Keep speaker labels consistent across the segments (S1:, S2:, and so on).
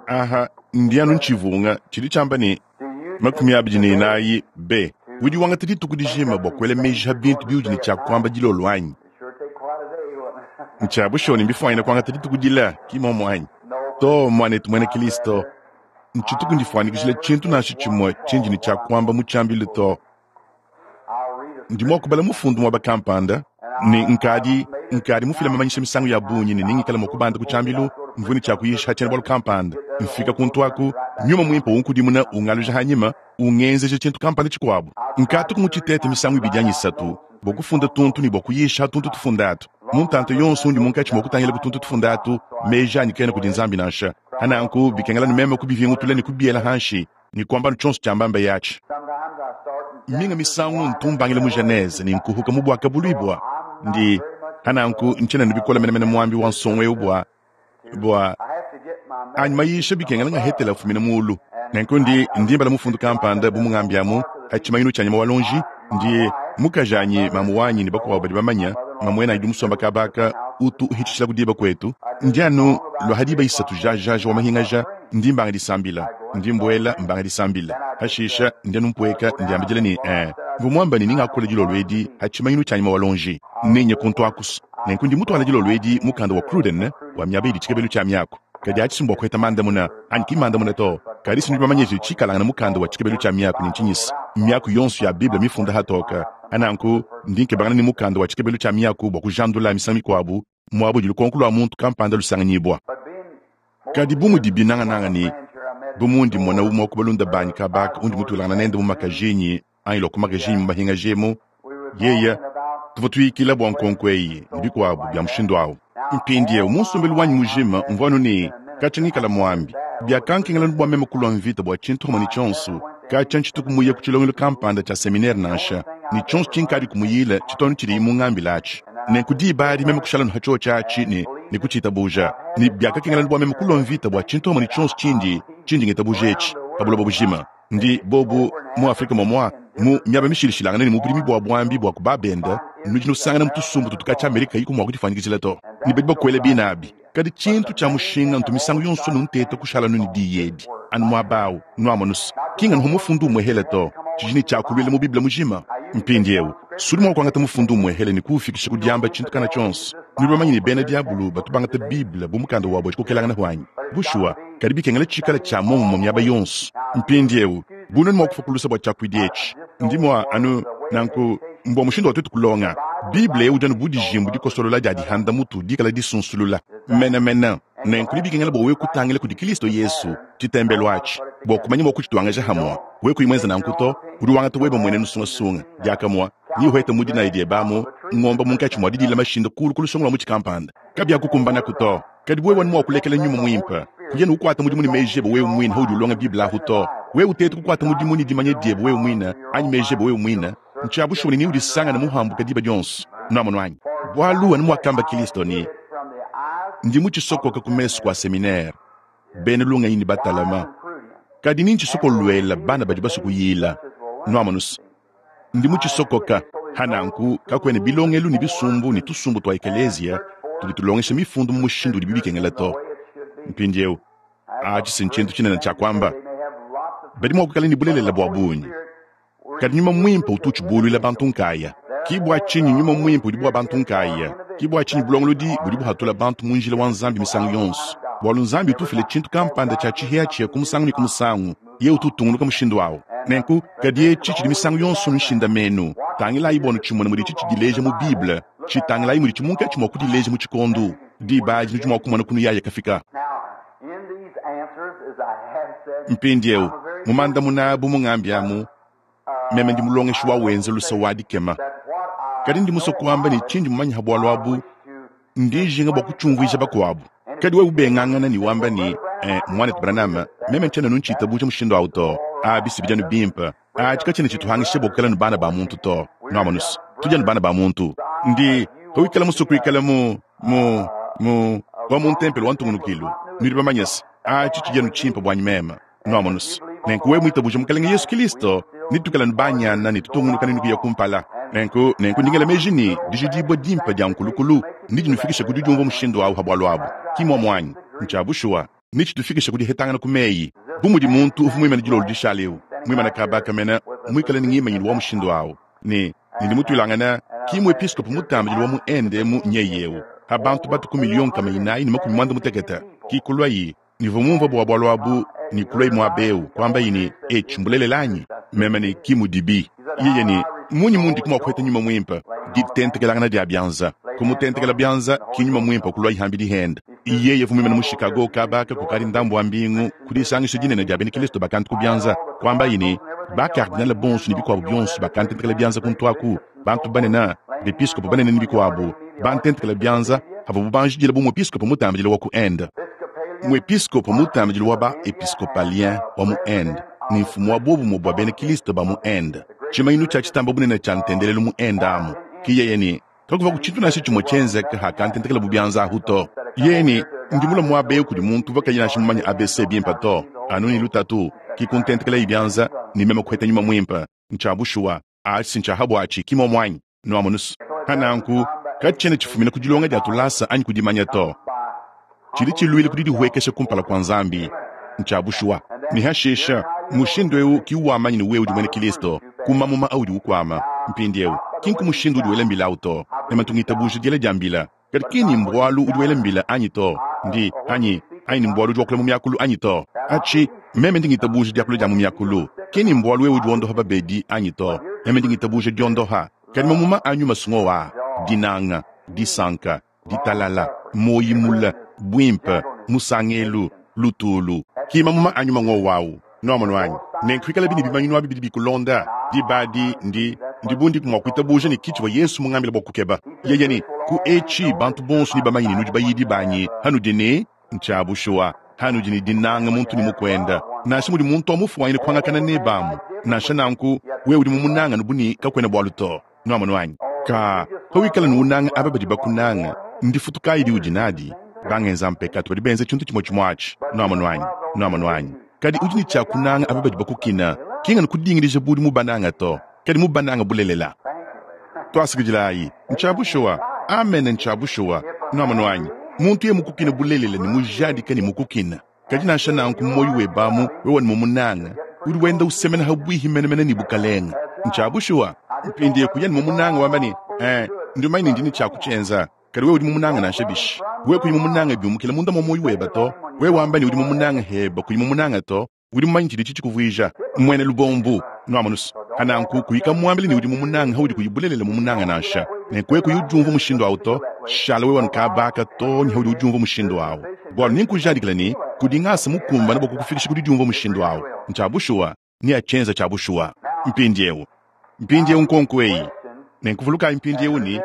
S1: Aha, ndi anu ntshivunga tshidi tshiamba ne, 24 B. Udi wangata dituku dijima bua kuela meji pa bintu biudi ne tshia kuamba dilolo anyi? Ntshia bushuwa ne mbifuanyine kuangata dituku dile, ki mmuomu anyi? Too, muanetu muena Kristo, ntshituku ndifuanyikijila tshintu nansha tshimue tshindi ne tshia kuamba mu tshiambilu to. Ndi mua kubala mufundu muaba kampanda, ne nkadi, nkadi mufile mamanyisha misangu ya bungi ne nengikale mua kubanda ku tshiambilu, mvua ne tshia kuyisha ha tshiena-bualu kampanda. Mfika kuntu aku, Nyuma Muimpe unkudimuna, ungaluja hanyima, ungenzeja tshintu kampanda tshikuabu. Nkatuku mutshitete misangu ibidi anyi isatu bua kufunda tuntu ne bua kuyisha tuntu tufunda atu. Mu ntanta yonso undi munkatshi mua kutangila ku tuntu tufunda atu, meji anyi kaena kudi Nzambi nansha. Ha nanku bikengela anu meme kubivingutula ne kubiela hanshi ne kuamba anu tshionso tshiambamba yatshi. Minga misangu ntu mbangila mu Genese ne nkuhuka mu Buakabuluibua. Ndi, ha nanku ntshiena anu bikole menemene muambi wa nsongo eu bua, bua anyi mayisha bikengela ngahetela afumina mulu. Nenku ndi, ndi mbala mufundu kampanda bu mungambi amu ha tshimanyinu tshia nyama wa lonji. Ndi, mukajanyi, mamu wanyi ne bakuabo badi bamanya, mamuenanyi udi musomba kaba aka utu uhitshishilaku diba kuetu. Ndi anu lua ha diba isatu jajaja wa mahingaja, ndi mbanga disambila. Ndi mbuela mbanga disambila. Hashisha ndi anu mpueka ndiambidila ne, Ee, mvua muamba ne ningakula dilolo edi ha tshimanyinu tshia nyama wa lonji. Nenye kuntu akusu. Nenku ndi mutuala dilolo edi mukanda wa Cruden wa miaba idi tshikebelu tshia miaku. Kadi atshi si mbua kuheta mandamuna, anyi ki mmandamuna to. Kadi si nudi bamanye tshidi tshikalangana mukanda wa tshikebelu tshia miaku ne ntshinyisa miaku yonso ya Bible mifunda hatoke. Nanku ndi nkebangana ne mukanda wa tshikebelu tshia miaku bua kujandula misangu mikuabu muaba udi lukonko lua muntu kampanda lusanganyibua. Kadi bu mudibi nangananga ne bu mundi mmona umue wa ku balunda banyi kaba aka undi mutuilangana nende mu makajinyi anyi lua ku makajinyi mu mahingaji emu, yeye, tuvua tuyikila bua nkonko eyi ne bikuabu bia mushindu au. Mpindieu mu nsombelu wanyi mujima mvua anu ne katshia ngikala muambi. Biakankengela anu bua meme kulua mvita bua tshintu pamue ne tshionso. Katshia ntshituku muye ku tshilongelu kampanda tshia seminere nansha, ne tshionso tshinkadi kumuyila tshitu anu tshidiye mungambile atshi. Nenku diba adi meme kushala anu pa tshiotshi atshi ne, ne kutshitabuja. Ne biakakengela anu bua meme kulua mvita bua tshintu pamue ne tshionso tshindi, tshindi ngitabuja etshi, pa buloba bujima. Ndi, bobu, mu Afrike muamua, mu miaba mishilashilangane ne mu budimi bua buambi bua ku ba-bende, nudi nusangana mu tusumbu tutu katshia Amerika kayiku mua kudifuanyikijila to, ne badi bakuela bina abi. Kadi tshintu tshia mushinga ntu misangu yonso anu nteta kushala anu ne diyi edi, anu muaba au, nuamonu's. Ki nganu mufundu umuehele to, tshidi ne tshia kuluila mu Bible mujima. Mpindieu, sudi mua kuangata mufundu umuehele ne kuufikisha ku diamba tshintu kana tshionso. Nudi bamanye ne bena diabolo batu bangata Bible bu mukanda wabu wa dikokelangana anyi? Bushuwa, kadi bikengela tshikale tshia muomumue miaba yonso. Mpindieu, bu nuenu mua kufua ku luse bua tshiakuidi etshi, ndi mua anu nanku mbua mushindu wa tuetu kulonga Bible eu udi anu bu dijimbu dikosolola dia dihanda mutu dikala disunsulula menemene. Nenku nebikengela bua wewe kutangila kudi Kristo Yesu, tshitembelu atshi, bua kumanya mua kutshituangaja hamua. Wewe kuyi muenze nanku to, udi wangata webe muenenu sungasunga diakamua ne uheta mu dinaya diebe amu ngomba munkatshi mua didila mashinda kulu ku lusongo lua mutshi kampanda. Kabiakukumbanaku to. Kadi wewe anu mua kulekela nyuma muimpe kuya ne kukuata mudimu ne meji ebe wewe muine paudi ulonga Bible ahu to. Wewe uteta kukuata mudimu ne dimanya diebe wewe muine anyi meji ebe wewe muine, ntshia bushuwa ne neudisangane muhambuke diba dionso. Nuamonu anyi? Bualu anu muakamba Kristo ne, Ndi mutshisokoka ku mesu kua seminere, bena lungenyi ne batalama, kadi ni ntshisokoluela bana badi basue kuyila. Nuamonu's? Ndi mutshisokoka. Ha nanku kakuena bilongelu ne bisumbu ne tusumbu tua ekeleziya tudi tulongesha mifundu mu mushindu udibi bikengela to. Mpindieu, atshi si ntshintu tshinene tshia kuamba. Badi mua kuikala ne bulelela bua bungi, kadi Nyuma Muimpe utu utshibuluila bantu nkaya. Ki bua tshinyi Nyuma Muimpe udi bua bantu nkaya. Ki bua tshinyi bulongolodi budi buhatula bantu mu njila wa Nzambi misangu yonso, bualu Nzambi utu ufila tshintu kampanda tshia tshihiatshia ku musangu ne ku musangu. Yeye utu utungunuka mushindu au. Nenku, kadi etshi tshidi misangu yonso nshindamenu. Tangilayi bua nutshimone muditshi tshidileja mu Bible. Tshitangilayi muditshi munkatshi mua kudileja mu tshikondo. Diba adi nudi mua kumona kunuyaya kafika. Mpindieu, mu mandamuna bu mungambi amu, meme ndi mulongeshi wa wenza luse wa dikema. Kadi ndi musue kuamba ne tshindi mumanye ha bualu abu, ndi njinga bua kutshiumvuija bakuabu. Kadi wewe ubengangana ne wamba ne, eh, muanetu Branham, meme ntshiena anu ntshitabuja mushindu au to. Abi si bidi anu bimpe. Atshi katshiena tshituhangisha bua kuikala ne bana ba muntu to. Nuamonu's, tudi anu bana ba muntu. Ndi, pawikala musue kuikala mu, mu, mu, wa mu ntempelo wa ntungunukilu, nudi bamanye se, atshi tshidi anu tshimpe buanyi meme. Nuamonu's, nenku wewe muitabuje Mukalenge Yesu Kilisto, netuikale anu banyana ne tutungunuka nenu kuya kumpala. Nenku, nenku ndi ngela meji ne, dijidibua dimpe dia nkulukulu nedinufikishe ku didiumvua mushindu au ha bualu abu. Ki muomu anyi? Ntshia bushuwa. Netshitufikishe ku dihetangana ku meyi. Bu mudi muntu uvua muimane dilolo dishale eu, muimane kaba aka mene, muikale ne ngimanyinu wa mushindu au, ne, ne ndi mutuilangane, ki muepiskopo mutambidile wa mu Inde emu nyeye eu, ha bantu batu ku miliyo 460, ki kuluayi, nivua mumvue bua bualu abu, ne kuluayi muaba eu, kuambayi ne, Etshi mbulelela anyi? Meme ne, Ki mudibi. Yeye ne, Mmunyi mundiku mua kuheta Nyuma Muimpe? Ditentekelangana dia bianza. Kumutentekela bianza, ki Nyuma Muimpe kuluayi hambidi hende. Yeye uvua muimane mu Chicago kaba aka kukadi ndambu wa mbingu ku disangisha dinene dia bena Kilisto bakantu ku bianza, kuambaye ne, Ba-kardinale bonso ne bikuabu bionso bakantentekela bianza kuntu aku, bantu banene, bepiskopo banene ne bikuabu, bantentekela bianza pavuabu banjidila bu muepiskopo mutambidile wa ku Inde. Muepiskopo mutambidile wa ba-episcopalien wa mu Inde ne mfumu wa buobumue bua bena Kilisto ba mu Inde, tshimanyinu tshia tshitamba bunene tshia ntendelelu mu Inde amu, ke yeye ne, Kakuvaku tshintu nansha tshimue tshienzeka hakantentekelabu bianza ahu to. Yeye ne, Ndi mulue muaba eu kudi muntu uvua kayi nansha mumanye ABC bimpe to, anu ne lutatu, ki kuntentekelaye bianza ne meme kuheta Nyuma Muimpe. Ntshia bushuwa. Atshi ntshia ha buatshi, ki muomu anyi? Nuamonus. Pa nanku, katshiena tshifumina ku dilonga dia tulasa anyi ku dimanya to. Tshidi tshiluila ku didihuekesha kumpala kua Nzambi. Ntshia bushuwa. Ne hashisha, mushindu eu ki uwamanya ne wewe udi muena Kilisto, ku mamuma audi ukuama. Mpindieu, ki nku mushindu udi wela mbila au to. Meme ntu ngitabuja diela dia mbila, kadi ki ni mbualu udi wela mbila anyi to, ndi, anyi, anyi ni mbualu udi wakula mu miakulu anyi to. Atshi, meme ndi ngitabuja diakula dia mu miakulu, ki ni mbualu wewe udi wondoha babedi anyi to. Meme ndi ngitabuja diondoha. Kadi mamuma a nyuma s'ngowa aa, dinanga, disanka, ditalala, muoyi mule, buimpe, musangelu, lutulu. Ki mamuma a nyuma ngowu awu. Nuamonu anyi? Nenku pikalabi ne bimanyinu abi bidi bikulonda, diba adi ndi, ndi bu ndiku mua kuitabuja ne ki tshivua Yesu mungambile bua kukeba. Yeye ne, Ku etshi bantu bonso nebamanye ne nudi bayidi banyi, hanudi ne, ntshia bushuwa, hanudi ne dinanga muntu ne mukuende. Nansha mudi muntu wa mufuanyine kuangakana nebe amu, nansha nanku wewe udi mumunange anu bu ne kakuena bualu to. Nuamonu anyi? Ka, pawikala ne unanga aba badi bakunanga, ndifutu kayi diudi nadi? Bangenza mpekatu badi benza tshintu tshimue tshimue atshi. Nuamonu anyi? Nuamonu anyi? Kadi udi ne tshia kunanga aba badi bakukina, ki nganu kudingidija bu udi mubananga to, kadi mubananga bulelela. Tuasakidilayi. Ntshia bushuwa. Amene, ntshia bushuwa. Nuamonu anyi? Muntu yeye mukukine bulelela ne mujadike ne mukukina, Kadi nansha nanku mu muoyo webe amu wewe ne mumunanga, udi wenda usemena habuihi menemene ne Bukalenge. Ntshia bushuwa. Mpindieu kuya ne mumunanga wamba ne, Ee, ndi mumanye ne ndi ne tshia kutshienza. Kadi wewe udi mumunanga nansha bishi? Wewe kuyi mumunanga biumukila munda mua muoyo webe to. Wewe wamba ne udi mumunanga heba kuyi mumunanga to, udi mumanye tshidi tshikuvuija muena lubombu. Nuamonus? Pa nanku kuyi kamuambila ne udi mumunanga haudi kuyi bulelela mumunanga nansha. Nenku wewe kuyi udiumvua mushindu au to, shala wewe anu kaba aka too ne haudi udiumvua mushindu au. Bualu nenkujadikile ne, kudi ngasa mukumbane bua kukufikisha ku didiumvua mushindu au. Ntshia bushuwa, neatshienze tshia bushuwa. Mpindieu, mpindieu nkonko eyi. Nenku vulukayi mpindieu ne,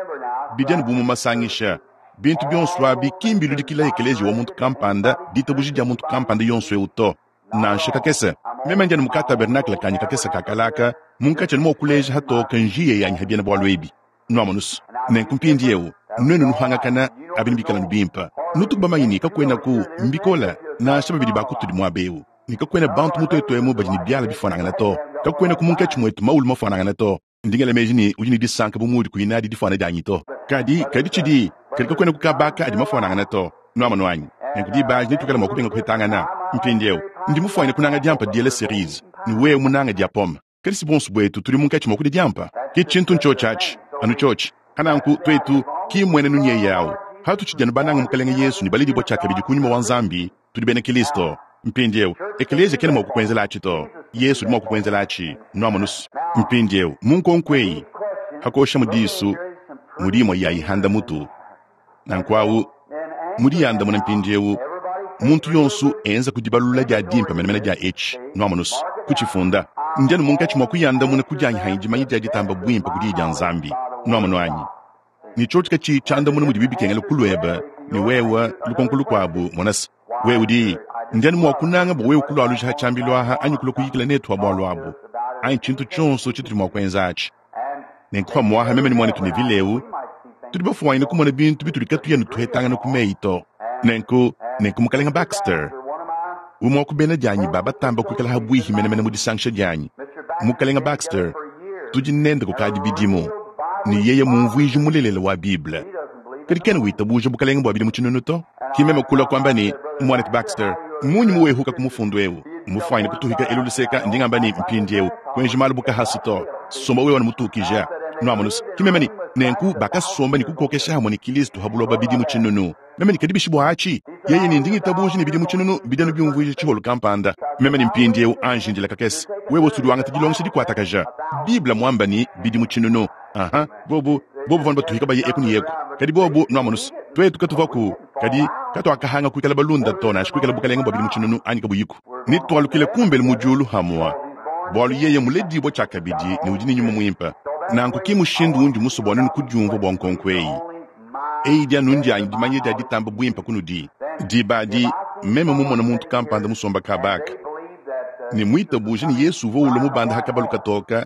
S1: bidi anu bu mu masangisha. Bintu bionso abi ki mbiludikila ekeleziya wa muntu kampanda, ditabuja dia muntu kampanda yonso eu to. Nansha kakese. Meme ndi anu mu ka-tabernakle kanyi kakese ka kale aka, munkatshi anu mua kuleja hatoke njiya yanyi ha biena-bualu ebi. Nuamonus? Nenku mpindieu, nuenu nuhangakana, abi nebikale anu bimpe. Nutuku bamanye ne kakuenaku, mbikole, nansha babidi ba kutudi muaba eu, ne kakuena bantu mu tuetu emu badi ne biala bifuanangane to. Kakuenaku munkatshi muetu mawulu mafuanangane to. Ndi ngela meji ne udi ne disanka bu muudi kuyi nadi difuana dianyi to. Kadi, kadi tshidi, kadi kakuenaku kaba aka adi mafuanangane to. Nuamonu anyi? Nenku diba adi netuikale mua kubenga kuhetangana. Mpindieu, ndi mufuanyine kunanga diampa diela cerise, ne wewe munange dia pomme. Kadi si buonso buetu tudi munkatshi mua kudia diampa? Ke tshintu ntshiotshi atshi, anu tshiotshi. Pananku, tuetu, ki mmuenenu nyeye au. Patutshidi anu banange Mukalenge Yesu ne baledibua tshiakabidi ku Nyuma wa Nzambi, tudi bena Kilisto. Mpindieu, ekeleziya kena mua kukuenzela atshi to. Yesu udi mua kukuenzela atshi. Nuamonus? Mpindieu, mu nkonko eyi, pa kuoshamu disu, mudi imue ya ihanda mutu. Nanku awu, mu diyandamuna mpindieu, muntu yonso enza ku dibalulula dia dimpe menemene dia etshi, nuamonus, kutshifunda. Ndi anu munkatshi mua kuyandamuna ku dianyi hanyi dimanya dia ditamba buimpe ku Diyi dia Nzambi. Nuamonu anyi? Ne tshiotshi katshiyi tshiandamuna mudibi bikengela kuluebe, ne wewe, lukonko lukuabu, monase, wewe udi, ndi anu mua kunanga bua wewe kulualuja ha tshiambilu aha anyi kulua kuyikila netu ha bualu abu, anyi tshintu tshionso tshitudi mua kuenza atshi. Nenku pamuaha meme ne muanetu Neville eu tudi bafuanyine kumona bintu bitudi katuyi anu tuhetangana ku meyi to. Nenku, nenku Mukalenga Baxter, umue wa ku bena dianyi ba batamba kuikala ha buihi menemene mu disangisha dianyi, Mukalenga Baxter, tudi nende kukadi bidimu, ne yeye mumvuiji mulelela wa Bible. Kadi kena witabuja bukalenge bua bidimu tshinunu to. Ki meme kulua kuamba ne, Muanetu Baxter, Mmunyi muwehuka ku mufundu eu? Mmufuanyine kutuhika elu luseka, ndi ngamba ne, Mpindiewu, kuenji malu bu kahasu to. Somba wewe anu mutukija. Nwamonu's? Ki meme ne, Nenku bakasomba ne kukokesha hamue ne Kilisto ha buloba bidimu tshinunu. Meme ne, Kadi bishi bua atshi? Yeye ne, Ndi ngitabuja ne bidimu tshinunu bidi anu biumvuija tshiholu kampanda. Meme ne, Mpindiewu, anji indila kakese. Wewe usudi wangata dilongesha dikuatakaja. Bible muamba ne, bidimu tshinunu. Aha, bobu, bobu vanu batuhika baye eku ne eku. Kadi bobu, nwamonu's, tuetu katuvuaku, kadi katuakahanga kuikala balunda to, nansha kuikala bukalenge bua bidimu tshinunu anyi kabuyiku. Netualukile kumbelu mu diulu hamua, bualu yeye muledibua tshiakabidi ne udi ne Nyuma Muimpe. Nanku ki mushindu undi musue bua nuenu kudiumvua bua nkonko eyi. Eyi idi anu ndianyi dimanya dia ditamba buimpe kunudi. Diba adi, meme mumone muntu kampanda musomba kaba aka, ne muitabuje ne Yesu uvua ulua mubanda ha kabalu katoka,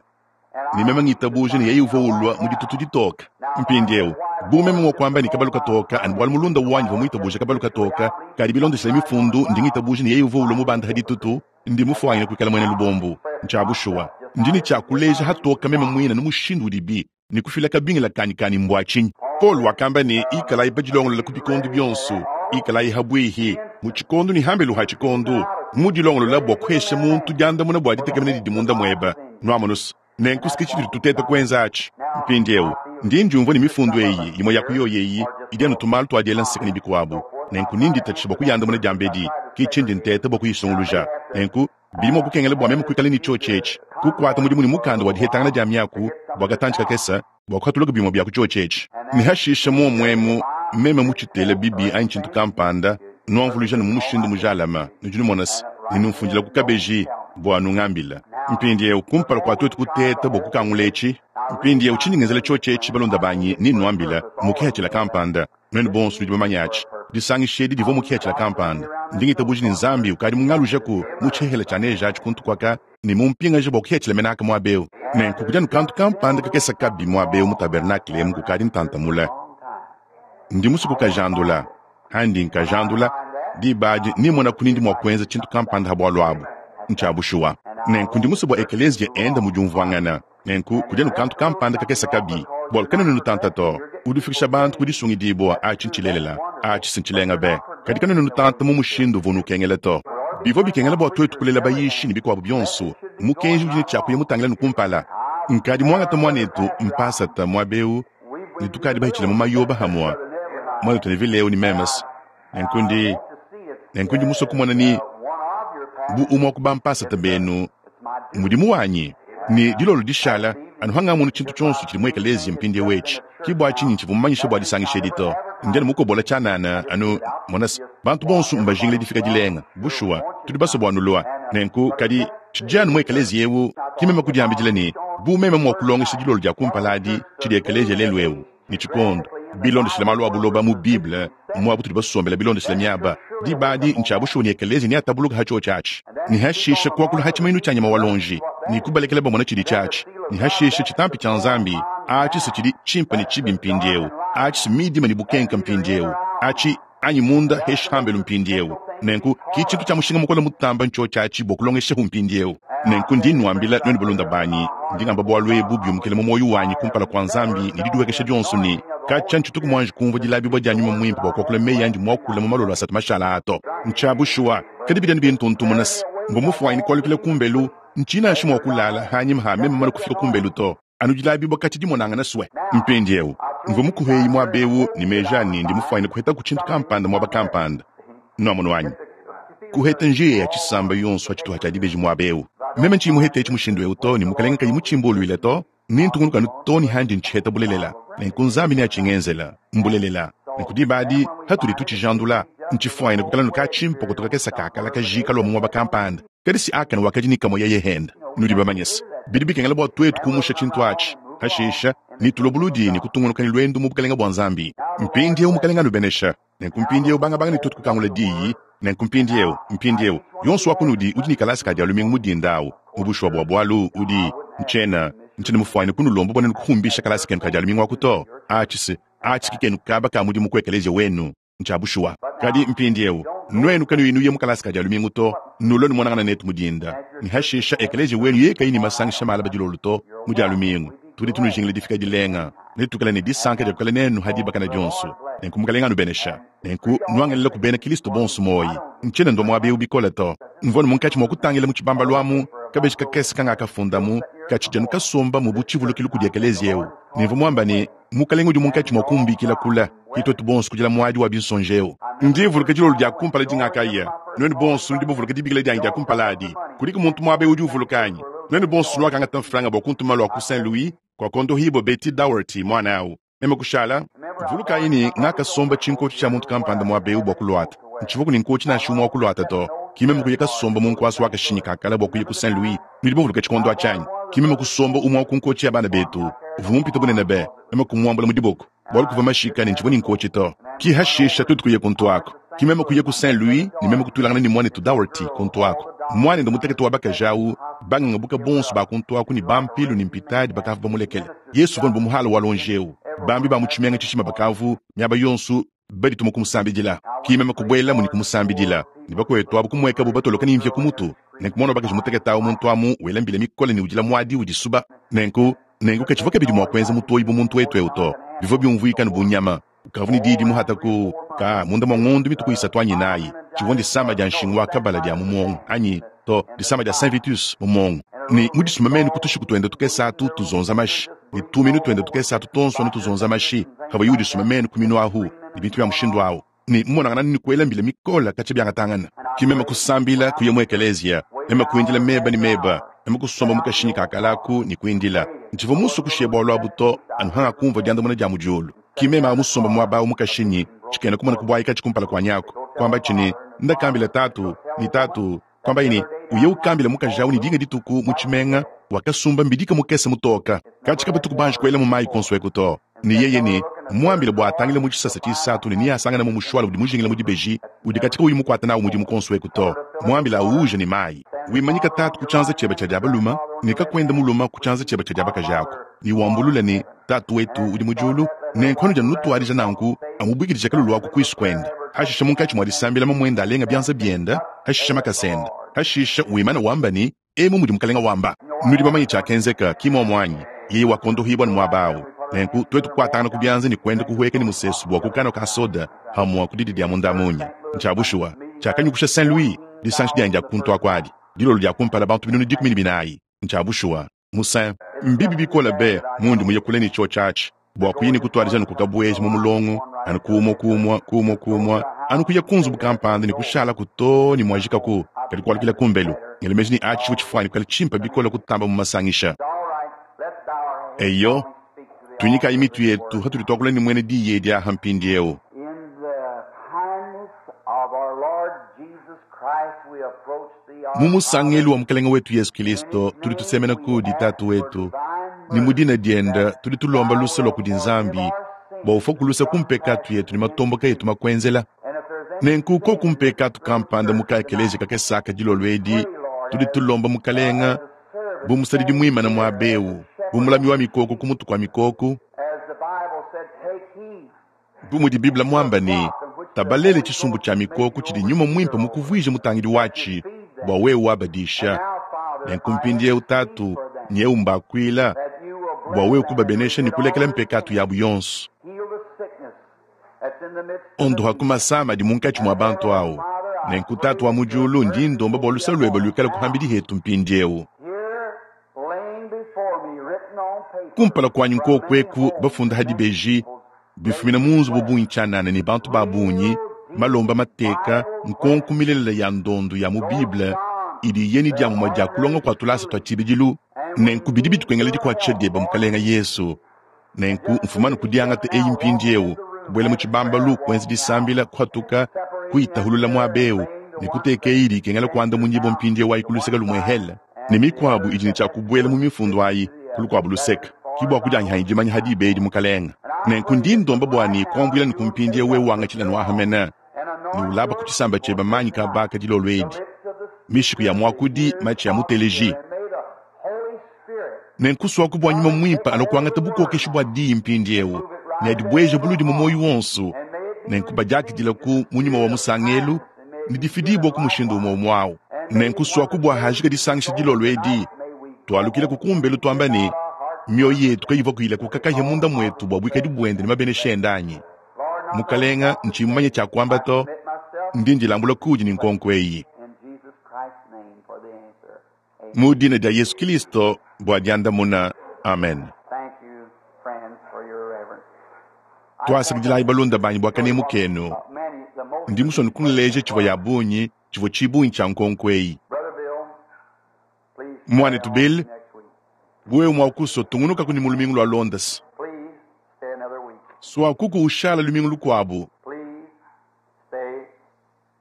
S1: ne meme ngitabuja ne yeye uvua ulua mu ditutu ditoka. Mpindiewu, bu meme mua kuamba ne kabalu katoka anu bualu mulunda wanyi uvua muitabuje kabalu katoka, kadi bilondeshile Mifundu ndi ngitabuja ne yeye uvua ulua mubanda ha ditutu, ndi mufuanyine kuikala muena lubombu. Ntshia bushuwa, ndi ne tshia kuleja hatoka meme muine nu mushindu udibi ne kufila kabingila kanyi ka ne mbua tshinyi. Paulo wakamba ne, Ikalayi badilongolola ku bikondo bionso, ikalayi habuihi, mu tshikondo ne hambelu ha tshikondo, mudilongolola bua kuhesha muntu diandamuna bua ditekemena didi munda muebe. Nuamonu's? Nenku ke tshitudi tuteta kuenza atshi mpindieu. Ndi ndiumvua ne mifundu eyi, imue ya ku yoyi eyi, idi anu tumalu tua diela nseka ne bikuabu, nenku ne nditatshisha bua kuyandamuna diambedi. Ke tshindi nteta bua kuyisunguluja. Nenku Bidi mua kukengela bua meme kuikala ne tshiotshi etshi, kukuata mudimu ne mukanda wa dihetangana dia miaku bua katantshi kakese bua kuhatulaka bimue bia ku tshiotshi etshi, ne hashishe muomu emu meme mutshitele bibi anyi tshintu kampanda, nuamvuluija ne mu mushindu mujalame. Nudi numona se, ne numfundila ku kabeji bua nungambile. Mpindieu, kumpala kua tuetu kuteta bua kukangula etshi, mpindieu tshindi ngenzela tshiotshi etshi, balunda banyi, ne nnuambila mu kihatshila kampanda. Nuenu bonso nudi bamanye atshi. Disangisha edi divua mu kihatshila kampanda. Ndi ngitabuja ne Nzambi ukadi mungalujaku mu tshihela tshia neje atshi kuntu kuaka ne mumpingaje bua kuhiatshila mena aka muaba eu. Nenku kudi anu kantu kampanda kakese kabi muaba eu mu tabernakle emu kukadi ntanta mule. Ndi musue kukajandula. Handi nkajandula, diba adi nimmonaku ni ndi mua kuenza tshintu kampanda ha bualu abu. Ntshia bushuwa. Nenku ndi musue bua ekeleziya enda mu diumvuangana. Nenku kudi anu kantu kampanda kakese kabi, bualu kanuena nutanta to. Udi ufikisha bantu ku disungidibua, atshi ntshilelela, atshi si ntshilenga be. Kadi kanuena nutanta mu mushindu uvua unukengela to. Bivua bikengela bua tuetu kulela bayishi ne bikuabu bionso. Mukenji udi ne tshia kuya mutangila ne kumpala. Nkadi muangate muanetu mpasata muaba eu ne tukadi bahitshile mu mayoba hamua, muanetu Neville eu ne memes. Nenku ndi, nenku ndi musue kumona ni bu umue wa ku bampasata benu mudimu wanyi ne dilolo dishala anu hangamona tshintu tshionso tshidi mu ekeleziya mpindieu etshi. Ke bua tshinyi ntshivua mumanyishe bua disangisha edi to. Ndi anu mukobola tshianana anu mona se, bantu bonso mbajingile difika dilenga. Bushuwa, tudi basue bua nulua. Nenku, kadi tshidi anu mu ekeleziya eu, ke meme kudiambidila ne, bu meme mua kulongesha dilolo dia kumpala adi tshidi ekeleziya lelu'eu, ne tshikondo, bilondeshile malu a buloba mu Bible, muaba utudi basombele bilondeshile miaba. Diba adi, ntshia bushuwa ne ekeleziya neatabuluke ha tshiotshi atshi, ne hashishe kuakula ha tshimanyinu tshia nyama wa luonji, ne kubalekela bamona tshidi tshiatshi, ne hashishe tshitampi tshia Nzambi atshi se tshidi tshimpe ne tshibi mpindieu, atshi se midima ne bukenka mpindieu, atshi anyi munda heshi hambelu mpindieu. Nenku ki tshintu tshia mushinga mukole mutamba ntshiotshi atshi bua kulongeshahu mpindieu. Nenku ndi nnuambila nuenu balunda banyi, ndi ngamba bualu ebu biumukila mu muoyo wanyi kumpala kua Nzambi ne didihuekesha dionso ne, katshia ntshituku muanji kumvua dilabibua dia Nyuma Muimpe bua kuakula meyi andi muakule mu malolo asatu mashala aa to. Ntshia bushuwa, kadi bidi anu bintuntumuna se, mvua mufuanyine kualukila kumbelu, ntshiyi nansha mua kulala hanyima ha meme mumane kufika kumbelu to. Anu dilabibua katshi dimonangana sue. Mpindieu, mvua mukuheyi muaba eu ne meji a ne ndi mufuanyine kuhetaku tshintu kampanda muaba kampanda. Nuamonu anyi? Kuheta njiya ya tshisamba yonso ha tshituha tshia dibeji muaba eu. Meme ntshiyi muhete etshi mushindu eu to, ne Mukelenge kayi mutshimbuluile to, nentungunuke anu to ne handi ntshiheta bulelela. Nenku Nzambi neatshingenzela. Mbulelela. Nenku diba adi, hatudi tutshijandula, ntshifuanyine kuikala nu katshimpokoto kakese ka kala kajika lua mu muaba kampanda. Kadi si Akane wakadi ne kamue yeye hende. Nudi bamanye se, bidi bikengela bua tuetu kumusha tshintu atshi. Hashisha, netulue buludi ne kutungunuka ne luendu mu bukelenge bua Nzambi. Mpindieu Mukelenge anubenesha. Nenku mpindieu bangabanga ne tuetu kukangula diyi. Nenku mpindieu, mpindieu, yonso wa kunudi udi ne kalasa ka Dia lumingu mu dinda awu, mu bushuwa bua bualu, udi, ntshiena, ntshiena mufuanyine kunulomba bua nuenu kuhumbisha kalasa kenu ka Dia lumingu aku to. Atshi se, atshi ki kenu kaba ka mudimu ku ekeleziya wenu. Ntshia bushuwa. Kadi mpindieu, nuenu kanuyi nuya mu kalasa ka Dia lumingu to, nulue numonangana netu mu dinda, ne hashisha ekeleziya wenu yeye kayi ne masangisha malaba dilolo to mu Dia lumingu. Tudi tunujingila difika dilenga. Netuikale ne disanka dia kuikala nenu ha dibakana dionso. Nenku Mukalenge anubenesha. Nenku nuangelelaku bena Kilisto bonso muoyi. Ntshiena ndua muaba eu bikole to. Mvua anu munkatshi mua kutangila mu tshibambalu amu kabeji kakese kangakafundamu katshidi anu kasombamu bu tshivulukilu kudi ekeleziya eu. Ne mvua muamba ne, Mukalenge udi munkatshi mua kumbikila kule, ke tuetu bonso kudila muadi wa binsonji eu. Ndi mvuluka dilolo dia kumpala dingakaya. Nuenu bonso nudi bavuluke dibikila dianyi dia kumpala adi. Kudiku muntu muaba eu udi uvuluka anyi? Nuenu bonso nuakangata mfranga bua kuntuma lua ku Saint Louis kuakondohibua Betty Daugherty muana au. Meme kushala. Vulukayi ne, ngakasomba tshinkotshi tshia muntu kampanda muaba eu bua kuluata. Ntshivuaku ne nkotshi nansha umue wa kuluata to. Ki meme kuya kasomba mu nkuasa wa kashinyi ka kale bua kuya ku Saint Louis. Nudi bavuluke tshikondo atshi anyi? Ki meme kusomba umue wa ku nkotshi ya bana betu uvua mumpite bunene be, meme kumuambula mu diboko bualu kuvua mashika ne ntshivua ne nkotshi to. Ki hashisha tuetu kuya kuntu aku. Ki meme kuya ku Saint Louis ne meme kutuilangana ne muanetu Daugherty kuntu aku. Muanende mutekete wa bakaji au, bangangabuka bonso ba kuntu aku ne bampilu ne mpitadi bakavua bamulekele. Yesu uvua bu muhala wa luonji eu. Bambi ba mu tshimenga tshijima bakavu miaba yonso badituma kumusambidila. Ki meme kubuelamu ne kumusambidila, ne bakuetu abu kumuekabu batoloka ne mvia ku mutu. Nenku muana wa bakaji mutekete au muntu amu wela mbila mikole ne udila muadi udisuba. Nenku, nenku katshivua kabidi mua kuenza mutoyi bu muntu wetu eu to. Bivua biumvuika anu bu nyama. Ukavua ne diyi dimuhata ku ka munda mua ngondo mituku isatu anyi inayi. Tshivua ndisama dia nshingu wa kabala dia mu muongo anyi to, disama dia Saint Vitus mu muongo. Ne mu disuma menu ku tushiku tuende tukese atu tuzonza mashi, ne tuminu tuende tukese atu tuonso anu tuzonza mashi, pavuaye udisuma menu ku minu ahu, ne bintu bia mushindu au, ne mumonangana ne kuela mbila mikole katshia biangatangana. Ki meme kusambila, kuya mu ekeleziya, meme kuindila meba ne meba, meme kusomba mu kashinyi ka kale aku ne kuindila. Ntshivua musue kushiya bualu abu to, anu hangakumvua diandamuna dia mu diulu. Ki meme awu musomba muaba awu mu kashinyi, tshikena kumona kubuayi katshi kumpala kuanyi aku, kuamba tshi ne, Ndakambila tatu, ne tatu, kuambaye ne, Uye ukambile mukaji awu ne dinga dituku mu tshimenga wakasumba mbidika mukese mutoka, katshi kabatuku banji kuelamu mayi konso eku to. Ne yeye ne, Muambile bua atangile mu tshisasa tshisatu ne neasanganemu mushuale udi mujingila mu dibeji, udi katshi kauyi mukuate nawu mudimu konso eku to. Muambile awuuje ne mayi. Wimanyika tatu ku tshianza tshiebe tshia dia balume ne kakuende mulume ku tshianza tshiebe tshia dia bakaji aku, ne wambulule ne, Tatu wetu udi mu diulu. Nenku anudi anu nutuadija nanku, amubuikidija kalulu aku kuisu kuende. Hashishe munkatshi mua disambila mamuende alenga bianza biende, hashishe makasa ende. Hashishe wimane wamba ne, Emu mudi Mukalenga wamba. Nudi bamanye tshiakenzeka, ki muomu anyi? Yeye wakondohibua ne muaba au. Nenku tuetu kukuatangana ku bianza ne kuenda kuhueka ne musesu bua ku kanua ka soda hamua ku didi dia munda-munya. Ntshia bushuwa, tshiakanyukusha Saint Louis, disanshi dianyi dia kuntu aku adi, dilolo dia kumpala bantu 140. Ntshia bushuwa, mu Saint. Mbibi bikole be mundi muye kule ne tshiotshi atshi bua kuya ne kutuadija anu kukabueja mu mulongo anu ku umue ku umue ku umue ku umue anu kuya ku nzubu kampanda ne kushalaku too ne muajikaku kadi kualukila kumbelu. Ngela meji ne atshi tshivua tshifuane kuikala tshimpe bikole kutamba mu masangisha. Eyo, tuinyikayi mitu yetu hatudi tuakula ne muena diyi edi aha mpindieu. Mu musangelu wa Mukalenge wetu Yesu Kilisto tudi tusemena kudi Tatu wetu, ne mu dina diende tudi tulomba luse lua kudi Nzambi bua ufua ku luse ku mpekatu yetu ne matomboka etu makuenzela. Nenku koku mpekatu kampanda mu ka ekeleziya kakese aka dilolo edi, tudi tulomba Mukalenge bu musadidi muimane muaba eu, bu mulami wa mikoko ku mutu kua mikoko, Bu mudi Bible muambe ne, Tabalele tshisumbu tshia mikoko tshidi nyuma muimpe mukuvuije mutangidi watshi bua wewe wabadisha. Nenku mpindieu Tatu, nyewu mbakuila bua wewe kubabenesha ne kulekela mpekatu yabu yonso. Ondoha ku masama adi munkatshi mua bantu awu. Nenku Tatu wa mu diulu, ndi ndomba bua luse luebe luikale ku pambidi hetu mpindieu. Kumpala kuanyi nkuoku eku bafunda ha dibeji bifumina mu nzubu bungi tshianana ne bantu ba bungi, malomba mateka, nkonko milelela ya ndondu ya mu Bible idi iya ne diamumue dia kulonga kua tulasa tua tshibidilu. Nenku bidi bitukengela dikuatshisha dieba, Mukalenga Yesu. Nenku mfumanu ku diangata eyi mpindiewu, kubuela mu tshibambalu, kuenza disambila, kuhatuka, kuyitahulula muaba eu, ne kuteka eyi idi ikengela kuandamunyibua mpindiewu ayi ku luseke lumue hele, ne mikuabu idi ne tshia kubuela mu mifundu ayi ku lukuabu luseke. Ki bua kudianyihanyi dimanya ha diba edi, Mukalenga. Nenku ndi ndomba bua ne kuambuila ne ku mpindiewu wewe wangatshila nuaha mene, ne ulaba ku tshisamba tshieba manyi kabaka dilolo edi, mishiku ya muakudi, matshi a muteleji. Nenku suaku bua Nyuma Muimpe alua kuangata bukokeshi bua Diyi mpindiewu ne adibueje buludi mu muoyo wonso, nenku badiakidilaku mu nyuma wa musangelu ne difidibua ku mushindu umue umue au. Nenku suaku bua hajika disangisha dilolo edi, tualukileku kumbelu tuamba ne, Mioyo yetu kayivua ilakuka kahia munda muetu bua buikadi buende ne mabenesha ende anyi? Mukalenga, ntshiyi mumanye tshia kuamba to, ndi ndilambula kuudi ne nkonko eyi. Mu dina dia Yesu Kilisto bua diandamuna. Amen. Tuasakidilayi balunda banyi bua kanemu kenu. Ndi musue kunuleja tshivua ya bungi tshivua tshibungi tshia nkonko eyi. Muanetu Bill, wewe mua kusua tungunukaku ne mu lumingu lua Londres. Suakuku ushala lumingu lukuabu.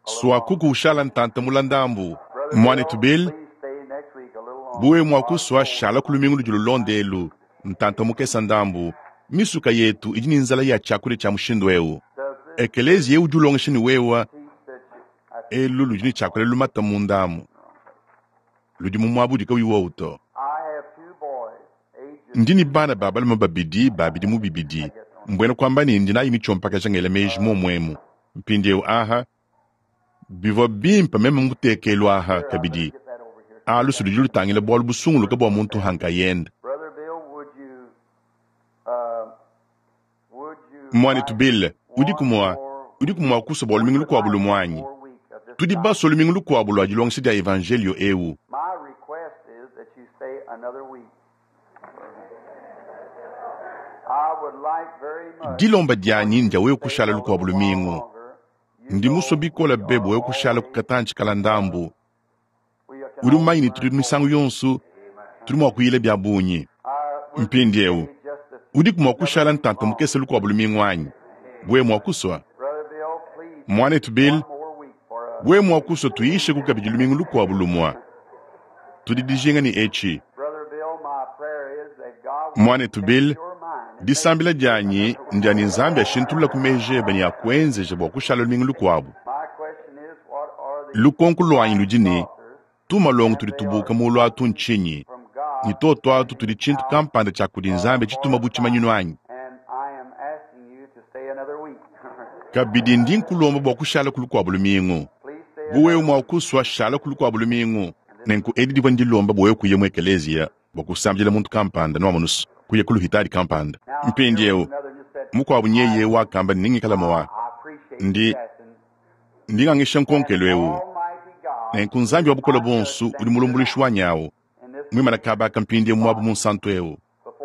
S1: Suakuku ushala ntanta mula ndambu. Muanetu Bill, bu wewe mua kusua shala ku lumingu ludi lulonda elu ntanta mukesa ndambu. Misuka yetu idi ne nzala ya tshiakudia tshia mushindu eu. Ekeleziya eu udi ulongesha ne wewa elu ludi ne tshiakudia lumata mundamu. Ludi mu muaba udi kauyi wowu to. Ndi ne bana ba balume babidi ba bidimu bibidi, mbuena kuamba ne ndi nayi mitshiompakaja ngela meji muomu emu. Mpindieu aha, bivua bimpe meme mutekelu aha kabidi. A lusu ludi lutangila bualu busunguluke bua muntu ha nkayende. Muanetu Bill, udiku mua, udiku mua kusua bua lumingu lukuabu lumue anyi? Tudi basue lumingu lukuabu lua dilongesha dia evanjelio eu. Dilomba dianyi ndia wewe kushala lukuabu lumingu. Ndi musue bikole be bua wewe kushala ku katantshi kala ndambu. Udi mumanye ne tudi misangu yonso tudi mua kuyila bia bungi. Mpindieu, udiku mua kushala ntanta mukese lukuabu lumingu anyi? Wewe mua kusua. Muanetu Bill, wewe mua kusua tuyisheku kabidi lumingu lukuabu lumua. Tudi dijinga ne etshi. Muanetu Bill, disambila dianyi ndia ne Nzambi ashintulula ku meji ebe ne akuenzeja bua kushala lumingu lukuabu. Lukonko luanyi ludi ne, tumalongo tudi tubuka muulu atu ntshinyi? Ne toto atu tudi tshintu kampanda tshia kudi Nzambi tshituma bu tshimanyinu anyi? Kabidi ndi nkulomba bua kushala ku lukuabu lumingu. Bu wewe mua kusua, shala ku lukuabu lumingu. Nenku edi divua ndilomba bua wewe kuya mu ekeleziya bua kusambila muntu kampanda, nuamonusu, kuya ku luhitadi kampanda. Mpindieu, mukuabu nyeye wakamba ne nengikala mua ndi ndi ngangisha nkonkelu eu. Nenku Nzambi wa bukole buonso udi mulumbuluishi wanyi awu, muimana kaba aka mpindieu muabu munsantu eu.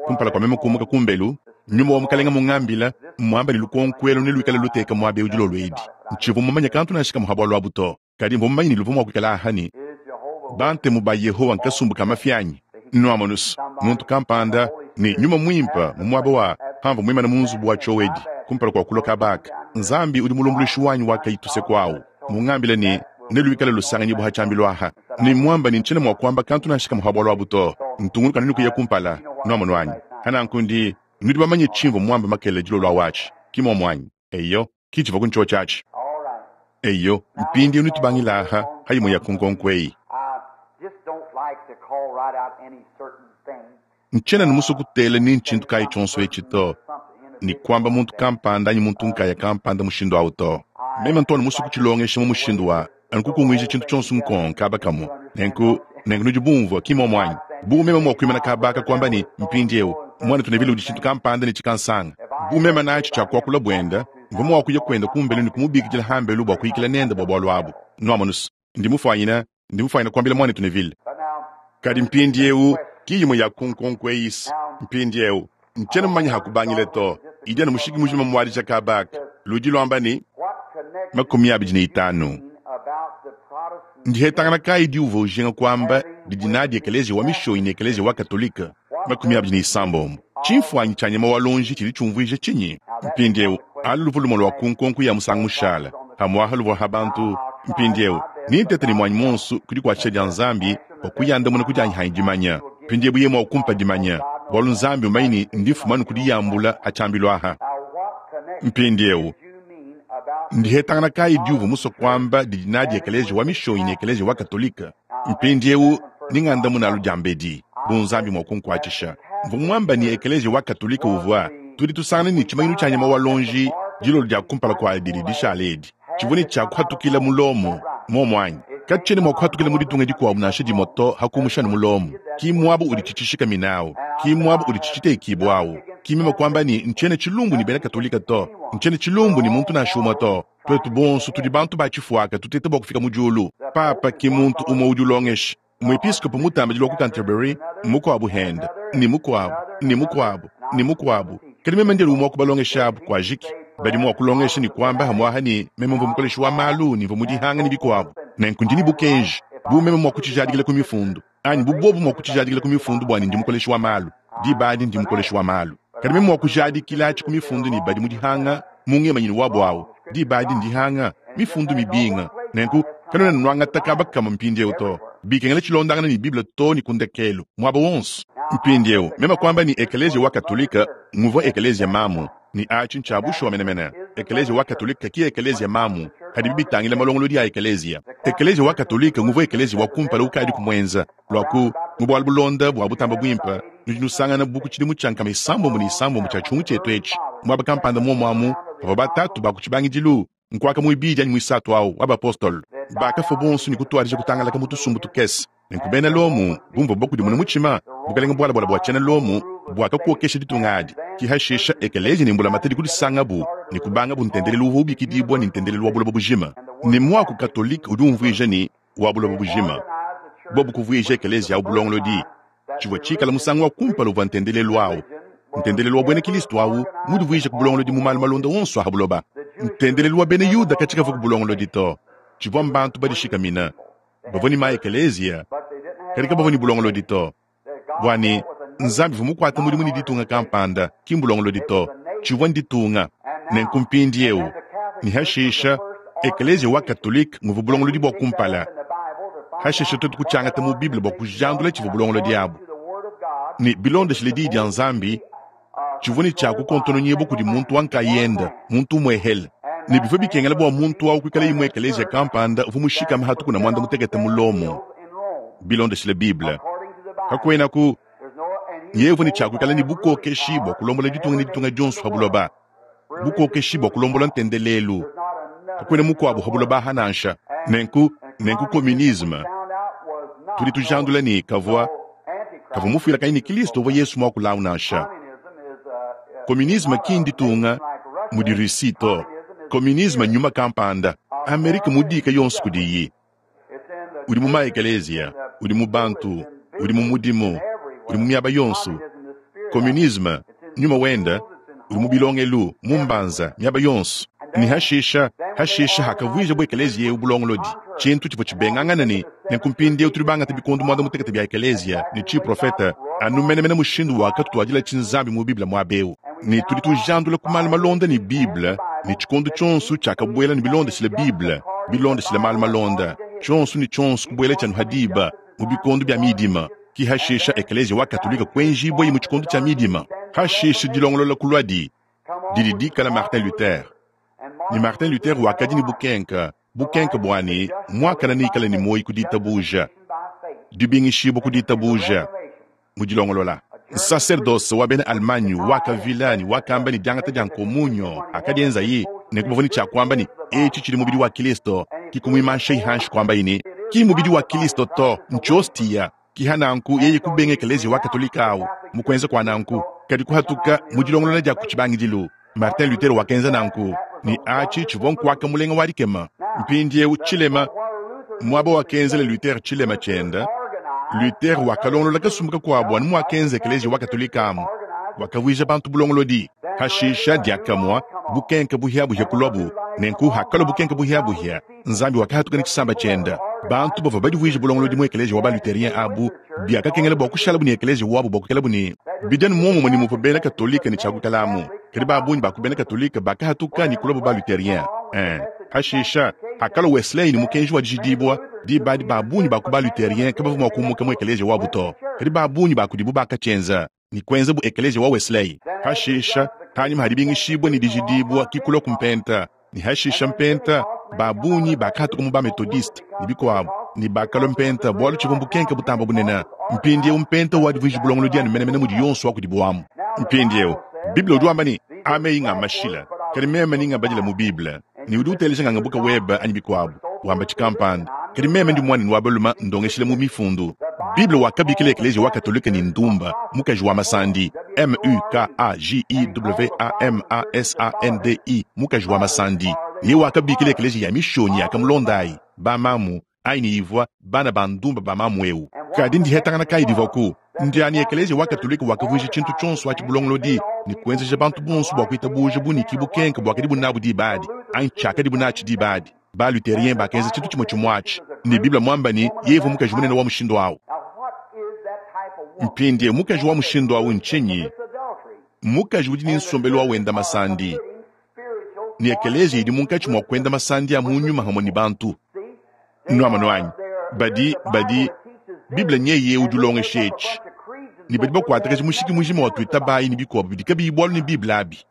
S1: Kumpala kua meme kumuka kumbelu, nyuma wa Mukalenga mungambila, muamba ne lukonko elu neluikale luteka muaba eu dilolo edi. Ntshivua mumanye kantu nansha kamue ha bualu abu to, kadi mvua mumanye ne luvua mua kuikala aha ne Bantemu ba Yehowa nkasumbu ka mafi anyi? Nuamonus, muntu kampanda ne nyuma muimpe mu muaba wa pamvua muimane mu nzubu wa tshiowedi kumpala kua kulua kaba aka. Nzambi udi mulumbuluishi wanyi wa kayi tuseku awu, mungambile ne neluikale lusanganyibua ha tshiambilu aha. Ne muamba ne ntshiena mua kuamba kantu nansha kamue ha bualu abu to. Ntungunuka ne kuya kumpala. Nuamonu anyi? Hananku ndi nudi bamanye tshimvua muamba makelela dilolo awu atshi, ki muomu anyi? Eyo, ki tshivua ku ntshiotshi atshi. Eyo, mpindieu nitubangila aha ha imue ya ku nkonko eyi. Ntshiena ne musue kutela ni ntshintu kayi tshionso etshi to, ne kuamba muntu kampanda anyi muntu nkaya kampanda mushindu awu to. Meme ntu anu musue kutshilongesha mu mushindu wa anu kukunguija tshintu tshionso nkong kaba kamue. Nenku, nenku nudi bumvua, ki muomu anyi? Bu meme mua kuimana kaba aka kuamba ne, Mpindieu, muanetu Neville udi tshintu kampanda ne tshikansanga. Bu meme natshi tshia kuakula buenda, mvua mua kuya kuenda kumbelu ne kumubikidila hambelu bua kuyikila nende bua bualu abu. Nuamonus, ndi mufuanyina, ndi mufuanyina kuambila muanetu Neville. Kadi mpindieu, ki imue ya ku nkonko eyi. Mpindieu, ntshiena mumanye ha kubangila to. Idi anu mushiki mujima muadija kaba aka. Ludi luamba ne, 25. Ndihetangana kayi diuvua ujinga kuamba didi nadi ekeleziya wa Mishonyi ne ekeleziya wa Katolike? 29. Tshimfuanyi tshia nyama wa luonji tshidi tshiumvuija tshinyi? Mpindieu, alu luvua lumue lua ku nkonko ya musangu mushala, pamu'apa luvua ha bantu. Mpindieu, nintete ne muanyi muonso ku dikuatshisha dia Nzambi bua kuyandamuna ku dianyi hanyi dimanya. Mpindieu yeye mua kumpa dimanya, bualu Nzambi umanye ne ndi mfuma anu ku diyambula ha tshiambilu aha. Mpindieu, ndihetangana kayi diuvua musue kuamba didi nadi ekeleziya wa Mishonyi ne ekeleziya wa Katolike? Mpindieu, ningandamuna alu diambedi, bu Nzambi mua kunkuatshisha. Mvua muamba ne ekeleziya wa Katolike uvua, tudi tusangana ne tshimanyinu tshia nyama wa luonji dilolo dia kumpala kua didi dishala edi, tshivua ne tshia kuhatukila mu Lomo, muomu anyi? Katshiena mua kuhatukila mu ditunga dikuabu nansha dimue to, ha kumusha anu mu Lomo. Ki muaba udi tshitshishikamina au, ki muaba udi tshitshitekibua au. Ki meme kuamba ne, ntshiena tshilumbu ne bena Katolika to, ntshiena tshilumbu ne muntu nansha umue to. Tuetu bonso tudi bantu ba tshifuaka tuteta bua kufika mu diulu. Papa ki muntu umue udi ulongesha. Muepiskopo mutambidi wa ku Canterbury, mukuabu hende, ne mukuabu, ne mukuabu, ne mukuabu. Kadi meme ndi umue wa ku balongeshi abu, kuajiki. Badi mua kulongesha ne kuamba hamuaha ne meme mvua mukoleshi wa malu ne mvua mudihanga ne bikuabu. Nenku ndi ne bukenji, bu meme mua kutshijadikila ku mifundu, anyi bu bobu mua kutshijadikila ku mifundu bua ne ndi mukoleshi wa malu, diba adi ndi mukoleshi wa malu. Kadi meme mua kujadikilatshi ku mifundu ne badi mu dihanga mu ngemanyinu wabu awu, diba adi ndihanga, mifundu mibinga. Nenku kanuena nuangata kaba kamue mpindieu to. Bikengela tshilondangana ne Bible too ne ku ndekelu, muaba wonso. Mpindieu, meme kuamba ne Ekeleziya wa Katolike nguvua ekeleziya mamu, ne atshi ntshia bushuwa menemene. Ekeleziya wa Katolike ki ekeleziya mamu padibi bitangila malongolodi a ekeleziya. Ekeleziya wa Katolike nguvua ekeleziya wa kumpala ukadiku muenza. Luaku, mu bualu bulonda bua butamba buimpe, nudi nusangana bu ku tshidimu tshia 36 tshia tshiungu tshietu etshi, muaba kampanda muomu amu, pavua batatu ba ku tshibangidilu, nkuaka muibidi anyi muisatu au wa bapostolo, bakafua bonso ne kutuadija kutangalaka mu tusumbu tukese. Nenku bena Lomo, bu muvuabu bakudimune mutshima, bukalenge bualabala bua tshiena Lomo buakakokesha ditunga adi. Ke hashisha ekeleziya ne mbulamatadi kudisangabu ne kubangabu ntendelelu uvua ubikidibua ne, ntendelelu wa buloba bujima. Ne muaku katolike udi umvuija ne, wa buloba bujima. Bobu kuvuija ekeleziya au bulongolodi, tshivua tshikale musangu wa kumpala uvua ntendelelu au, ntendelelu wa buena Kristo au, mudivuije ku bulongolodi mu malu malonda onso a pa buloba. Ntendelelu wa bena Yuda katshikavua ku bulongolodi to, tshivua mbantu badishikamine, bavua ne ma-ekeleziya, kadi kabavua ne bulongolodi to. Bua ne, Nzambi uvua mukuate mudimu ne ditunga kampanda, ki mbulongolodi to, tshivua nditunga. Nenku mpindieu, ne hashisha, Ekeleziya wa Katolike nguvua bulongolodi bua kumpala. Hashisha tuetu kutshiangata mu Bible bua kujandula tshivua bulongolodi abu. Ne bilondeshile Diyi dia Nzambi, tshivua ne tshia kukontononyibua kudi muntu wa nkayende, muntu umuehele. Ne bivua bikengela bua muntu au kuikala imue ekeleziya kampanda uvua mushikame ha tukuna muanda mutekete mu Lomo. Bilondeshile Bible, kakuenaku yeye uvua ne tshia kuikala ne bukokeshi bua kulombola ditunga ne ditunga dionso pa buloba, bukokeshi bua kulombola ntendelelu. Kakuena mukuabu pa buloba aha nansha. Nenku, nenku communisme, tudi tujandula ne kavua kavua mufuilakanyi ne Kristo uvua Yesu muakulawu nansha. Communisme ki nditunga mudi Russie to. Communisme nnyuma kampanda. Amerike mudiika yonso kudiyi. Udi mu ma-ekeleziya, udi mu bantu, udi mu mudimu, udi mu miaba yonso. Communisme, nyuma wenda, udi mu bilongelu, mu mbanza, miaba yonso. Ne hashisha, hashisha hakavuija bu ekeleziya eu bulongolodi, tshintu tshivua tshibengangana ne, nenku mpindieu tudi bangate bikondo muanda-mutekete bia ekeleziya ne tshiprofete, anu menemene mushindu wakatutuadilatshi Nzambi mu Bible muaba eu. Ne tudi tujandula ku malu malonda ne Bible, ne tshikondo tshionso tshiakabuela ne bilondeshile Bible, bilondeshile malu malonda, tshionso ne tshionso kubuelatshi anu ha diba, mu bikondo bia midima. Ki hashisha Ekeleziya wa Katolike kuenjibuaye mu tshikondo tshia midima. Hashisha dilongolola kuluadi, didi dikala Martin Luther. Ne Martin Luther wakadi ne bukenka, bukenka bua ne muakane neikale ne muoyo ku ditabuja, dibingishibua ku ditabuja. Mu dilongolola, nsaserdose wa bena Allemagne wakavila ne wakamba ne diangata dia nkomunyo akadienzaye, nenku bavua ne tshia kuamba ne, Etshi tshidi mubidi wa Kristo, ki kumuimanshayi hanshi kuambaye ne, Ki mubidi wa Kristo to, ntshiostiya. Ki ha nanku yeye kubenga ekeleziya wa Katolika au mu kuenza kua nanku, kadi kuhatuka mu dilongolola dia ku tshibangidilu. Martin Luther wakenza nanku, ne atshi tshivua nkuaka mulenga wa dikema. Mpindieu tshilema, muaba wakenzela Luther tshilema tshiende, Luther wakalongolola kasumbu kakuabu anu muakenza Ekeleziya wa Katolika amu, wakavuija bantu bulongolodi. Hashisha diakamue bukenke buhia-buhia kuluabu. Nenku hakalua bukenke buhia-buhia, Nzambi wakahatuka ne tshisamba tshiende. Bantu bavua badivuije bulongolodi mu ekeleziya wa ba-Lutherien abu, biakakengela bua kushalabu ne ekeleziya wabu bua kuikalabu ne bidi anu muomumue ne muvua bena Katolike ne tshia kuikalamu. Kadi ba bungi ba ku bena Katolike bakahatuka ne kuluabu ba-Lutherien. Ee, hashisha, hakalua Wesley ne mukenji wa dijidibua, diba adi ba bungi ba ku ba-Lutherien kabavua mua kumuka mu ekeleziya wabu to, kadi ba bungi ba kudibu bakatshienza. ne kuenza bu ekeleziya wa Wesley. Hashisha, hanyima ha dibingishibua ne dijidibua ki kulua ku mpenta, ne hashisha mpenta, ba bungi bakahatuka mu ba-Methodiste ne bikuabo, ne bakalua mpenta bualu tshivua mbukenke butamba bunene. Mpindieu mpenta wadivuiji bulongolodi anu menemene mudi yonso wa kudibu amu. Mpindieu Bible udi wamba ne, A meyi nga mashila, kadi meme ni ngabadila mu Bible, ne udi uteleja ngangabuka webe anyi bikuabo, wamba tshikampanda. Kadi meme ndi muanenu wa balume ndongeshila mu Mifundu. Bible wakabikila Ekeleziya wa Katolike ne, Ndumba, mukaji wa masandi, M-u-k-a-j-i-w-a-m-a-s-a-n-d-i, mukaji wa masandi. Yeye wakabikila ekeleziya ya Mishonyi yakamulondayi, bamamu, ayi ne ivua bana ba ndumba ba mamu eu. Kadi ndihetangana kayi divuaku? Ndiani ekeleziya wa Katolike wakavuija tshintu tshionso atshi bulongolodi ne kuenzeja bantu bonso bua kuitabuja bunyiki bukenke buakadibu nabu diba adi, anyi tshiakadibu natshi diba adi. Ba-Lutherien bakenza tshintu tshimue tshimue atshi, ne Bible muamba ne, yeye uvua mukaji munene wa mushindu au. Mpindieu mukaji wa mushindu au ntshinyi? Mmukaji udi ne nsombelu wa wenda masandi, ne ekeleziya idi munkatshi mua kuenda masandi a mu nyuma hamue ne bantu. Nuamonu anyi? Badi, badi, Bible nyeye udi ulongesha etshi, ne badi bakuatakaja mushiki mujima wa tuitabayi ne bikuabu bidi kabiyi bualu ne Bible abi.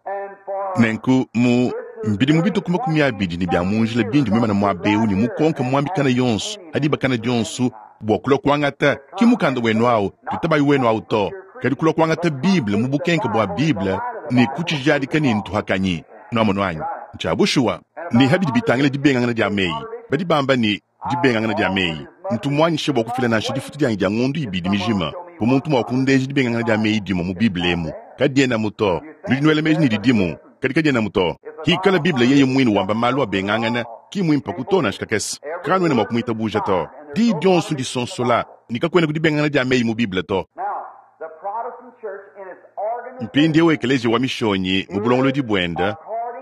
S1: Nenku mu mbidimu bitue ku 20 ne bia mu njila bindi muimane muaba eu ne mukonke muambi kana yonso ha diba kana dionso bua kulua kuangata, ki mukanda wenu au, tuitabayi wenu au to, kadi kulua kuangata Bible mu bukenke bua Bible ne kutshijadika ne ntuhakanyi. Nuamonu anyi? Ntshia bushuwa. Ne ha bidi bitangila dibengangana dia meyi, badi bamba ne, Dibengangana dia meyi. Ntu muanyishe bua kufila nansha difutu dianyi dia ngondo ibidi mijima bu muntu mua kundeja dibengangana dia meyi dimue mu Bible emu. Kadienamu to. Nudi nuela meji ne, didimu, kadi kadienamu to. Hikala Bible yeye muine wamba malu abengangana, ki mmuimpeku to nansha kakese. Kanuena mua kumuitabuja to. Diyi dionso ndisonsola, ne kakuenaku dibengangana dia meyi mu Bible to. Mpindieu Ekeleziya wa Mishonyi mu bulongolodi buende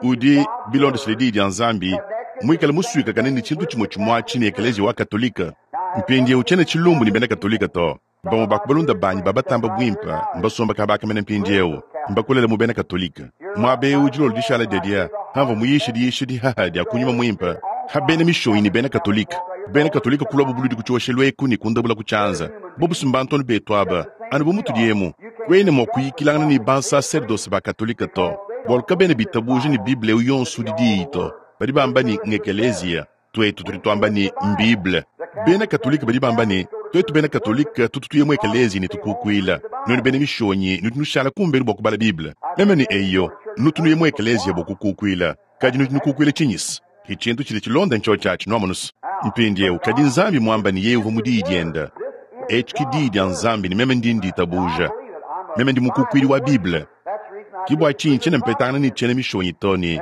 S1: udi, bilondeshile Diyi dia Nzambi, muikale musuikakane ne tshintu tshimue tshimue atshi ne Ekeleziya wa Katolike. Mpindieu tshiena tshilumbu ne bena Katolike to. Bamue ba ku balunda banyi ba batamba buimpe mbasombe kaba aka mene mpindieu, mbakolele mu bena Katolike. Muaba eu dilolo dishala diadia, pamvua muyishe diyisha dihaha dia ku Nyuma Muimpe ha bena Mishonyi ne bena Katolike. Bena Katolike kuluabu buludi ku tshioshelu eku ne kundabula ku tshianza. Bobu si mbantu anu betu aba, anu bu mutudi emu. Kuena mua kuyikilangana ne bansaserdose ba Katolike to, bualu kabena bitabuja ne Bible eu yonso udi Diyi to. Badi bamba ne, ng'Ekeleziya. Tuetu tudi tuamba ne, m'Bible. Bena Katolike badi bamba ne, tuetu bena Katolike tutu tuya mu ekeleziya ne tukukuila. Nuenu bena Mishonyi nudi nushala kumbelu bua kubala Bible. Meme ne, Eyo, nutu nuya mu ekeleziya bua kukukuila. Kadi nudi nukukuila tshinyi-se? Ke tshintu tshidi tshilonda ntshiotshi atshi, nuamonu's. Mpindieu, kadi Nzambi muamba ne Yeye uvua mu Diyi Diende. Etshi ke Diyi dia Nzambi ne meme ndi nditabuja. Meme ndi mukukuidi wa Bible. Ke bua tshinyi tshiena mpetangana ne tshiena Mishonyi to ne,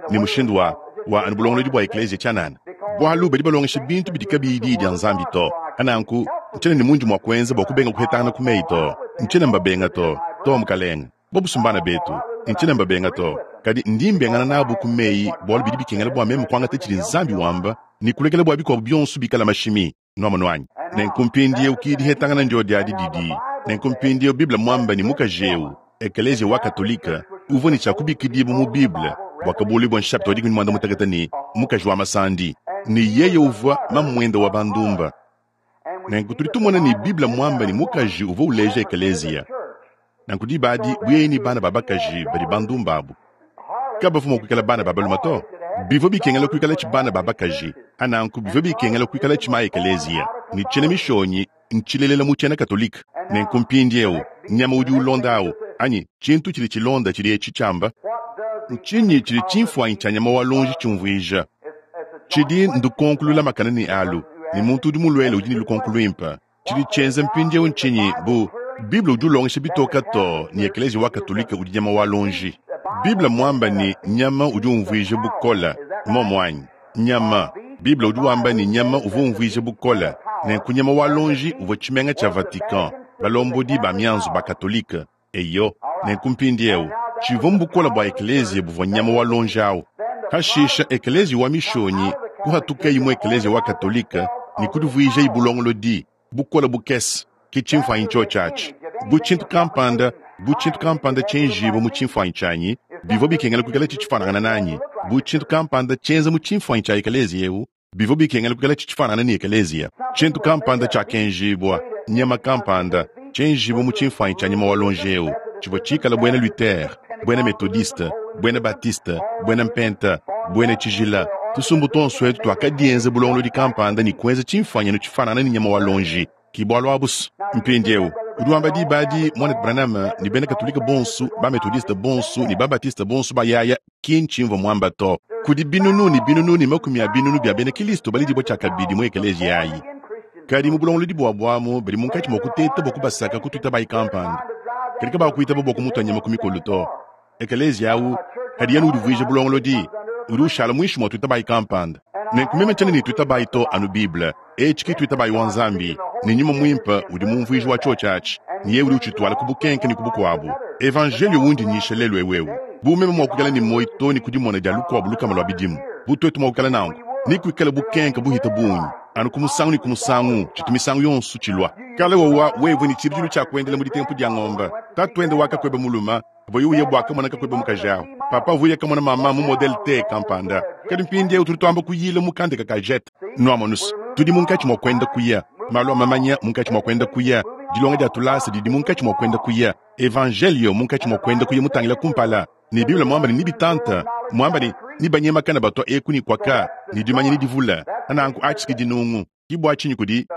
S1: ne mushindu wa, wa anu bulongolodi bua ekeleziya tshianana. Bualu badi balongesha bintu bidi kabiyi Diyi dia Nzambi to. Pa nanku, ntshiena ne mundi mua kuenza bua kubenga kuhetangana ku meyi to. Ntshiena mbabenga to. To, mukalenge. Bobu mbana betu, ntshiena mbabenga to, kadi ndi mbengana nabu ku meyi bualu bidi bikengela bua meme kuangata tshidi Nzambi wamba ne kulekela bua bikuabu bionso bikala mashimi. Nuamonu anyi? Nenku mpindieu ki dihetangana ndiodi adi didi. Nenku mpindieu Bible muamba ne mukaji eu, Ekeleziya wa Katolike, uvua ne tshia kubikidibua mu Bible, Buakabuluibua nshapita wa 15 ne, mukaji wa masandi, ne yeye uvua mamuende wa bandumba. Nenku tudi tumona ne Bible muamba ne mukaji uvua uleja ekeleziya. Nanku diba adi bu yeye ne bana ba bakaji badi bandumba abu, kabavua mua kuikala bana ba balume to. Bivua bikengela kuikalatshi bana ba bakaji, a nanku bivua bikengela kuikalatshi ma ekeleziya. Ne tshiena Mishonyi ntshilelela mu tshiena Katolike. Nenku mpindieu nyama udi ulonda au, anyi tshintu tshidi tshilonda tshidi etshi tshiamba. Ntshinyi tshidi tshimfuanyi tshia nyama wa luonji tshiumvuija? Tshidi ndukonko lulamakane ne alu, ne muntu udi muluele udi ne lukonko luimpe. Tshidi tshienza mpindieu ntshinyi? Bu Bible udi ulongesha bitoka too ne Ekeleziya wa Katolike udi nyama wa luonji. Bible muamba ne, nyama udi umvuija bukole. Mmuomu anyi? Nyama. Bible udi wamba ne, nyama uvua umvuija bukole. Nenku nyama wa luonji uvua tshimenga tshia Vatican, balombodi ba mianzu ba Katolike. Eyo, nenku mpindieu, tshivua mbukole bua ekeleziya buvua nyama wa luonji au. Pashishe ekeleziya wa Mishonyi kuhatukayi mu ekeleziya wa Katolike ne kudivuijayi bulongolodi bukole bukese. Ke tshimfuanyi tshiotshi atshi. Bu tshintu kampanda, bu tshintu kampanda tshienjibua mu tshimfuanyi tshianyi, bivua bikengela kuikalatshi tshifuanangana nanyi. Bu tshintu kampanda tshienza mu tshimfuanyi tshia ekeleziya eu, Bivua bikengela kuikala tshifuanangane ne ekeleziya, tshintu kampanda tshiakenjibua, nyama kampanda, tshienjibua mu tshimfuanyi tshia nyama wa luonji eu, tshivua tshikale buena Luther, buena Metodiste, buena Baptiste, buena Mpenta, buena Tshijila. Tusumbu tuonso etu tuakadienza bulongolodi kampanda ne kuenza tshimfuanyi anu tshifuanangane ne nyama wa luonji. Ke bualu abu's. Mpindieu, Udi wamba diba adi, Mwanetu Branham, ne bena Katolike bonso, ba-Methodiste bonso, ne ba-Baptiste bonso bayaaya, ki ncimvwa mwamba to. Kudi binunu ne binunu ne makumi a binunu bya beena Kilisto balediibwa cyakabidi mu ekeleeziya ayi. Kadi mu bulongolodi bwabo amu badi munkaci mwa kuteeta bwa kubasaka ku twitabayi kampanda. Kadi kabakwitaba bwa kumutwa nyama ku mikolo to. Ekeleeziya awu, padiye anu udivwija bulongolodi, udi ushaala mwinshi mwa twitabayi kampanda. Nenku meme ncyena ne twitabayi to anu Bible. Eci ki twitabayi wa Nzambi, ne Nyuma Mwimpe udi mumvwiji wa cyoci aci, ne Yeye udi ucitwala ku bukenke ne ku bukwabo. Evanjeeliyo wundi nyiisha leelu ewu ewu, bu meme mwa kwikala ne mwoyi too ne ku dimona dya lukwabo lukama lwa bidimu, bu twetu mwa kwikala nanku, nekwikale bukenke buhite bungi, anu ku musangu ne ku musangu, citu misangu yonso cilwa. Kale wowa wewe ne cibidilu cya kwendela mu ditempu dya ngombe, tatwende wa kakwebe mulume, Pavuaye uya bua kamona kakuebe mukaji au, papa uvua uya kamona mama mu Model T kampanda. Kadi mpindieu tudi tuamba kuyila mu kandeke ka jet. Nuamonus, tudi munkatshi mua kuenda kuya. Malu a mamanya munkatshi mua kuenda kuya. Dilonga dia tulasa didi munkatshi mua kuenda kuya. Evanjeliyo munkatshi mua kuenda kuya mutangila kumpala. Ne Bible muamba ne nebitanta, muamba ne nebanyemakana batua eku ne kuaka, ne dimanya nedivula. Nanku atshi ki dinungu. Ki bua tshinyi kudi.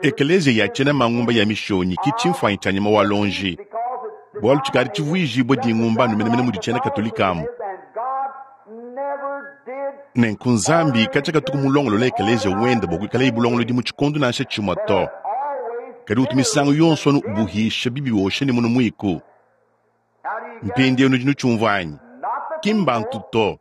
S1: Ekeleziya ya tshiena mangumba ya mishonyi ki tshimfuanyi tshia nyama wa lonji, bualu tshikadi tshivuijibue dingumba anu menemene mudi tshiena Katolike amu. Nenku Nzambi katshia katuku mulongolole ekeleziya wende bua kuikalaye bulongolodi mu tshikondo nansha tshimue to, kadi utu misangu yonso anu ubuhisha bibi wosha ne munu muiku. Mpindieu nudi nutshiumvua anyi? Ki mbantu to,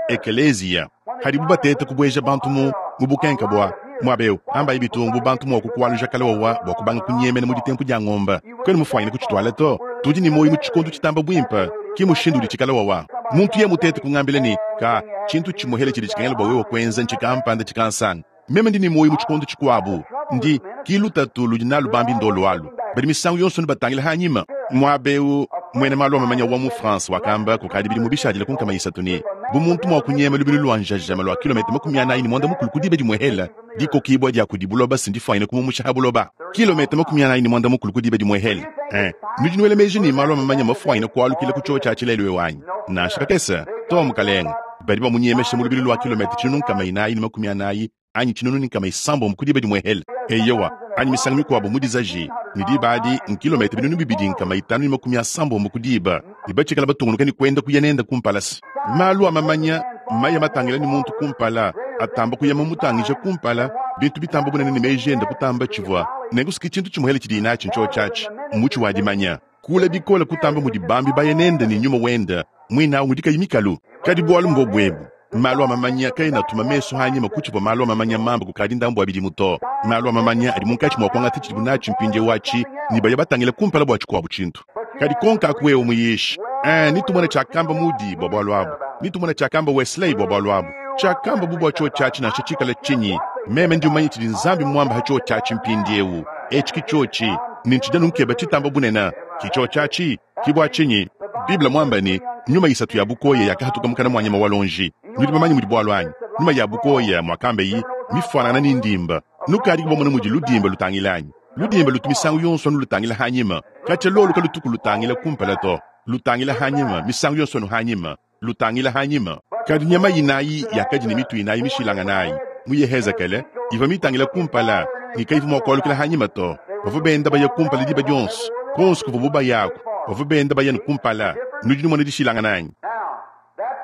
S1: ekeleziya. Padibu bateta kubueja bantu mu mu bukenka bua muaba eu, ambayi bitungu bu bantu mua kukualuja kale wawa bua kubanga kunyemena mu ditempu dia ngomba. Kuena mufuanyine kutshituala to. Tudi ne muoyo mu tshikondo tshitamba buimpe, ki mushindu udi tshikale wawa. Muntu yeye mutete kungambila ne, ka tshintu tshimuhele tshidi tshikengela bua wewe kuenza ntshikampanda tshikansanga. Meme ndi ne muoyo mu tshikondo tshikuabu. Ndi, ki lutatu ludi nalu bambi ndolo alu. Badi misangu yonso anu batangila hanyima. Muaba eu, muena malu a mamanya wa mu France wakamba kukadi bidimu bishadile ku 300 ne, Bu muntu mua kunyema lubilu lua njajama lua kilometa 45 ku diba dimue hela, dikokibua dia kudi buloba si ndifuanyine kumumusha ha buloba. Kilometa 45 ku diba dimue hela. Eh, nudi nuela meji ne malu a mamanya mafuanyine kualukila ku tshiotshi atshi lelu eu anyi? Nansha kakese. Too, mukalenge. Badi bamunyemesha mu lubilu lua kilometa 440 anyi 1060 ku diba dimue hele. Eyowa, anyi misangu mikuabu mu dizaji, ne diba adi nkilometa 2570 ku diba, ne batshikala batungunuka ne kuenda kuya nende kumpala. Se malu a mamanya maya matangila ne muntu kumpala, atamba kuya mamutangija kumpala, bintu bitamba bunene ne meji ende kutamba tshivua. Nenku se ki tshintu tshimue hele tshidiye natshi ntshiotshi atshi, mutshi wa dimanya. Kule bikole kutamba mudi bambi baya nende ne nyuma wende muine au ngudi kayi mikalu. Kadi bualu mbobu ebu, malu a mamanya kaena atuma mesu anyima ku tshivua malu a mamanya mamba kukadi ndambu wa bidimu to. Malu a mamanya adi munkatshi mua kuangata tshidibu natshi mpindieu atshi ne baya batangila kumpala bua tshikuabu tshintu. Kadi konka aku wewe muyishi, ee, netumone tshiakamba Moody bua bualu abu, netumone tshiakamba Wesley bua bualu abu, tshiakambabu bua tshiotshi atshi nansha tshikale tshinyi, meme ndi mumanye tshidi Nzambi muambe pa tshiotshi atshi mpindieu. Etshi ki tshiotshi, ne ntshidi anu nkeba tshitamba bunene. Ki tshiotshi atshi. Ki bua tshinyi Bible muambe ne, Nyuma isatu ya bukoya yakahatuka mukana mua nyama wa luonji. Nudi bamanye mudi bualu anyi? Nyuma ya bukoya, muakambeyi, mifuanangana ne ndimba. Nukadiku bamone mudi ludimba lutangila anyi? Ludimba lutu misangu yonso anu lutangila hanyima. Katshia lolu kalutuku lutangila kumpala to. Lutangila hanyima, misangu yonso anu hanyima. Lutangila hanyima. Kadi nyama inayi yakadi ne mitu inayi mishilanganayi mu Yehezekele ivua mitangila kumpala ne kayivua mua kualukila hanyima to. Bavua benda baya kumpala diba dionso. Kuonso kuvuabu bayaku, bavua benda baya ne kumpala. Nudi numona dishilangana anyi?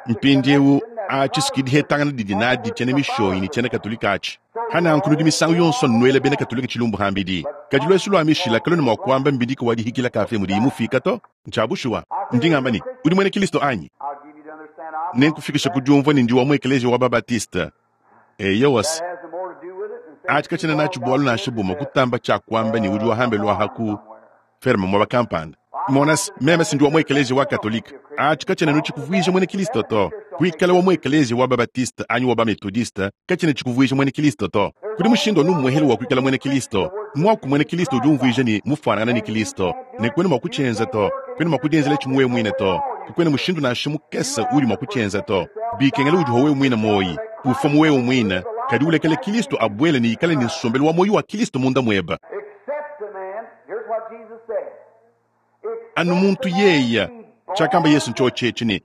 S1: Mpindieu, atshi s'ki dihetangana didi nadi tshiena Mishonyi ne tshiena Katolike atshi. Pa nanku nudi misangu yonso nuela bena Katolike tshilumbu hambidi. Kadi luesu lua mishila kaluena mua kuamba mbidika wa dihikila kafe mudiyi mufika to. Ntshia bushuwa. Ndi ngamba ne, udi muena Kilisto anyi? Nenkufikishe ku diumvua ne ndi wa mu ekeleziya wa ba-Baptiste. Eyowa se, atshi katshiena natshi bualu nansha bumue kutamba tshia kuamba ne udi wa hambelu aha ku ferme muaba kampanda. Mona se, meme si ndi wa mu ekeleziya wa Katolike. Atshi katshiena anu tshikuvuija muena Kilisto to. Kuikala wa mu ekeleziya wa ba-Baptiste anyi wa ba-Methodiste katshiena tshikuvuija muena Kilisto to. Kudi mushindu anu umuehele wa kuikala muena Kilisto. Muaku muena Kilisto udi umvuija ne, mufuanangane ne Kilisto. Ne kuena mua kutshienza to. Kuena mua kudienzelatshi mu wewe muine to. Kakuena mushindu nansha mukese uudi mua kutshienza to. Bikengela udiha wewe muine muoyi, ufua mu wewe muine, kadi ulekele Kilisto abuele ne ikale ne nsombelu wa muoyo wa Kilisto munda muebe. Anu muntu yeya, tshiakamba Yesu ntshiotshi etshi ne,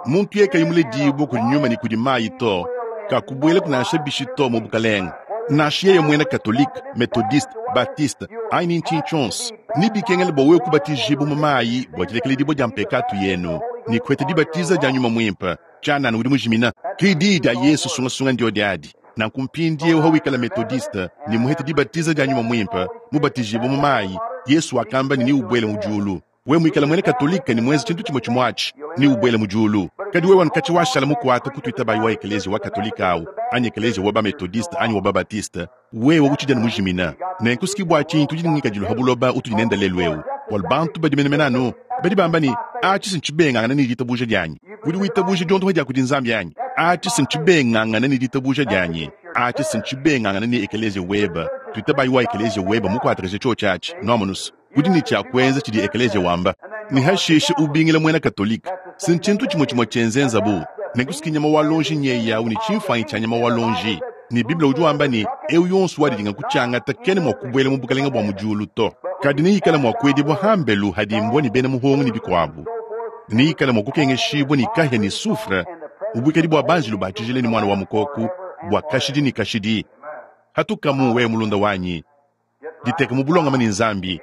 S1: Muntu yeye kayi muledibue kudi nyuma ne kudi mayi to, kakubuelaku nansha bishi to mu bukalenge. Nansha yeye muena Katolike, Methodiste, Baptiste, anyi ni ntshinyi tshionso, nebikengele bua wewe kubatijibua mu mayi bua dilekeledibua dia mpekatu yenu ne kupeta dibatiza dia Nyuma Muimpe. Tshianana udi mujimina. Ke diyi dia Yesu sungasunga ndiodi adi. Nanku mpindieu hawikala Methodiste ne muhete dibatiza dia Nyuma Muimpe, mubatijibue mu mayi, Yesu wakamba ne neubuele mu diulu. Wewe muikale muena Katolike ne muenze tshintu tshimue tshimue atshi, neubuele mu diulu. Kadi wewe anu katshia washala mukuate ku tuitabayi wa ekeleziya wa Katolike au, anyi ekeleziya wa ba-Methodiste anyi wa ba-Baptiste, wewe utshidi anu mujimina. Nenku s'ki bua tshinyi tudi ne ngikadilu ha buloba utudi nende lelu eu? Bualu bantu badi menemene anu badi bamba ne, Atshi si ntshibengangane ne ditabuja dianyi. Udi witabuja diondopa dia kudi Nzambi anyi? Atshi si ntshibengangane ne ditabuja dianyi. Atshi si ntshibengangane ne ekeleziya webe. Tuitabayi wa ekeleziya webe mukuatakaje tshiotshi atshi. Nuamonu's? Udi ne tshia kuenza tshidi ekeleziya wamba. Ne hashishe ubingila muena Katolike. Si ntshintu tshimue tshimue tshienzenzabu. Nenku s'ki nyama wa luonji nyeye au ne tshimfuanyi tshia nyama wa luonji. Ne Bible udi wamba ne, eu yonso wadidinga kutshiangata kena mua kubuela mu bukalenge bua mu diulu to, kadi neikale mua kuedibua hambelu hadi mbua ne bena muhongo ne bikuabu, ne neikale mua kukengeshibua ne kahia ne soufre mu buikadi bua banjelu ba tshijila ne Muana wa Mukoko bua kashidi ne kashidi. Hatukamu, wewe mulunda wanyi. Diteka mu bulongame ne Nzambi.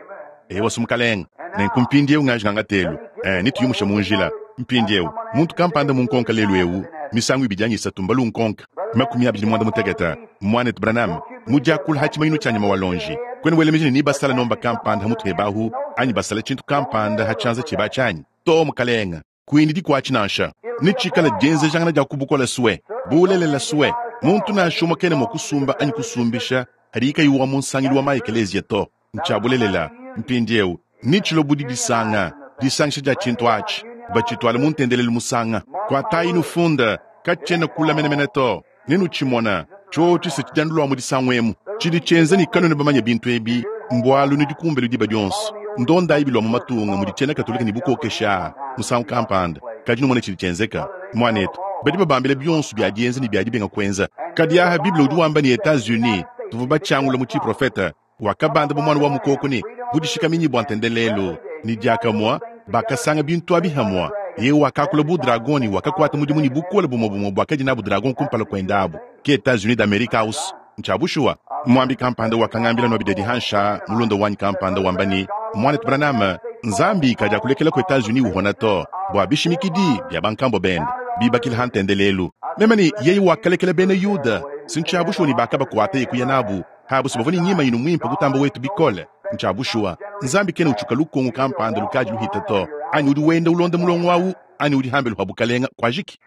S1: Eyowa, Mukalenge. Nenku mpindieu ngaji ngangatelu, eh, netuyumushe mu njila. Mpindieu, muntu kampanda munkonka lelu eu, misangu ibidi anyi isatu mbalu nkonka, 25, Muanetu Branham, mu diakula ha tshimanyinu tshia nyama wa lonji, kuena wela meji ne nebasala nomba kampanda ha mutu heba ahu, anyi basala tshintu kampanda ha tshianza tshieba atshi anyi? Too, mukalenge. Kuindidi kuatshi nansha. Netshikale dienzejangana dia ku bukole sue, bulelela sue. Muntu nansha umue kena mua kusumba anyi kusumbisha hadiye kayi wa mu nsangilu wa ma-ekeleziya to. Ntshia bulelela. Mpindieu, netshilue bu didisanga, disangisha dia tshintu atshi, batshituale mu ntendelelu musanga. Kuatayi nufunda, katshiena kule menemene to. Nenutshimona, tshiotshi se tshidiandu mu disangu emu. Tshidi tshienza ne kanuena bamanye bintu ebi, mbualu nudi kumbelu diba dionso. Ndondayi bilua mu matunga mudi tshiena Katolike ne bukokeshi aa musangu kampanda, kadi numone tshidi tshienzeka. Muanetu, badi babambila bionso bia dienza ne bia dibenga kuenza. Kadi aha Bible udi wamba ne Etats-Unis tuvua batshiangula mu tshiprofete wakabanda bu muana wa mukoko ne budishikaminyi bua ntendelelu, ne diakamue bakasanga bintu abi hamue. Yeye wakakula bu dragon ne wakakuata mudimu ne bukole bumue bumue buakadi nabu dragon kumpala kuende abu. Ke Etats-Unis d'Amerique aus. Ntshia bushuwa. Muambi kampanda wakangambila nuabidedi hansha, mulunda wanyi kampanda wamba ne, Muanetu Branham, Nzambi kadiakulekela ku Etats-Unis uhona to, bua bishimikidi bia bankambua bende bibakila ha ntendelelu. Meme ne yeye wakalekela bena Yuda, si ntshia bushuwa ne bakabakuata ye kuya nabu abu si bavua ne ngimanyinu muimpe kutamba wetu bikole. Ntshia bushuwa, Nzambi kena utshuka lukongo kampanda lukadi luhita to, anyi udi wenda ulonda mulongo awu, anyi udi hambelu ha bukalenga kuajiki.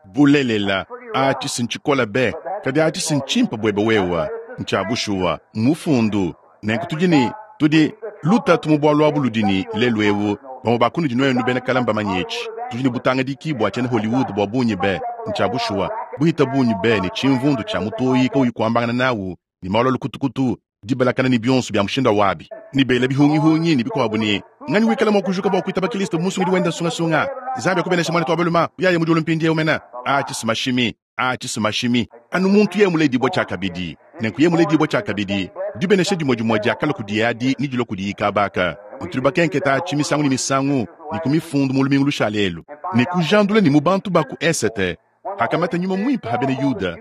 S1: Bulelela, atshi si ntshikole be, kadi atshi si ntshimpe buebe wewe. Ntshia bushuwa, mmufundu. Nenku tudi ne, tudi, lutatu mu bualu abu ludi ne, lelu eu, bamue ba kunudi nuenu bena kale mbamanye etshi, tudi ne butangadiki bua tshiena Hollywood bua bungi be, ntshia bushuwa, buhita bungi be ne tshimvundu tshia mutoyi kauyi kuambangana nawu, ne malu a lukutukutu, dibalakana ne bionso bia mushindu wabi, ne bela bihungihungi ne bikuabu ne, Nganyi wikala mua kujuka bua kuitaba Kilisto bu musungidi wende nsungasunga? Nzambi akubeneshe muanetu wa balume, uyaya mu diulu mpindieu mene. Atshi si mashimi, atshi si mashimi. Anu muntu yeye muledibue tshiakabidi. Nenku yeye muledibue tshiakabidi, dibenesha dimue dimue diakalua kudiye adi nedilue kudiyi kaba aka. Ne tudi bakenketa atshi misangu ne misangu ne ku mifundu mu lumingu lushale elu, ne kujandula ne mu bantu ba ku esete, Hakamata Nyuma Muimpe ha Bena Yuda,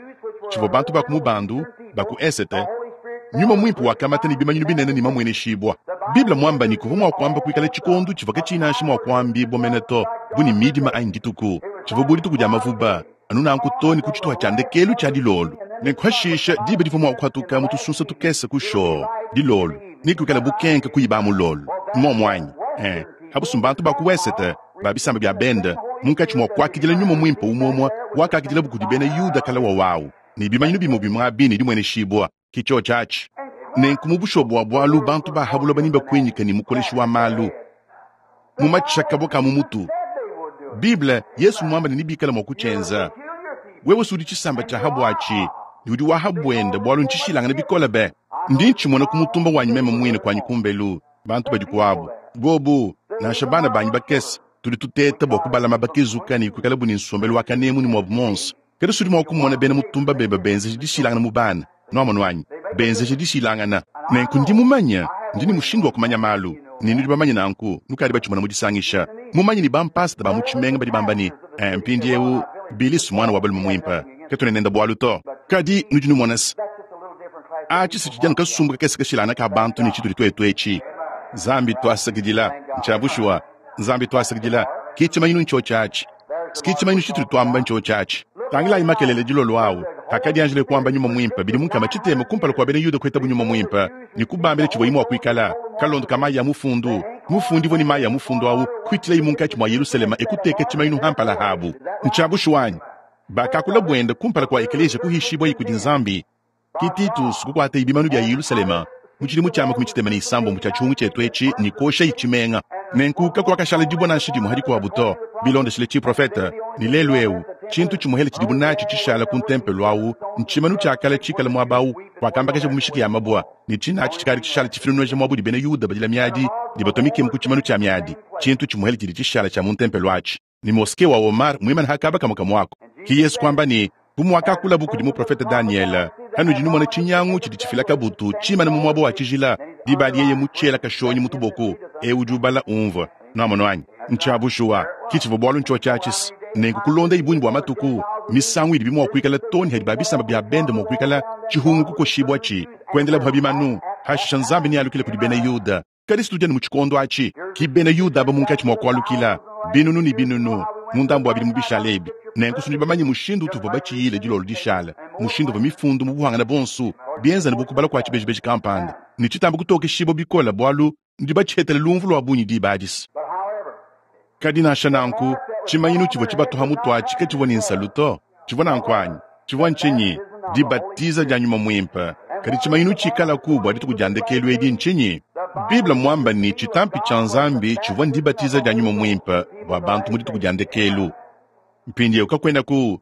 S1: tshivua bantu ba ku mubandu ba ku esete, Nyuma Muimpe wakamata ne bimanyinu binene ne mamueneshibua. Bible muamba ne kuvua mua kuamba kuikala tshikondo tshivua katshiyi nansha mua kuambibua mene to, bu ne midima anyi dituku, tshivua bu dituku dia mavuba, anu nanku to ne ku tshituha tshia ndekelu tshia dilolo. Nenku hashisha diba divua mua kuhatuka mu tusunsa tukese ku shoo dilolo, ne kuikala bukenke kuiba mulolo. Mmuomu anyi? Eh, habusu mbantu ba ku wesete ba bisamba bia bende munkatshi mua kuakidila Nyuma Muimpe umue-umue wakakidilabo kudi bena Yuda kale wawawu, ne bimanyinu bimue bimue abi ne dimueneshibua, ke tshiotshi atshi. Nenku mu bushuwa bua bualu bantu ba ha buloba nebakuinyike ne mukoleshi wa malu mu matshisha kabo ka mu mutu. Bible, Yesu muamba ne nebikale mua kutshienza. Wewe si udi tshisamba tshia ha buatshi ne udi wa ha buende bualu ntshishilangane bikole be. Ndi ntshimona ku mutumba wanyi meme muine kuanyi kumbelu. Bantu badi kuabu bobu, nansha bana banyi bakese, tudi tuteta bua kubalama bakezuka ne kuikalabu ne nsombelu wa kanemu ne muabu muonso. Kadi sudi mua kumona bena mutumba bebe benzeja dishilangana mu bana, nuamonu anyi? Benzeja dishilangana. Nenku ndi mumanye, ndi ne mushindu wa kumanya malu, ne nudi bamanye nanku, nukadi batshimona mu disangisha. Mumanye ne bampasata ba mu tshimenga badi bamba ne, Eh, mpindieu, Billy muana wa balume muimpe, katuena nende bualu to. Kadi nudi numona se. Atshi si tshidi anu kasumbu kakese kashilangane ka bantu ne tshitudi tuetu etshi. Nzambi tuasakidila. Ntshia bushuwa. Nzambi tuasakidila. Ke tshimanyinu ntshiotshi atshi. Ke tshimanyinu tshitudi tuamba ntshiotshi atshi. Tangilayi makelela dilolo awu, pakadianjilaye kuamba Nyuma Muimpe bidimu nkama tshitema kumpala kua bena Yuda kuetabu Nyuma Muimpe ne kubambila tshivuaye mua kuikala, kalondo ka mayi a mufundu, mufundibue ne mayi a mufundu awu, kuitshilaye munkatshi mua Yelusalema e kuteka tshimanyinu ha mpala habu. Ntshia bushuwa anyi? Bakakula buende kumpala kua ekeleziya kuhishibuaye kudi Nzambi. Ke Titus kukuataye bimanu bia Yelusalema mu tshidimu tshia 36 tshia tshihungu tshietu etshi ne kuoshaye tshimenga. Nenku kakuakashala dibue nansha dimue ha dikuabu to, bilondeshile tshiprofete. Ne lelu eu, tshintu tshimuehele tshidibu natshi tshishala ku ntempelo au ntshimanu tshia kale tshikale muaba au kuakambakajabu mishiki ya mabua, ne tshina atshi tshikadi tshishala tshifinunuja muaba udi bena Yuda badila miadi ne batua mikemu ku tshimanu tshia miadi, tshintu tshimuehele tshidi tshishala tshia mu ntempelo atshi. Ne moske wa Omar muimane ha kaba kamue kamue aku. Ke Yesu kuamba ne, Bu muakakulabu kudi muprofete Danyele, hanudi numona tshinyangu tshidi tshifila kabutu tshimane mu muaba wa tshijila, diba adi yeye mutshiela kashonyi mu tuboko, eu udi ubala umvue. Nuamono anyi? Ntshia bushuwa, ke tshivua bualu ntshiotshi atshi. Nenku kulondayi bungi bua matuku, misangu idibi mua kuikala too ne hadi ba bisamba bia bende mua kuikala tshihungu kukoshibuatshi, kuendelabu ha bimanu, hashisha Nzambi nealukile kudi bena Yuda. Kadi situdi anu mu tshikondo atshi, ki bena Yuda aba munkatshi mua kualukila binunu ne binunu mu ndambu wa bidimu bishale ebi. Nenku nudi bamanye mushindu utuvua batshiyile dilolo dishale, mushindu uvua mifundu mu buhangane buonso bienza anu bu kubala kua tshibejibeji kampanda, ne tshitamba kutokeshibua bikole bualu nudi batshihetele lumvu lua bungi diba adi. Kadi nansha nanku, tshimanyinu tshivua tshibatuha mutu atshi katshivua ne nsalu to. Tshivua nanku anyi? Tshivua ntshinyi? Dibatiza dia Nyuma Muimpe. Kadi tshimanyinu tshikalaku bua dituku dia ndekelu edi ntshinyi? Bible mmuambe ne, tshitampi tshia Nzambi tshivua ndibatiza dia Nyuma Muimpe bua bantu mu dituku dia ndekelu. Mpindieu kakuenaku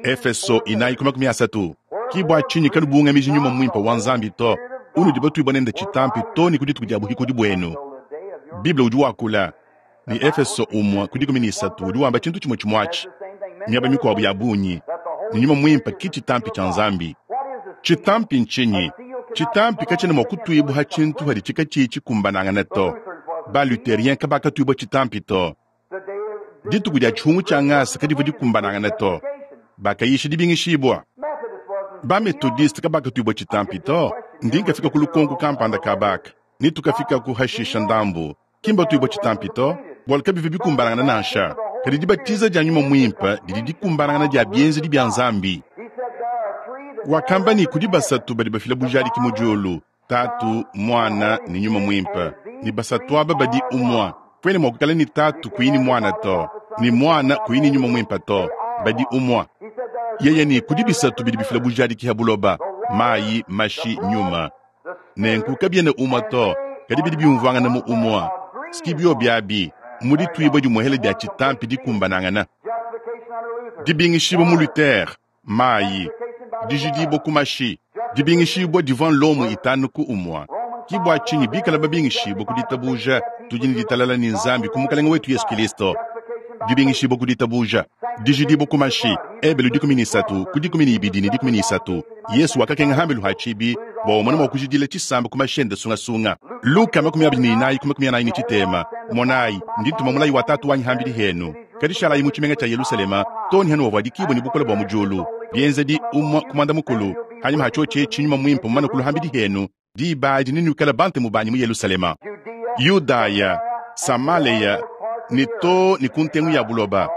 S1: Efeso 4:30. Ki bua tshinyi kanubungamiji Nyuma Muimpe wa Nzambi to, unudi batuibue nende tshitampi too ne ku dituku dia buhikudi buenu. Bible udi wakula ne Efeso 1 ku 13 udi wamba tshintu tshimue tshimue atshi miaba mikuabu ya bungi ne Nyuma Muimpe ki tshitampi tshia Nzambi. Tshitampi ntshinyi? Tshitampi katshiena mua kutuibua ha tshintu haditshi katshiyi tshikumbanangane to. Ba-Lutherien kabakatuibua tshitampi to. Dituku dia tshihungu tshia ngasa kadivua dikumbanangane to. Bakayisha dibingishibua. Ba-Methodiste kabakatuibua tshitampi to. Ndi nkafika ku lukonko kampanda kabaka ne tukafikaku hashisha ndambu. Ki mbatuibua tshitampi to, bualu kabivua bikumbanangane nansha. Kadi dibatiza dia Nyuma Muimpe didi dikumbanangana dia bienzedi bia Nzambi. Wakamba ne, kudi basatu badi bafila bujadiki mu diulu, Tatu, Muana ne Nyuma Muimpe, ne basatu aba badi umue. Kuena mua kuikala ne Tatu kuyi ne Muana to, ne Muana kuyi ne Nyuma Muimpe to, badi umue. Yeye ne, kudi bisatu bidi bifila bujadiki ha buloba, mayi, mashi, Nyuma. Nenku kabiena umue to, kadi bidi biumvuangana mu umue. Ski biobi abi mu dituibua dimuehele dia tshitampi dikumbanangana. Dibingishibua mu Luther, mayi, dijidibua ku mashi, dibingishibua divua nlomo itanu ku umue. Ki bua tshinyi bikala babingishibua ku ditabuja, tudi ne ditalala ne Nzambi ku Mukalenge wetu Yesu Kilisto. Dibingishibua ku ditabuja, dijidibua ku mashi, Ebelu 13 ku 12 ne 13. Yesu wakakenga hambelu ha tshibi bua umone mua kujidila tshisamba ku mashi ende sungasunga. Luka 24 ku 43. Monayi, ndi ntuma mulayi wa Tatu wanyi hambidi henu, kadi shalayi mu tshimenga tshia Yelusalema too ne hanuavuadikibua ne bukole bua mu diulu. Bienzedi 1 ku 10. Hanyima ha tshiotshi etshi Nyuma Muimpe mumane kulua hambidi henu, diba adi nenuikale bantemu banyi mu Yelusalema, Yudaya, Samaleya ne too ne ku ntengu ya buloba.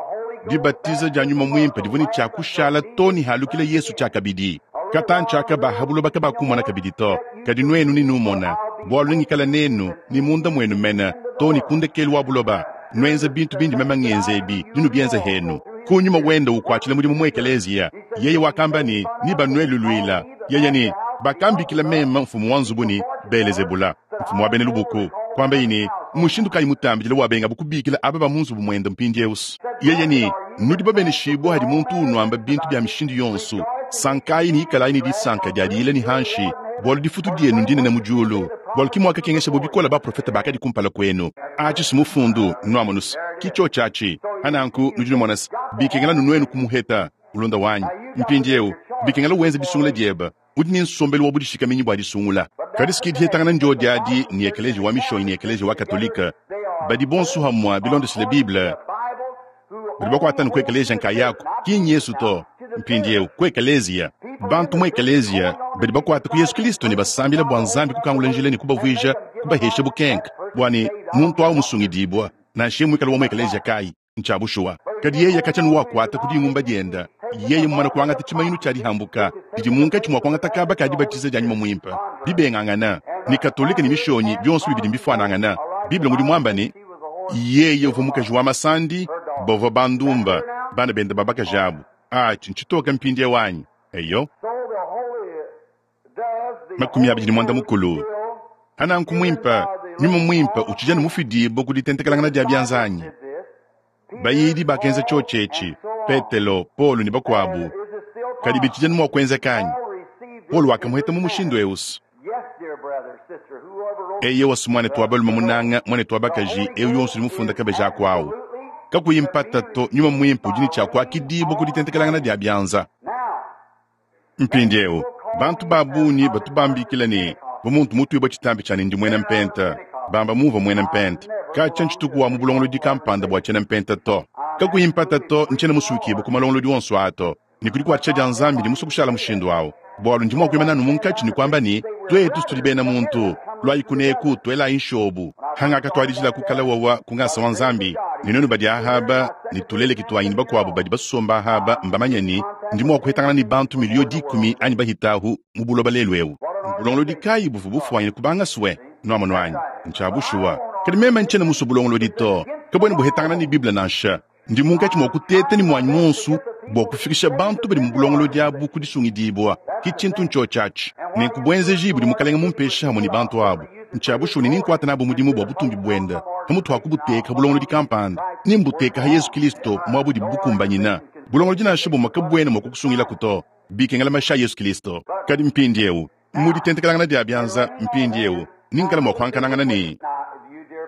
S1: Dibatiza dia Nyuma Muimpe divua ne tshia kushala too ne halukila Yesu tshiakabidi. Katantshi aka ba ha buloba kabakumona kabidi to, kadi nuenu nenumona, bualu nengikale nenu ne munda muenu mene too ne ku ndekelu wa buloba. Nuenze bintu bindi meme ngenza ebi, nenubienze henu. Ku nyuma wende ukuatshila mudimu mu ekeleziya, yeye wakamba ne, Nebanueluluila. Yeye ne, Bakambikila meme mfumu wa nzubu ne, Belezebula, mfumu wa bena lubuku. Kuambaye ne, Mmushindu kayi mutambidile wabengabu kubikila aba ba mu nzubu muende mpindieu? Yeye ne, Nudi babeneshibue hadi muntu unuamba bintu bia mishindu yonso. Sankayi ne ikalayi ne disanka dia diyila ne hanshi, bualu difutu dienu ndinene mu diulu, bualu ki muakakengeshabo bikole baprofete bakadi kumpala kuenu. Atshi si mufundu, nuamonu se, ki tshiotshi atshi. Pa nanku nudi numona se, bikengela anu nuenu kumuheta, mulunda wanyi. Mpindieu, bikengela wenze disungula diebe. Udi ne nsombelu wa budishikaminyi bua disungula. Kadi si ki dihetangana ndiodi adi ne ekeleziya wa Mishonyi ne ekeleziya wa Katolike badi bonso hamue bilondeshile Bible. Badi bakuata anu ku ekeleziya nkayaku, ki n'Yesu to. Mpindieu, ku ekeleziya. Bantu mu ekeleziya badi bakuata ku Yesu Kilisto ne basambila bua Nzambi kukangula njila ne kubavuija, kubahesha bukenka, bua ne muntu awu musungidibua, nansha yeye muikale wa mu ekeleziya kayi. Ntshia bushuwa. Kadi yeye katshia wakuata ku dingumba dienda, yeye mumane kuangata tshimanyinu tshia dihambuka didi munkatshi mua kuangata kaba ka dibatiza dia Nyuma Muimpe, bibengangana ne Katolike ne Mishonyi, bionso bibidi mbifuanangana. Bible ngudi muamba ne, yeye uvua mukaji wa masandi, bavua bandumba, bana bende ba bakaji abu. Atshi ntshitoke mpindieu anyi? Eyo. 21. Pananku muimpe, Nyuma Muimpe utshidi anu mufidibue ku ditentekelangana dia bianza anyi? Bayidi bakenza tshiotshi etshi, Petelo, Paulo ne bakuabu. Kadi bitshidi anu mua kuenzeka anyi? Paulo wakamuheta mu mushindu eu. Eyowa, muanetu wa balume munanga, muanetu wa bakaji, eu yonso udi mufunda kabeji aku au. Kakuyi mpata to, Nyuma Muimpe udi ne tshia kuakidibua ku ditentekelangana dia bianza. Mpindieu, bantu ba bungi batu bambikila ne, bu muntu mutuibue tshitampi tshia ne ndi muena mpenta, bamba mumvua muena mpenta. Katshia ntshituku wa mu bulongolodi kampanda bua tshiena mpenta to. Kakuyi mpata to, ntshiena musuikibue ku malongolodi onso aa to, ne ku dikuatshisha dia Nzambi ndi musue kushala mushindu au, bualu ndi mua kuimana anu munkatshi ne kuamba ne, Tuetu tudi bena muntu, luayi kuneku, tuelayi nshobu. Hangakatuadijila kukala wawa ku ngasa wa Nzambi, ne nuenu badi ahaba, ne tuleleki tuanyi ne bakuabo badi basomba ahaba mbamanye ne, ndi mua kuhetangana ne bantu 10,000,000 anyi bahitahu mu buloba lelu eu. Mbulongolodi kayi buvua bufuanyine kubanga sue? Nuamonu anyi? Ntshia bushuwa. Kadi meme ntshiena musue bulongolodi to. Kabuena buhetangana ne Bible nansha. Ndi munkatshi mua kuteta ne muanyi muonso bua kufikisha bantu badi mu bulongolodi abu ku disungidibua. Ke tshintu ntshiotshi atshi. Nenku buenzeji budi Mukalenge mumpeshe hamue ne bantu abu, ntshia bushuwa ne nenkuate nabu mudimu bua butumbi buende. Pamutu pa kubuteka bulongolodi kampanda, nembuteke ha Yezu Kristo muaba udibu bukumbanyina. Bulongolodi nansha bumue kabuena mua kukusungilaku to. Bikengela mashi a Yezu Kristo. Kadi mpindieu, mu ditentekelangana dia bianza, mpindieu, ningikala mua kuankanangana ne.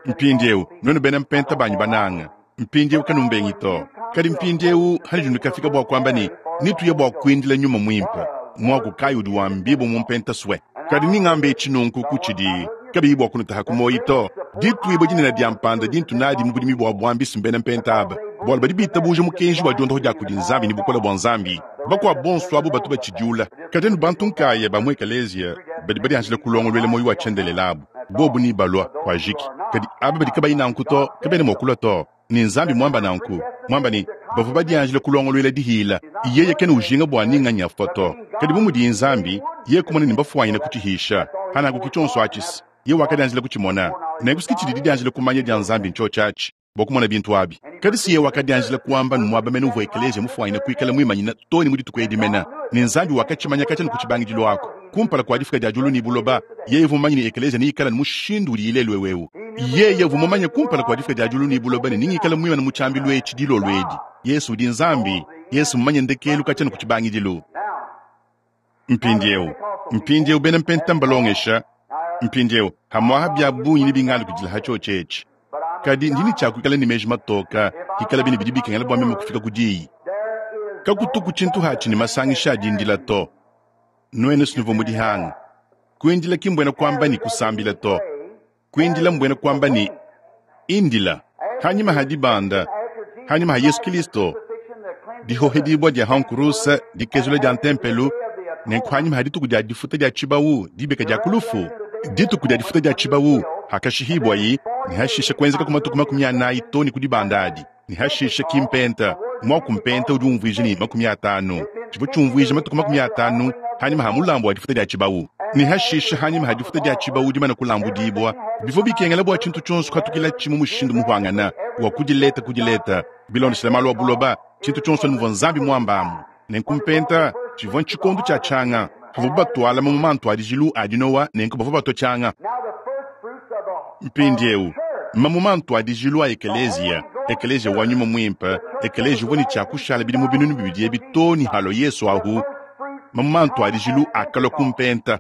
S1: Mpindieu, nuenu bena mpenta banyi bananga, mpindieu kanumbengi to. Kadi mpindieu hanudi nukafika bua kuamba ne, Netuye bua kuindila Nyuma Muimpe, muaku kayi udi wambibua mu mpenta sue? Kadi ningambe etshi nunku kutshidi kabiyi bua kunutaha ku muoyi to. Dituibua dinene dia mpanda dintu nadi mu budimi bua buambi si mbena mpenta aba, bualu badi bitabuja mukenji wa diondoho dia kudi Nzambi ne bukole bua Nzambi. Bakuabu bonso abu batu batshidiula. Kadi anu bantu nkaya ba mu ekeleziya badi badianjila kulongoluela muoyo wa tshiendelele abu, bobu nebalua, kuajiki. Kadi aba badi kabayi nanku to, kabena mua kulua to. Ne Nzambi muamba nanku, muamba ne, bavua badianjila kulongoluela dihila. Yeye kena ujinga bua ni nganyi afua to. Kadi bu mudiye Nzambi, yeye kumona ne mbafuanyine kutshihisha. Pananku ki tshionso atshi, yeye wakadianjila kutshimona. Nenku si tshidi didianjila kumanya dia Nzambi ntshiotshi atshi, bua kumona bintu abi. Kadi si yeye wakadianjila kuamba ne muaba mene uvua ekeleziya mufuanyine kuikala muimanyine too ne mu dituku edi mene, ne Nzambi wakatshimanya katshia ne ku tshibangidilu aku, kumpala kua difuka dia diulu ne buloba, yeye uvua mumanye ne ekeleziya neikale ne mushindu udiyi lelu eu. Yeye uvua mumanye kumpala kua difuka dia diulu ne buloba ne nengikale muimane mu tshiambilu etshi dilolo edi, Yesu udi Nzambi. Yesu mmumanye ndekelu katshia ne ku tshibangidilu. Mpindieu, mpindieu bena Mpenta mbalongesha mpindieu hamuaha bia bungi ne bingalukidila ha tshiotshi etshi. Kadi ndi ne tshia kuikala ne meji matoka, hikalabi ne bidi bikengela bua meme kufika ku diyi. Kakutuku tshintu hatshi ne masangisha a dindila to. Nuenu sinuvua mu dihanga. Kuindila ki mbuena kuamba ne kusambila to. Kuindila mbuena kuamba ne indila. Hanyima ha dibanda, hanyima ha Yesu Kilisto, dihohedibua dia ha nkuruse, dikezula dia ntempelu, nenku hanyima ha dituku dia difuta dia tshibawu, dibika dia ku lufu, dituku dia difuta dia tshibawu, hakashihibuayi, ne hashisha kuenzeka ku matuku 40 to ne ku dibanda adi, ne hashisha ki mpenta. Muaku mpenta udi umvuija ne 50, tshivua tshiumvuija matuku 50 hanyima ha mulambu wa difuta dia tshibawu, ne hashisha hanyima ha difuta dia tshibawu dimana kulambudibua, bivua bikengela bua tshintu tshionso kuhatukilatshi mu mushindu mupuangane wa kudileta kudileta bilondeshile malu a buloba, tshintu tshionso muvua Nzambi muambamu. Nenku mpenta tshivua ntshikondo tshia tshianga pavuabu batuala mamuma a ntuadijilu a dinowa, nenku bavua batua tshianga. Mpindieu, mamuma a ntuadijilu a ekeleziya, ekeleziya wa Nyuma Muimpe, ekeleziya uvua ne tshia kushala bidimu 2000 ebi too ne halua Yesu ahu, mamuma a ntuadijilu akalua ku mpenta.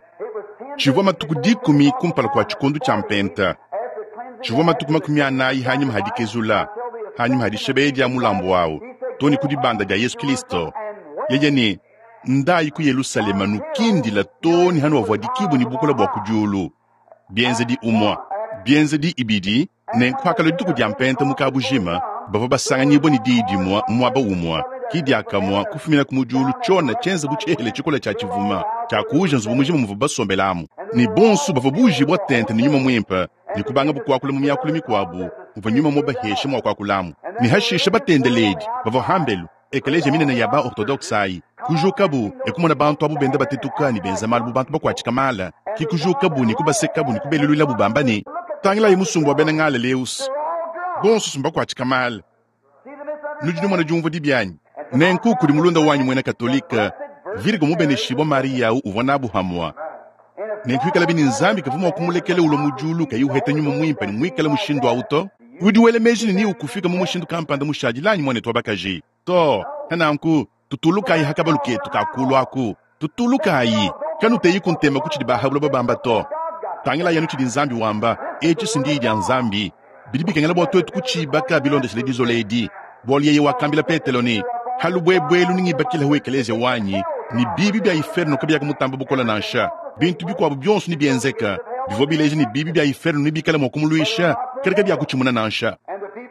S1: Tshivua matuku 10 kumpala kua tshikondo tshia mpenta. Tshivua matuku 40 hanyima ha dikezula, hanyima ha dishebeya dia mulambu wawu, too ne ku dibanda dia Yesu Kilisto. Yeye ne, Ndayi ku Yelusalema nukindila too ne hanuavuadikibua ne bukole bua ku diulu. Bienzedi umua, bienzedi ibidi, nenku hakalua dituku dia mpenta mu kabujima, bavua basanganyibua ne diyi dimue mu muaba umue. Ki diakamua kufuminaku mu diulu tshiona tshienza bu tshihehele tshikole tshia tshivuma tshiakuuja nzubu mujima muvua basombelamu, ne bonso bavua buujibua tente ne Nyuma Muimpe ne kubangabu kuakula mu miakulu mikuabu muvua Nyuma mubaheshe mua kuakulamu. Ne hashishe batendeledi bavua hambelu, ekeleziya minene ya ba-ortodokse ayi, kujukabu e kumona bantu abu benda batetuka ne benza malu bu bantu bakuatshika mala. Ki kujukabu ne kubasekabu ne kubeluluilabu bamba ne, Tangilayi musumba wa bena Ngaleleus, bonso mbakuatshika mala. Nudi numona diumvua dibi anyi? Nenku kudi mulunda wanyi muena Katolike, Virgo mubeneshibua Mariya uvua nabu hamua. Nenku ikalabi ne Nzambi kavua mua kumulekela ulua mu diulu kayi uheta nyuma muimpe ne muikale mushindu au to. Udi wela meji ne neukufika mu mushindu kampanda mushadile anyi muanetu wa bakaji? Too. Nanku tutulukayi ha kabalu ketu ka kulu aku. Tutulukayi. Kanuteyiku ntema ku tshidi ba ha buloba bamba to. Tangilayi anu tshidi Nzambi wamba. Etshi si ndiyi dia Nzambi. Bidi bikengela bua tuetu kutshibaka bilondeshile dizola edi, bualu yeye wakambila Petelo ne, Ha lubuebue elu nengibakilehu ekeleziya wanyi, ne bibi bia iferno kabiakumutamba bukole nansha. Bintu bikuabu bionso nebienzeke bivua bileja ne, bibi bia iferno nebikale mua kumuluisha, kadi kabiakutshimuna nansha.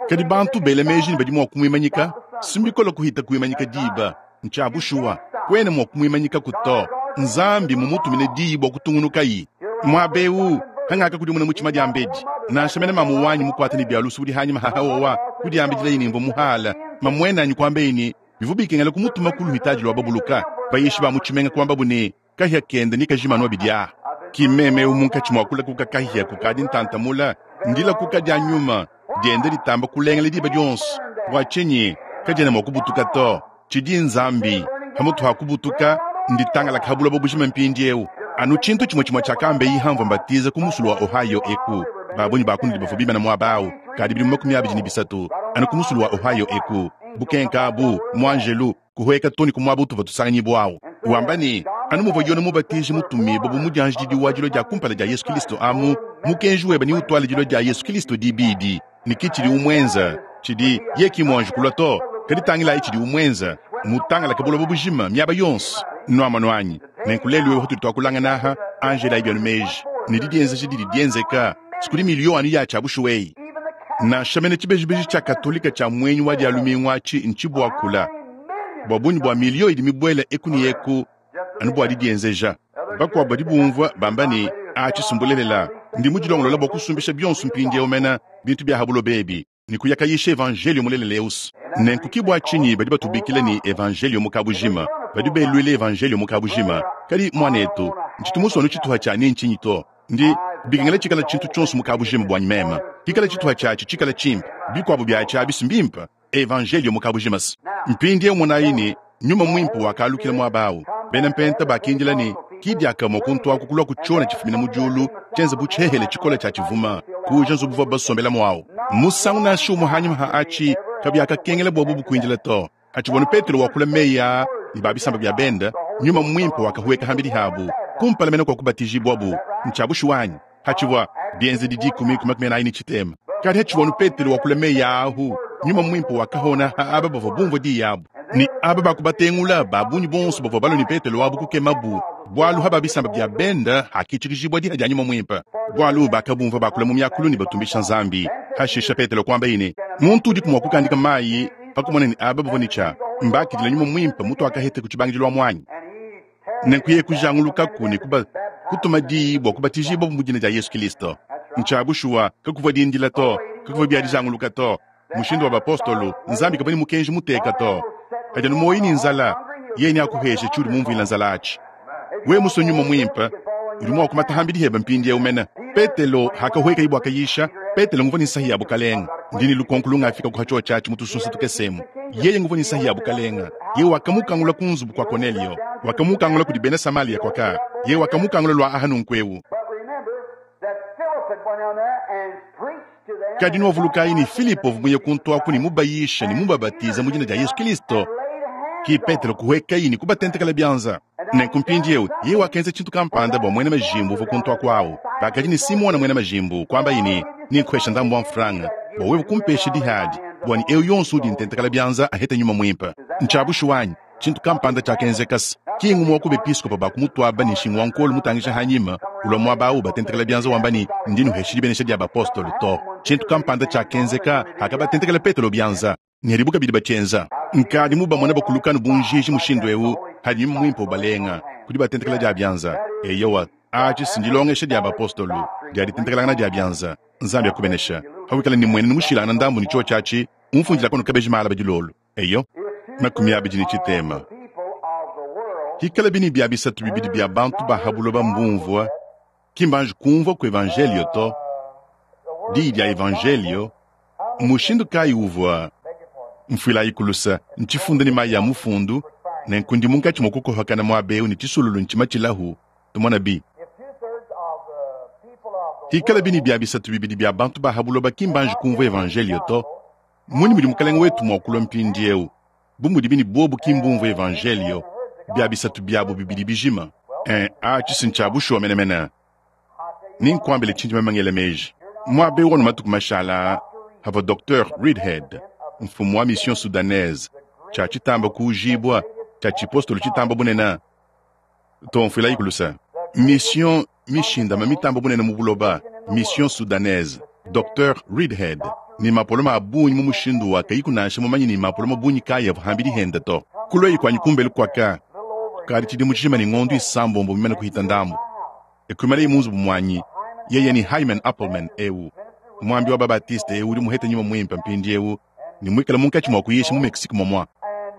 S1: Kadi bantu bela meji ne badi mua kumuimanyika, si mbikole kuhita kuimanyika diba. Ntshia bushuwa, kuena mua kumuimanyikaku to. Nzambi mumutumine diyi bua kutungunukayi. Muaba eu hangakakudimuna mutshima diambedi, nansha mene mamu wanyi mukuate ne bia lusu udi hanyima ha haowa kudiambidilaye ne mvua muhala. Mamuenanyi kuambaye ne, bivua bikengela kumutuma ku luhitadi lua babuluka. Bayishi ba mu tshimenga kuambabu ne, kahia kende ne kajima anu abidi aa. Ki mmeme eu munkatshi mua kulakuka kahia kukadi ntanta mula, ndilakuka dia nyuma dienda ditamba kulengela diba dionso. Bua tshinyi kadiena mua kubutuka to? Tshidi Nzambi pamutu ha kubutuka nditangalaka ha buloba bujima mpindieu. Anu tshintu tshimue tshimue tshiakambeyi hamvua mbatiza ku musulu wa Ohio eku. Ba bungi ba kunudi bavua bimana muaba au kadi bidimu 23, anu ku musulu wa Ohio eku. Bukenka abu, muanjelu kuhueka too ne ku muaba utuvua tusanganyibua au, wamba ne, Anu muvua Yone Mubatiji mutumibue bu mudianjididi wa dilua dia kumpala dia Yesu Kilisto amu, mukenji webe neutuale dilua dia Yesu Kilisto dibidi. Ne ki tshidi umuenza, tshidi ye ki muanji kulua to, kadi tangilayi tshidi umuenza, mutangalake buloba bujima miaba yonso. Nuamonu anyi? Nenku lelu eu hatudi tuakulangana aha, anji elayi bienu meji ne didienzeja didi dienzeka sikudi miliyo anu ya tshia bushuwa eyi. Nansha mene tshibejibeji tshia Katolika tshia muenyi wa Dia lumingu atshi ntshibuakula bua bungi bua miliyo idi mibuele eku ne eku anu bua didienzeja. Bakuabu badi bumvua bamba ne, Atshi si mbulelela, ndi mudilongolola bua kusumbisha bionso mpindieu mene bintu bia ha buloba ebi ne kuya kayisha evanjeliyo mulelela eu. Nenku ki bua tshinyi badi batubikila ne evanjeliyo mu kabujima, badi beluila evanjeliyo mu kabujima. Kadi muanetu, ntshitu musue anu tshituha tshia ne ntshinyi to. Ndi bikengela tshikala tshintu tshionso mu kabujima buanyi meme, kikala tshituha tshiatshi tshikala tshimpe, bikuabu biatshi abi si mbimpe. Evanjeliyo mu kabujima se. Mpindieu monayi ne, Nyuma Muimpe wakalukila muaba au. Bena Mpenta bakindila ne, ki diakamue kuntu aku kulua ku tshiona tshifumina mu diulu, tshienza bu tshihehele tshikole tshia tshivuma, kuuja nzubu uvuabu basombelamu au. Musangu nansha umue hanyima ha atshi kabiakakengela bua bubu kuindila to. Hatshivua Petelo wakula meyi aa ne ba bisamba bia bende, Nyuma Muimpe wakahueka hambidi habu, kumpala mene kua kubatijibuabu. Ntshia bushuwa anyi? Hatshivua Bienzedi dikumi ku 43. Kadi hatshivua anu Petelo wakula meyi aa ahu, Nyuma Muimpe wakahona ha aba bavua bumvua diyi abu, ne aba bakubatengula ba bungi bonso bavua balue ne Petelo abu kukemabu, bualu ha ba bisamba bia bende hakitshikijibua diha dia Nyuma Muimpe, bualu bakabumvua bakula mu miakulu ne batumbisha Nzambi. Hashisha Petelo kuambaye ne, Muntu udiku mua kukandika mayi pa kumona ne aba bavua ne tshia mbakidila Nyuma Muimpe mutuakaheta ku tshibangidilu amu anyi? Nenku yeye kujangulukaku ne kuba, kutuma diyi bua kubatijibua mu dina dia Yesu Kilisto. Ntshia bushuwa, kakuvua dindila to, kakuvua bia dijanguluka to. Mushindu wa bapostolo, Nzambi kavua ne mukenji muteka to. Kadi anu muoyo ne nzala, yeye neakuheshe tshiudi mumvuila nzala atshi. Wewe musue Nyuma Muimpe, udi mua kumata hambidi hebe mpindieu mene. Petelo hakahuekaye bua kayisha, Petelo nguvua ne nsahi ya bukalenga. Ndi ne lukonko lungafika ku hatshiotshi atshi mu tusunsa tukese emu. Yeye nguvua ne nsahi ya bukalenga. Yeye wakamukangula ku nzubu kua Konelio, wakamukangula kudi bena Samalia kuaka. Yeye wakamukangula lua aha nunku eu. Kadi nuavulukayi ne Filipo uvua muye kuntu aku ne mubayishe ne mubabatize mu dina dia Yesu Kilisto. Ki Petelo kuhuekayi ne kubatentekela bianza. Nenku mpindieu yeye wakenza tshintu kampanda bua muena majimbu uvua kuntu aku au. Bakadi ne Simona muena majimbu, kuambaye ne, Nenkuhesha ndambu wa mfranga bua wewe kumpesha dihadi, bua ne eu yonso udi ntentekela bianza ahete Nyuma Muimpe. Ntshia bushuwa anyi? Tshintu kampanda tshiakenzeka se ki ngumue wa ku bepiskopo ba kumutuaba ne nshingu wa nkolo mutangija hanyima ulua muaba au batentekela bianza wamba ne, Ndi nuhesha dibenesha dia bapostolo to. Tshintu kampanda tshiakenzeka hakabatentekela Petelo bianza. Ne hadibo kabidi batshienza. Nkadi mubamone bakuluka anu bu njiji mushindu eu, hadi Nyuma Muimpe ubalenga, ku dibatentekela dia bianza. Eyowa, atshi si ndilongesha dia bapostolo, dia ditentekelangana dia bianza. Nzambi akubenesha. Pawikala ne mmuenenu mushilangane ndambu ne tshiotshi atshi, umfundilaku anu kabeji malaba dilolo. Eyo. 23. Hikalabi ne bia bisatu bibidi bia bantu ba ha buloba mbumvua, ki mbanji kumvua ku evanjeliyo to, diyi dia evanjeliyo, mmushindu kayi uvua Mfuilayiku luse, ntshifunda ne mayi a mufundu, nenku ndi munkatshi mua kukohakana muaba eu ne tshisululu ntshimatshilahu, tumonabi. Hikalabi ne bia bisatu bibidi bia bantu ba ha buloba ki mbanji kumvua evanjeliyo to, mmunyi mudi Mukalenge wetu mua kulua mpindieu? Bu mudibi ne buobu ki mbumvue evanjeliyo, bia bisatu biabu bibidi bijima. Ee, atshi si ntshia bushuwa menemene. Nenkuambile tshindi meme ngela meji. Muaba eu anu matuku mashale aa, pavua Docteur Reidhead, mfumu wa Mission Soudanaise, tshia tshitamba kuujibua, tshia tshipostolo tshitamba bunene, too mfuilayiku luse, mission mishindame mitambe bunene mu buloba, Mission Soudanaise, Docteur Reidhead, ne mapolome a bungi mu mushindu wa kayiku nansha mumanye ne mapolome bungi kayi avua hambidi hende to. Kuluayi kuanyi kumbelu kuaka kukadi tshidimu tshijima ne ngondu isambombo mimane kuhita ndambu, ekuimanaye mu nzubu muanyi, yeye ne Hyman Appleman eu, muambi wa ba-Baptiste eu udi muhete Nyuma Muimpe mpindieu ne muikale munkatshi mua kuyisha mu Mexique momua.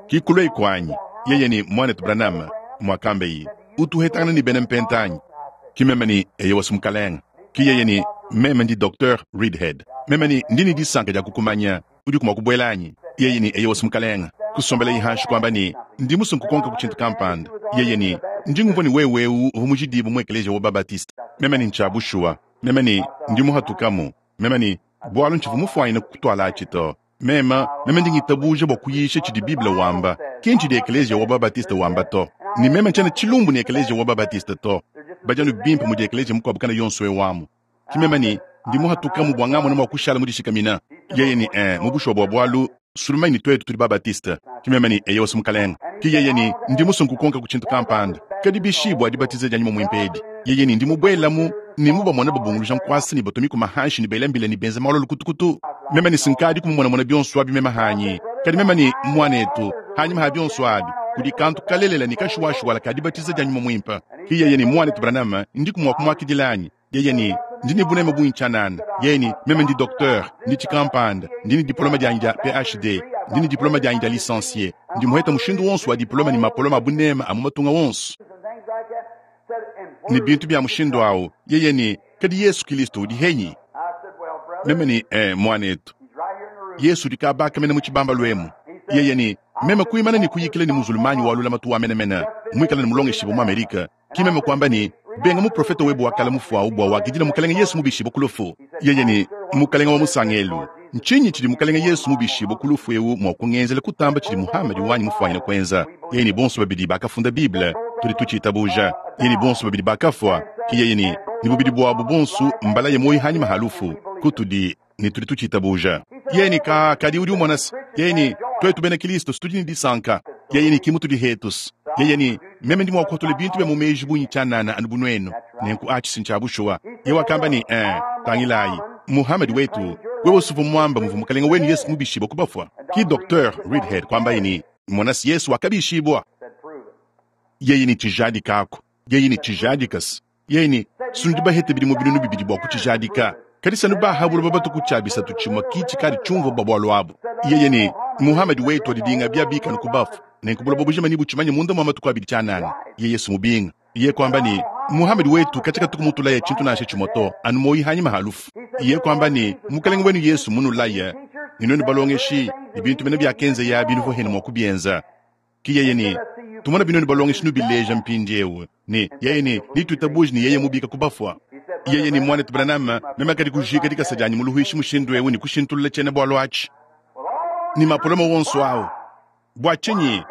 S1: Ki kuluayi kuanyi, yeye ne Muanetu Branham, muakambeyi, utu uhetangana ne bena Mpenta anyi? Ki meme ne, Eyowa, Mukalenge. Ki yeye ne, Meme ndi Docteur Reidhead. Meme ne, Ndi ne disanka dia kukumanya. Udiku mua kubuela anyi? Yeye ne, Eyowa, Mukalenge. Kusombelaye hanshi kuamba ne, Ndi musue nkukonka ku tshintu kampanda. Yeye ne, Ndi ngumvua ne wewe eu uvua mujidibue mu ekeleziya wa ba-Baptiste. Meme ne, Ntshia bushuwa. Meme ne, Ndi muhatukamu. Meme ne, Bualu ntshivua mufuanyine kukutualatshi to. Meme, meme ndi ngitabuja bua kuyisha tshidi Bible wamba, ki ntshidi ekeleziya wa ba-Baptiste wamba to. Ne meme ntshiena tshilumbu ne ekeleziya wa ba-Baptiste to. Badi anu bimpe mudi ekeleziya mukuabu kana yonso eu amu. Ki meme ne, ndi muhatukamu bua ngamona mua kushala mudishikamina. Yeye ne, Ee, mu bushuwa bua bualu, Sulumai ne tuetu tudi ba-Baptiste. Ki meme ne, Eyowa, Mukalenge. Ki yeye ne, Ndi musue nkukonka ku tshintu kampanda. Kadi bishi bua dibatiza dia Nyuma Muimpe edi? Yeye ne, Ndi mubuelamu ne mubamone babunguluja nkuasa ne batua mikuma hanshi ne bela mbila ne benza malu a lukutukutu. Meme ne, Sinkadi kumumonamona bionso abi meme hanyi. Kadi meme ne, Muanetu, hanyima ha bionso abi, kudi kantu kalelela ne kashuwashuwala ka dibatiza dia Nyuma Muimpe. Ki yeye ne, Muanetu Branham, ndiku mua kumuakidila anyi? Yeye ne, Ndi ne buneme bungi tshianana. Yeye ne, Meme ndi docteur, ndi tshikampanda, ndi ne diplome dianyi dia PhD, ndi ne diplome dianyi dia licencie, ndi muhete mushindu wonso wa diplome ne mapolome a buneme a mu matunga wonso, ne bintu bia mushindu au. Yeye ne, Kadi Yesu Kilisto udi henyi? Meme ne, Ee, muanetu, Yesu udi kabaka mene mu tshibambalu emu. Yeye ne, Meme kuimana ne kuyikila ne muzulumanyi wa lulamatu wa menemene, muikale ne mulongeshibue mu Amerike. Ki meme kuamba ne, Benga muprofete webe wa kale mufuawu bua wakidila Mukalenge Yesu mubishibue ku lufu. Yeye ne, Mukalenge wa musangelu, ntshinyi tshidi Mukalenge Yesu mubishibue ku lufu eu mua kungenzela kutamba tshidi Muhamadi wanyi mufuanyine kuenza? Yeye ne bonso babidi bakafunda Bible, tudi tutshiitabuja. Yeye ne bonso babidi bakafua. Ki yeye ne, ne bubidi buabu bonso mbalaye muoyo hanyima ha lufu kutudi ne tudi tutshiitabuja. Yeye ne, Ka, kadi udi umona se, yeye ne, tuetu bena Kilisto tudi ne disanka. Yeye ne, ki mutudi hetus. Yeye ne, Meme ndi mua kuhatula bintu bia mu meji bungi tshianana anu bu nuenu. Nenku atshi si ntshia bushuwa. Yeye wakamba ne, Ee, tangilayi, Muhamadi wetu, wewe usuvua muamba muvua Mukalenge wenu Yesu mubishibue ku bafua. Ki Docteur Reidhead kuambaye ne, Mona se Yesu wakabishibua. Yeye ne, Tshijadikaku. Yeye ne, Tshijadika-se. Yeye ne, Sunudi bahete bidimu binunu bibidi bua kutshijadika, kadi sanu ba ha buloba batuku tshia bisatu tshimue ki tshikadi tshiumvua bua bualu abu. Yeye ne, Muhamadi wetu wadidinga bia bikanu ku bafu, nenku buloba bujima nebutshimanye munda mua matuku abidi tshianana. Yeye sumubinga. Yeye kuamba ne, Muhamadi wetu katshia katuku mutulaya tshintu nansha tshimue to, anu muoyo hanyima ha lufu. Yeye kuamba ne, Mukalenge wenu Yesu munulaya, ne nuenu balongeshi, ne bintu mene biakenzeye abi nuvua henu mua kubienza. Ki yeye ne, Tumona binuenu balongeshi nubileja mpindiewu, ne yeye ne, Nituitabuji ne yeye mubika ku bafua. Yeye ne, Muanetu Branham, meme kadi kujika dikasa dianyi mu luhuishi mushindu ewu ne kushintulula tshiena bualu atshi ne mapolome wonso awu. Bua tshinyi?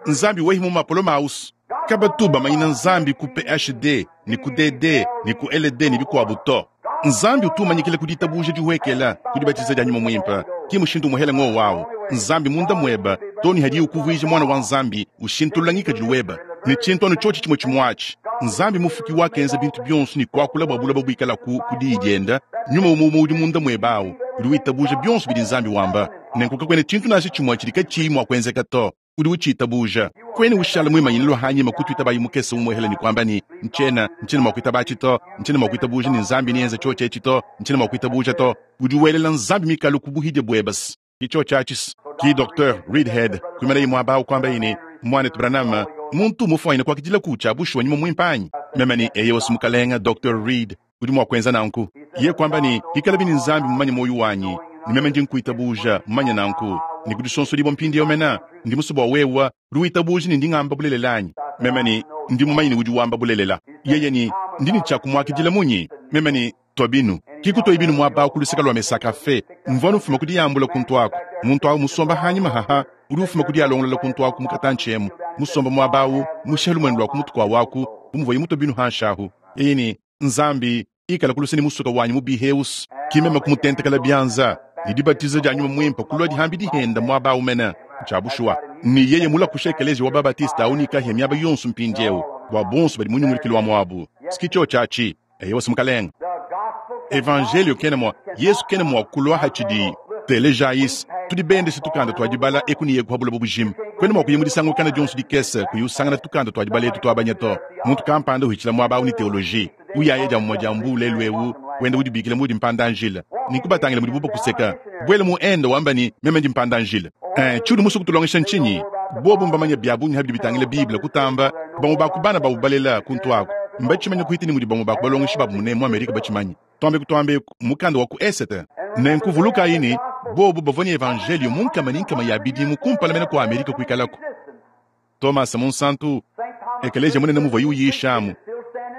S1: Nzambi wehi mu mapolome awusu. Kabatu bamanyina Nzambi ku PhD ne ku DD ne ku LD ne bikuabu to. Nzambi utu umanyikila ku ditabuja dihuekela, ku dibatiza dia Nyuma Muimpe. Ki mushindu umuhela ngowo awu. Nzambi munda mueba, too ne hadiye ukuvuija muana wa Nzambi, ushintulula ngikadilu weba. Ne tshintu anu tshiotshi tshimue tshimue atshi. Nzambi Mufuki wakenza bintu bionso ne kuakula bua buloba buikalaku ku Diyi dienda, Nyuma umue umue udi munda mueba awu, udi witabuja bionso bidi Nzambi wamba. Nenku kakuena tshintu nansha tshimue tshidi katshiyi mua kuenzeka to. Udi utshiitabuja. Kuena ushala muimanyine lua hanyima kutuitabayi mukese umuehela ne kuamba ne, Ntshiena, ntshiena mua kuitaba atshi to. Ntshiena mua kuitabuja ne Nzambi neenze tshiotshi etshi to. Ntshiena mua kuitabuja to. Udi welela Nzambi mikalu ku buhidia buebes. Ki tshiotshi atshi. Ki Docteur Reidhead kuimanaye muaba awu kuambaye ne, Muanetu Branham, muntu mmufuanyine kuakidilaku tshia bushuwa nyuma muimpe anyi? Meme ne, Eyowa, mukalenge, Docteur Reed. Udi mua kuenza nanku. Yeye kuamba ne, Pikalabi ne Nzambi mumanye muoyo wanyi, ne meme ndi nkuitabuja, mumanye nanku, ne ku disonsodibua mpindieu mene, ndi musue bua wewe udi witabuja ne ndi ngamba bulelela anyi? Meme ne, Ndi mumanye ne udi wamba bulelela. Yeye ne, Ndi ne tshia kumuakidila munyi? Meme ne, Tua binu. Ki kutuaye binu muaba awu ku luseke lua Mesa Cafe. Mvua anu mfuma ku diyambula kuntu aku. Muntu awu musomba hanyima haha, udi ufuma ku diyalongolola kuntu aku mu katantshi emu, musomba muaba awu, mushiha lumuenu lua ku mutu kua waku, bu muvuaye mutue binu hanshi ahu. Yeye ne, Nzambi, ikala ku luse ne musuka wanyi mubi eus. Ki meme kumutentekela bianza, ne dibatiza dia Nyuma Muimpe kulua dihambi dihenda muaba au mene. Ntshia bushuwa. Ne yeye mulakusha ekeleziya wa ba-Baptiste au ne kahia miaba yonso mpindieu, bua bonso badi mu nyungulukilu wa muabu. Ski tshiotshi atshi. Eyowa, Mukalenge. Evanjelio kena mua, Yesu kena mua kulua hatshidi. Telejayis, tudi bendeshe tukanda tua dibala eku ne eku ha buloba bujima. Kuena mua kuya mu disangukana dionso dikese kuyi usangana tukanda tua dibala etu tuabanya to. Muntu kampanda uhitshila muaba au ne teoloji, uyaya dia mumue dia mbuu lelu eu, wenda udibikila mudi mpanda-njila. Nenku batangila mudibu bakuseka. Buela mu Inde wamba ne, Meme ndi mpanda-njila. Eh, tshiudi musue kutulongesha ntshinyi? Bobu mbamanye bia bungi pa bidi bitangila Bible kutamba bamue ba ku bana babu balela kuntu aku. Mbatshimanye kuhita ne mudi bamue ba ku balongeshi babu munemu mu Amerike batshimanye. Tuambe kutuamba eku, mukanda wa ku Esete. Nenku vulukayi ne, bobu bavua ne Evanjeliyo mu nkama ne nkama ya bidimu kumpala mene kua Amerike kuikalaku. Tomase Munsantu, ekeleziya munene muvuaye uyishamu,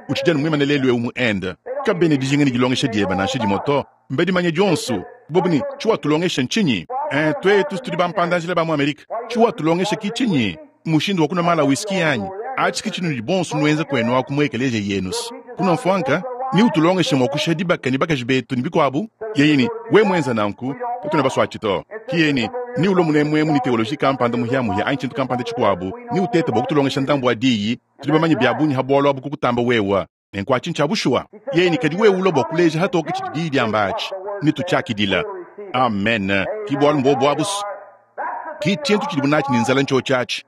S1: utshidi anu muimane lelu'eu mu Inde. Kabena dijinga ne dilongesha diebe nansha dimue to. Mbadimanye dionso. Bobu ne, Tshiwatulongesha ntshinyi? Ee, tuetu tudi bampanda-njila ba mu Amerike. Tshiwatulongesha ki tshinyi? Mushindu wa kunua maala a whisky anyi? Atshi ki tshinudi bonso nuenza kuenu aku mu ekeleziya yenus. Kunua mfuanka? Ne utulongeshe mua kushiha dibaka ne bakaji betu ne bikuabu? Yeye ne, Wewe muenza nanku, katuena basuatshi to. Ki yeye ne, Ne ulua munemuemu ne teoloji kampanda muhiamuhia anyi tshintu kampanda tshikuabu, ne uteta bua kutulongesha ndambu wa diyi, tudi bamanye bia bungi ha bualu abu kukutamba wewe. Nenku atshi ntshia bushuwa. Yeye ne, Kadi wewe ulua bua kuleja hatoke tshidi diyi diamba atshi, netutshiakidila. Amen. Ki bualu mbuobu abu's. Ki tshintu tshidibu natshi ne nzala ntshiotshi atshi.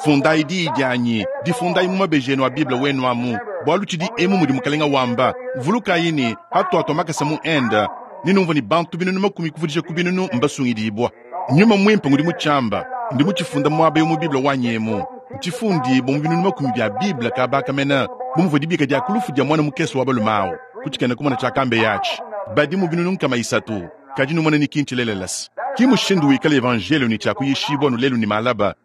S1: Fundayi diyi dianyi, difundayi mu mabeji enu a Bible wenu amu, bualu tshidi emu mudi Mukalenga wamba. Vulukayi ne, hatuatua makasa mu Inde, nenumvue ne bantu 100,000 kuvudija ku binunu mbasungidibua. Nyuma Muimpe ngudi mutshiamba, ndi mutshifunda muaba eu mu Bible wanyi emu. Ntshifundibua mu 100,000 bia Bible kaba aka mene, bu muvua dibika dia ku lufu dia muana mukese wa balume au ku tshikena-kumona tshiakambeye atshi. Badi mu 300,000. Kadi numone ne ki ntshilelela-se. Ki mushindu wikala Evanjeliyo ne tshia kuyishibua anu lelu ne malaba.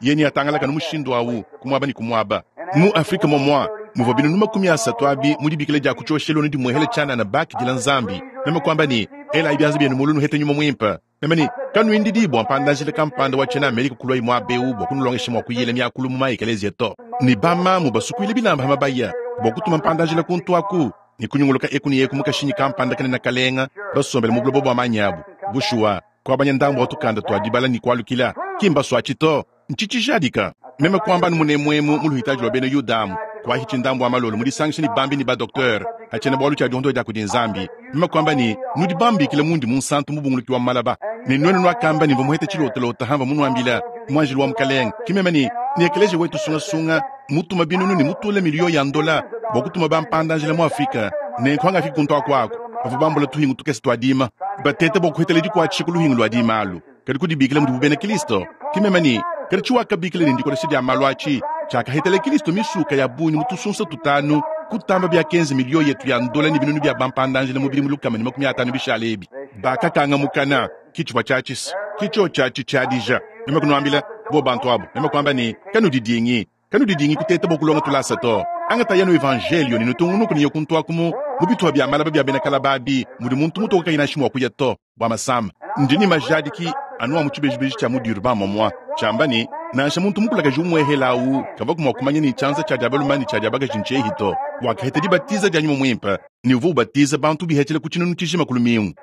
S1: Yeye neatangalake anu mushindu au ku muaba ne ku muaba. Mu Afrike momua muvua 300,000 abi mu dibikila dia ku tshioshelu anu dimuehela tshianana bakidila Nzambi. Meme kuamba ne, Elayi bianza bienu mulu nuhete Nyuma Muimpe. Meme ne, Kanuindidi bua mpanda-njila kampanda wa tshiena Amerika kuluaye muaba eu bua kunulongesha mua kuyila miakulu mu ma-ekeleziya to. Ne bamamu basukuile bilamba pa mabaya bua kutuma mpanda-njila kuntu aku ne kunyunguluka eku ne eku mu kashinyi kampanda kanene kalenga, basombele mu buloba bua manyi abu. Bushuwa, kuabanya ndambu wa tukanda tua dibala ne kualukila, ki mbasuatshi to. Ntshitshijadika. Meme kuamba anu munemuemu mu luhitaji lua bena Yuda amu, kuahitshi ndambu wa malolo mudisangishe ne bambi ne ba-doktere ha tshiena-bualu tshia diondoha dia kudi Nzambi. Meme kuamba ne, Nudi bambikila mundi munsantu mubunguluki wa malaba, ne nuenu nuakamba ne mvua muhete tshilotalota hamvua munuambila muanjelu wa Mukalenge. Ke meme ne, ne ekeleziya wetu sungasunga mutuma binunu ne mutula miliyo ya ndola bua kutuma bampanda-njila mu Afrika. Nenku hangafiki kuntu aku aku, bavua bambula tuhingu tukese tua dima, bateta bua kuhetela dikuatshisha ku luhingu lua dima alu. Kadi kudibikila mudibu bena Kristo, ke meme ne, kadi tshiwakabikila ne ndikolesha dia malu atshi tshiakahetela Kristo misuka ya bungi mu tusunsa tutanu kutamba biakenza miliyo yetu ya ndola ne binunu bia bampanda-njila mu bidimu 150 bishale ebi. Bakakanga mukana, ke tshivua tshiatshisa, ke tshiotshi atshi tshiadija. Meme kunuambila, bo bantu abu, meme kuamba ne, kanudidingi. Kanudidingi kuteta bua kulonga tulasa to. Angatayi anu Evanjeliyo ne nutungunuke ne kuntuaku mu mu bitupa bia malaba bia bena kalaba abi mudi muntu mutoke kayi nansha mua kuya to bua masama. Ndi ne majadiki anu a mu tshibejibeji tshia mu Durban momua tshiamba ne, nansha muntu mukulakaji umuehela au kavuaku mua kumanya ne tshianza tshia dia balume ne tshia dia bakaji ntshiehi to. Wakaheta dibatiza dia Nyuma Muimpe ne uvua ubatiza bantu bihetshila ku tshinunu tshijima ku lumingu.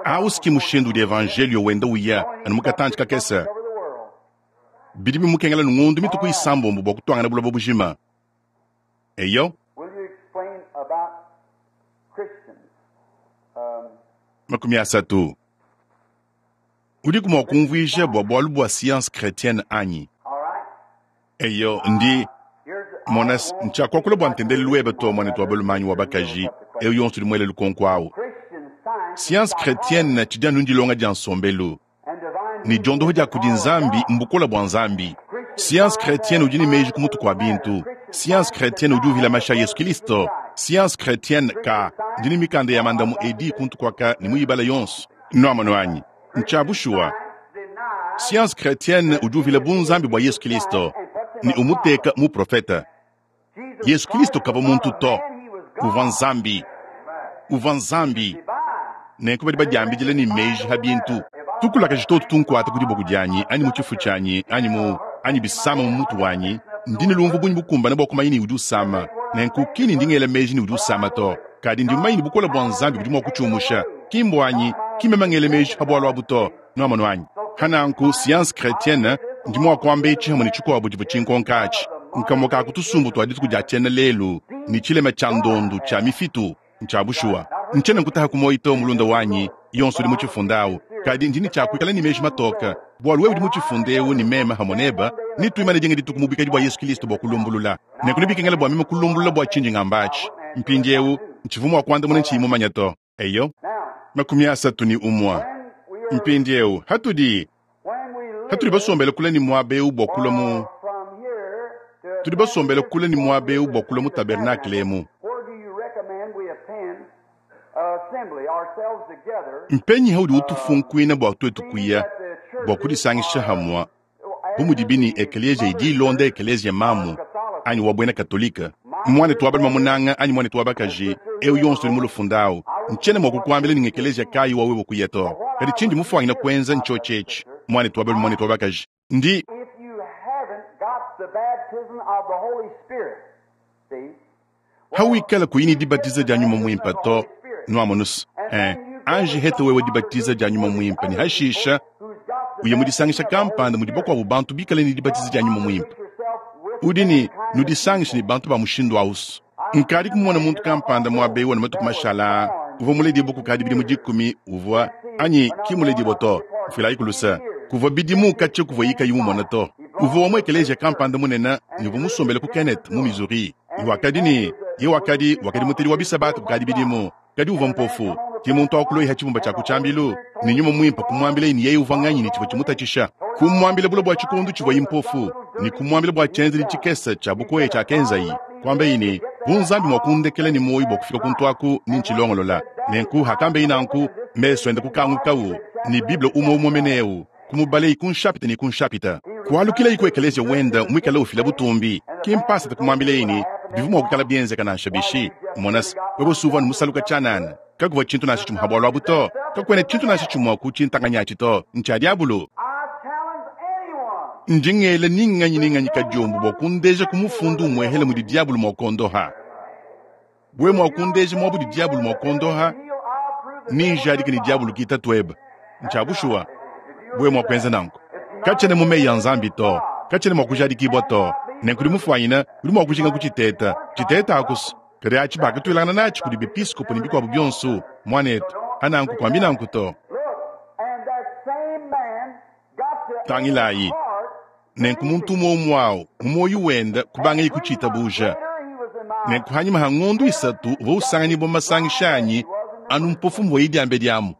S1: Au si ki mushindu udi Evanjeliyo wenda uya anu mu katantshi kakese. Bidi bimukengela ne ngondu mituku isambombo bua kutuangana buloba bujima. Eyo. 30. Udiku mua kumvuija bua bualu bua science chretienne anyi? Eyo, ndi mona ntshiakuakula bua ntendelelu webe to, muanetu wa balume anyi wa bakaji, eu yonso udi muele lukonko au. Science chretienne tshidi anu ndilonga dia nsombelu ne diondoho dia kudi Nzambi mbukole bua Nzambi. Science chretienne udi ne meji ku mutu kua bintu. Science chretienne udi uvila mashi a Yesu Kilisto. Science chretienne ka ndi ne mikanda ya mandamu edi kuntu kuaka ne muyibala yonso. Nuamonu anyi? Ntshia bushuwa. Science chretienne udi uvila bunzambi bua Yesu Kilisto ne umuteka muprofete. Yesu Kilisto kavua muntu to, uvua Nzambi. Uvua Nzambi. Nenku badi badiambidila ne meji ha bintu. Tukulakaji totu tunkuata ku diboko dianyi anyi mu tshifu tshianyi anyi mu anyi bisama mu mutu wanyi, ndi ne lumvu bungi bukumbane bua kumanya ne udi usama. Nenku ki ne ndi ngela meji ne udi usama to, kadi ndi mumanye ne bukole bua Nzambi budi mua kutshiumusha. Ki mbuanyi, ki meme ngela meji pa bualu abu to. Nuamonu anyi? Pa nanku, science chretienne, ndi mua kuamba etshi hamue ne tshikuabu tshivua tshinkonka atshi, nkamue ka ku tusumbu tua dituku dia tshiena lelu ne tshilema tshia ndondu tshia mifitu. Ntshia bushuwa. Ntshiena nkutaha ku muoyo to, mulunda wanyi, yonso udi mutshifunde awu. Kadi ndi ne tshia kuikala ne meji matoke, bualu wewe udi mutshifunde ewu ne meme hamue nebe, netuimane dinga dituku mu buikadi bua Yesu Kilisto bua kulumbulula. Nenku nebikengele bua meme kulumbulula bua tshindi ngamba atshi. Mpindiewu, ntshivua mua kuandamuna ntshiyi mumanye to. Eyo. 31. Mpindiewu, hatudi, hatudi basombele kule ne muaba ewu bua kulua mu, tudi basombele kule ne muaba ewu bua kulua mu tabernakle emu. Mpenyi haudi utufunkuina bua tuetu kuya bua kudisangisha hamua bu mudibi ne ekeleziya idi ilonda ekeleziya mamu anyi wa buena katolike, muanetu wa balume munanga anyi muanetu wa bakaji, eu yonso udi mu lufunda au, ntshiena mua kukuambila ne ngekeleziya kayi wa wewe kuya to. Kadi tshindi mufuanyine kuenza ntshiotshi etshi, muanetu wa balume, muanetu wa bakaji, ndi. Hawikala kuyi ne dibatiza dia Nyuma Muimpe to, nuamonus, eh, anji heta wewe dibatiza dia Nyuma Muimpe ne hashisha uye mu disangisha kampanda mudi bakuabu bantu bikale ne dibatiza dia Nyuma Muimpe. Udi ne nudisangishe ne bantu ba mushindu ausu. Nkadi kumona muntu kampanda muaba eu matuku mashala aa, uvua muledibue kukadi bidimu 10, uvua anyi ki muledibue to, mfuilayi ku luse, kuvua bidimu katshia kuvua kayi mumona to. Uvua wa mu ekeleziya kampanda munene ne uvua musombele ku Kenneth mu Missouri. Ne wakadi ne ye wakadi wakadi mutedi wa bisabata kukadi bidimu, kadi uvua mpofu. Ke muntu au kuloyi ha tshibumba tshia ku tshiambilu, ne Nyuma Muimpe kumuambilaye ne yeye uvua nganyi ne tshivua tshimutatshisha. Kumuambila bule bua tshikondo tshivuaye mpofu, ne kumuambila bua tshienzedi tshikese tshia bukoya tshiakenzaye. Kuambaye ne, Bu Nzambi mua kundekela ne muoyo bua kufika kuntu aku, ne ntshilongolola. Nenku hakambeye nanku, mesu ende kukangukawu, ne Bible umue umue mene eu kumubalayi ku nshapita ne ku nshapita. Kualukilayi ku ekeleziya wende muikale ufila butumbi. Ki mpasata kumuambilaye ne, bivua mua kuikala bienzeka nansha bishi. Mona se, wewe si uvua anu musaluka tshianana. Kakuvua tshintu nansha tshimue ha bualu abu to. Kakuena tshintu nansha tshimue ku tshintanganyi atshi to. Ntshia diabolo. Ndi ngela ni nganyi ni nganyi kadiombo bua kundeja ku mufundu umuehele mudi diabolo mua kuondoha. Wewe mua kundeja muaba udi diabolo mua kuondoha, nenjadike ne diabolo ke tatuebe. Ntshia bushuwa, wewe mua kuenza nanku. Katshiena mu meyi a Nzambi to, katshiena mua kujadikibua to. Nenku udi mufuanyine, udi mua kujinga kutshiteta, tshiteta akusu. Kadi atshi bakatuilangana natshi kudi bepiskopo ne bikuabu bionso, muanetu. Ananku kuambi nanku to. Tangilayi, nenku muntu umue umue au mu muoyo wende kubangaye kutshitabuja. Nenku hanyima ha ngondo 3 uvua usanganyibua mu masangisha anyi anu mpofu mvuaye diambedi amu.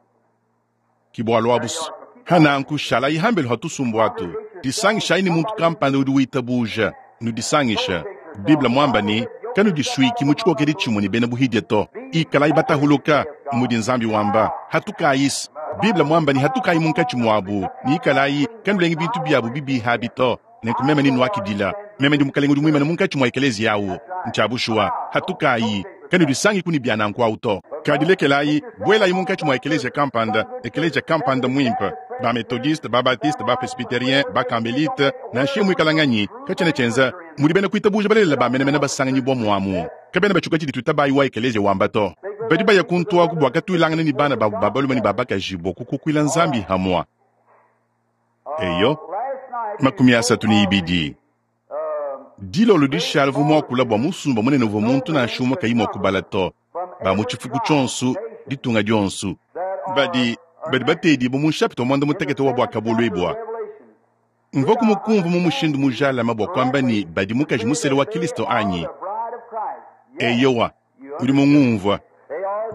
S1: Ki bualu abusu. Hananku shalayi hambelu ha tusumbu atu, disangishayi ne muntu kampanda udi witabuja, nudisangisha. Bible muamba ne, kanudisuiki mu tshikokedi tshimue ne bena buhidia to. Ikalayi batahuluka, mudi Nzambi wamba. Hatukayis. Bible muamba ne hatukayi munkatshi muabu, ne ikalayi kanulengi bintu biabu bibiha abi to. Nenku meme nenuakidila. Meme ndi Mukalenge udi muimane munkatshi mua ekeleziya awu. Ntshia bushuwa. Hatukayi, kanudisangiku ne bia nanku awu to. Kadi lekelayi, buelayi munkatshi mua ekeleziya kampanda, ekeleziya kampanda muimpe, ba-Methodiste, ba-Baptiste, ba-Presbyterien, ba-Kambelite, nansha muikala nganyi, katshiena tshienza mudi bena kuitabuja balelela ba menemene basanganyibua muamu. Kabena batshiuka tshidi tuitabayi wa ekeleziya wamba to. Badi baya kuntu aku bua katuilangana ne bana babu ba balume ne ba bakaji bua kukukuila Nzambi hamua. Eyo, 32. Dilolo dishala uvua muakula bua musumba munene uvua muntu nansha umue kayi mua kubala to, ba mu tshifuku tshionso, ditunga dionso. Badi, badi bateedibwa mu nshapita wa mwandamutekete wa Bwakabulwibwa. Mvwaku mukumvwa mu mushindu mujalame bwa kwamba ne badi Mukaji musela wa Kilisto anyi? Eyowa, udi mungumvwa.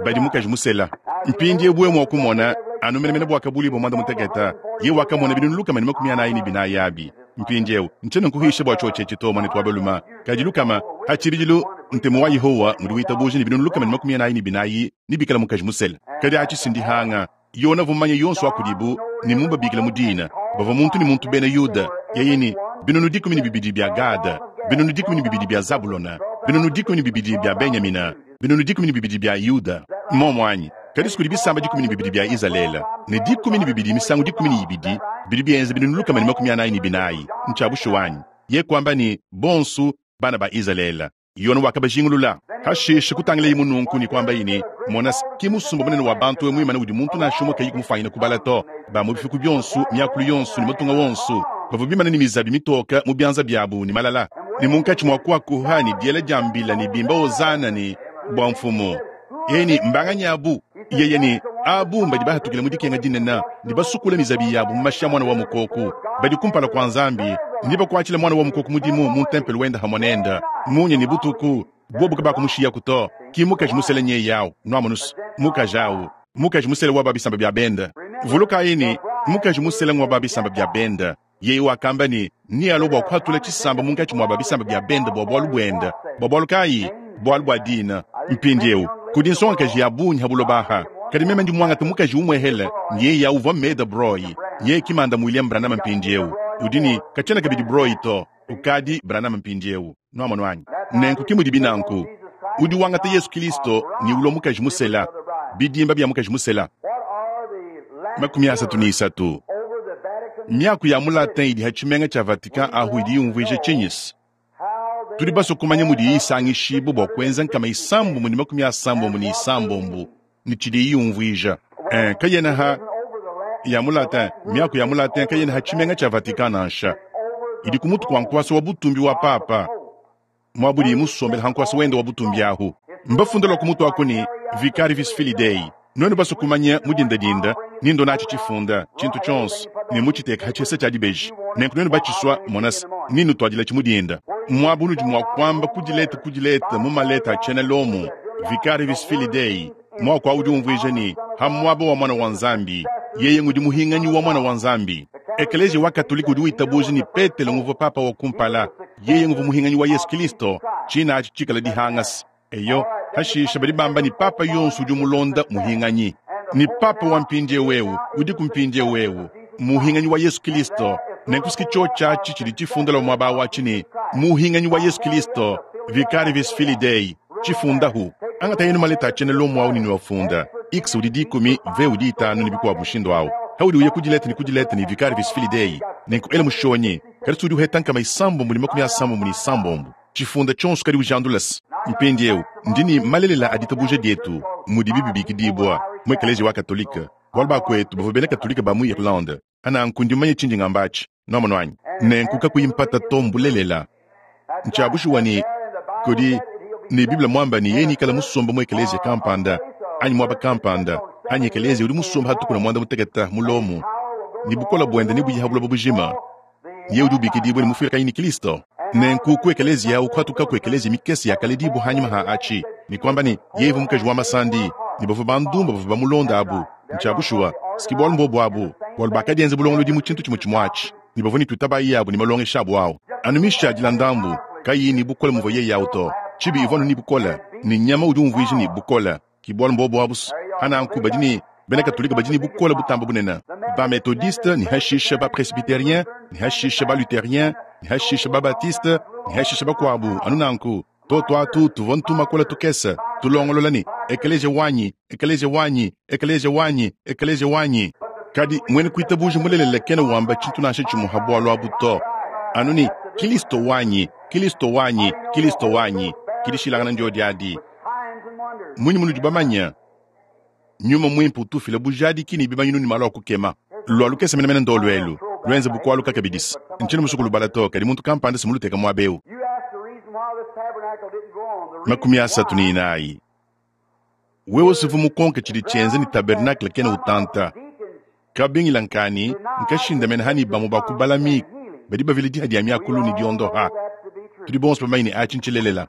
S1: Badi Mukaji musela. Mpindyewu wewe mwa kumona, anu menemene Bwakabulwibwa mwandamutekete, yeye wakamona binunu 144 abi. Mpindyewu, ncyena nkuhiisha bwa cyoci eci to, mwanetu wa balume, kadi lukama, ha cibidilu, Ntemu wa Yehowa ngudi witabuja ne binunu 144 nebikale mukaji musela. Kadi atshi si ndihanga. Yona uvua mumanye yonso wa kudibu ne mubabikile mu dina. Bavua muntu ne muntu bena Yuda, yeye ne 12,000 bia Gada, 12,000 bia Zabulona, 12,000 bia Benyamina, 12,000 bia Yuda. Mmuomu anyi? Kadi si kudi bisamba 12 bia Izalele, ne 12 misangu 12 bidi bienza binunu 144. Ntshia bushuwa anyi? Yeye kuamba ne, Bonso, bana ba Izalele. Yone wakabajingulula. Hashishe kutangilaye nunku ne kuambaye ne, Mona, ki musumba munene wa bantu eu muimane udi muntu nansha umue kayi kumufanyina kubala to, ba mu bifuku bionso, miakulu yonso ne matunga wonso, bavua bimane ne mizabi mitoke mu bianza biabu ne malala, ne munkatshi mua kuakuha ne diela dia mbila ne bimba Hozana ne bua Mfumu. Yeye ne, Mbanganyi abu? Yeye ne, Abu mbadi bahatukila mu dikenga dinene ne basukula mizabi yabu mu mashi a Muana wa Mukoko. Badi kumpala kua Nzambi ne bakuatshila Muana wa Mukoko mudimu mu ntempelo wende hamue nende munya ne butuku. Bobu kabakumushiyaku to. Ki mukaji musele nyeye au, nuamonus, mukaji au, mukaji musele wa ba bisamba bia bende. Vulukayi ne, mukaji musele ngua ba bisamba bia bende. Yeye wakamba ne, nealue bua kuhatula tshisamba munkatshi mua ba bisamba bia bende bua bualu buende. Bua bualu kayi? Bualu bua dina. Mpindieu, kudi nsongakaji ya bungi ha buloba aha, kadi meme ndi muangate mukaji umuehele, ne yeye au uvua Meda Broy. Yeye ki manda William Branham mpindieu. Udi ne, katshiena kabidi Broy to, ukadi Branham mpindieu. Nuamonu anyi? Nenku ki mudibi nanku. Udi wangata Yesu Kilisto ne ulua mukaji musela, bidimba bia mukaji musela. 33. Miaku ya mu Latin idi ha tshimenga tshia Vatican ahu idi yumvuija tshinyi? Tudi basue kumanya mudiyi isangishibua bua kuenza 696 ne tshidiyi yumvuija. Eh, kayena ha ya mu Latin, miaku ya mu Latin kayena ha tshimenga tshia Vatican nansha. Idi ku mutu kua nkuasa wa butumbi wa Papa. Muaba udiye musombele ha nkuasa wende wa butumbi ahu. Mbafunde lua ku mutu aku ne, Vicarivis Filii Dei. Nuenu basue kumanya mu dindadinda, ni ndo natshi tshifunda, tshintu tshionso, ne mutshiteka ha tshisa tshia dibeji. Nenku nuenu batshisua, monase, ni nutuadilatshi mu dinda. Muaba unudi mua kuamba ku dileta ku dileta mu maleta a tshiena Lomo, Vicarivis Filii Dei, muaku au udi umvuija ne, ha muaba wa Muana wa Nzambi, yeye ngudi muhinganyi wa Muana wa Nzambi. Ekeleziya wa Katolike udi witabuja ne Petelo nguvua papa wa kumpala, yeye nguvua muhinganyi wa Yesu Kilisto, tshina atshi tshikala dihangasa. Eyo, hashishe badi bamba ne papa yonso udi umulonda muhinganyi. Ne papa wa mpindieu eu udiku mpindieu eu muhinganyi wa Yesu Kilisto. Nenku ski tshiotshi atshi tshidi tshifunda lua muaba watshi ne muhinganyi wa Yesu Kilisto, Vicarivis Filii Dei, tshifundahu. Angatayenu maleta a tshiena Lomo au ne nuafunda, X udi dikumi, V udi itanu ne bikuabu mushindu au. Haudi uya ku dileta ne ku dileta ne Vicarivis Filii Dei, nenku ela mushonyi, kadi udi uheta 696. Tshifunda tshionso kadi ujandula se, Mpindieu ndi ne malelela a ditabuja dietu, mudibi bibikidibua mu Ekeleziya wa Katolike, bualu bakuetu bavua bena Katolike ba mu Irlande. Nanku ndi mumanye tshindi ngamba atshi. Nuamonu anyi? Nenku kakuyi mpata to, mbulelela. Ntshia bushuwa ne, kudi, ne Bible muamba ne yeye neikale musombe mu ekeleziya kampanda, anyi muaba kampanda, anyi ekeleziya udi musombe ha tukuna muanda-mutekete mu Lomo, ne bukole buende nebuye ha buloba bujima. Yeye udi ubikidibua ne mufuilakanyi ne Kilisto. Nenku ku ekeleziya au kuhatukaku ekeleziya mikese yakaledibua hanyima ha atshi, ne kuamba ne yeye uvua mukaji wa masandi, ne bavua bandumba bavua bamulonda abu. Ntshia bushuwa, s'ki bualu mbobu abu, bualu bakadienza bulongolodi mu tshintu tshimue tshimue atshi, ne bavua ne tuitabayi yabu ne malongesha abu au anu mishadila ndambu, kayiyi ne bukole muvua yeye au to. Tshibi ivua anu ne bukole, ne nyama udi umvuija ne bukole. Ki bualu mbobu abu. Pananku badi ne bena Katolike badi ne bukole butambe bunene, ba Methodiste, ne hashishe ba Presbyterien, ne hashishe ba Lutherien, ne hashishe ba Baptiste, ne hashishe bakuabu anu nanku. Totu atu tuvua ntumakola tukese tulongolola ne ekeleziya wanyi, ekeleziya wanyi, ekeleziya wanyi, ekeleziya wanyi. Kadi muena kuitabuja mulelela kena wamba tshintu nansha tshimue ha bualu abu to, anu ne Kilisto wanyi, Kilisto wanyi, Kilisto wanyi. Ki dishilangana ndiodi adi. Mmunyi munudi bamanye? Nyuma Muimpe utu ufila bujadiki ne bimanyinu ne malu a kukema. Lua lukese menemene ndolu elu, luenze bu kualuka kabidi. Ntshiena musue kulubala to, kadi muntu kampanda si muluteke muaba eu. 34. Wewe suvua mukonke tshidi tshienza ne tabernakle kena utanta. Kabingila nkani nkashindamena hani bamue ba ku balami badi bavila diha dia miakulu ne diondoha. Tudi bonso bamanye ne atshi ntshilelela.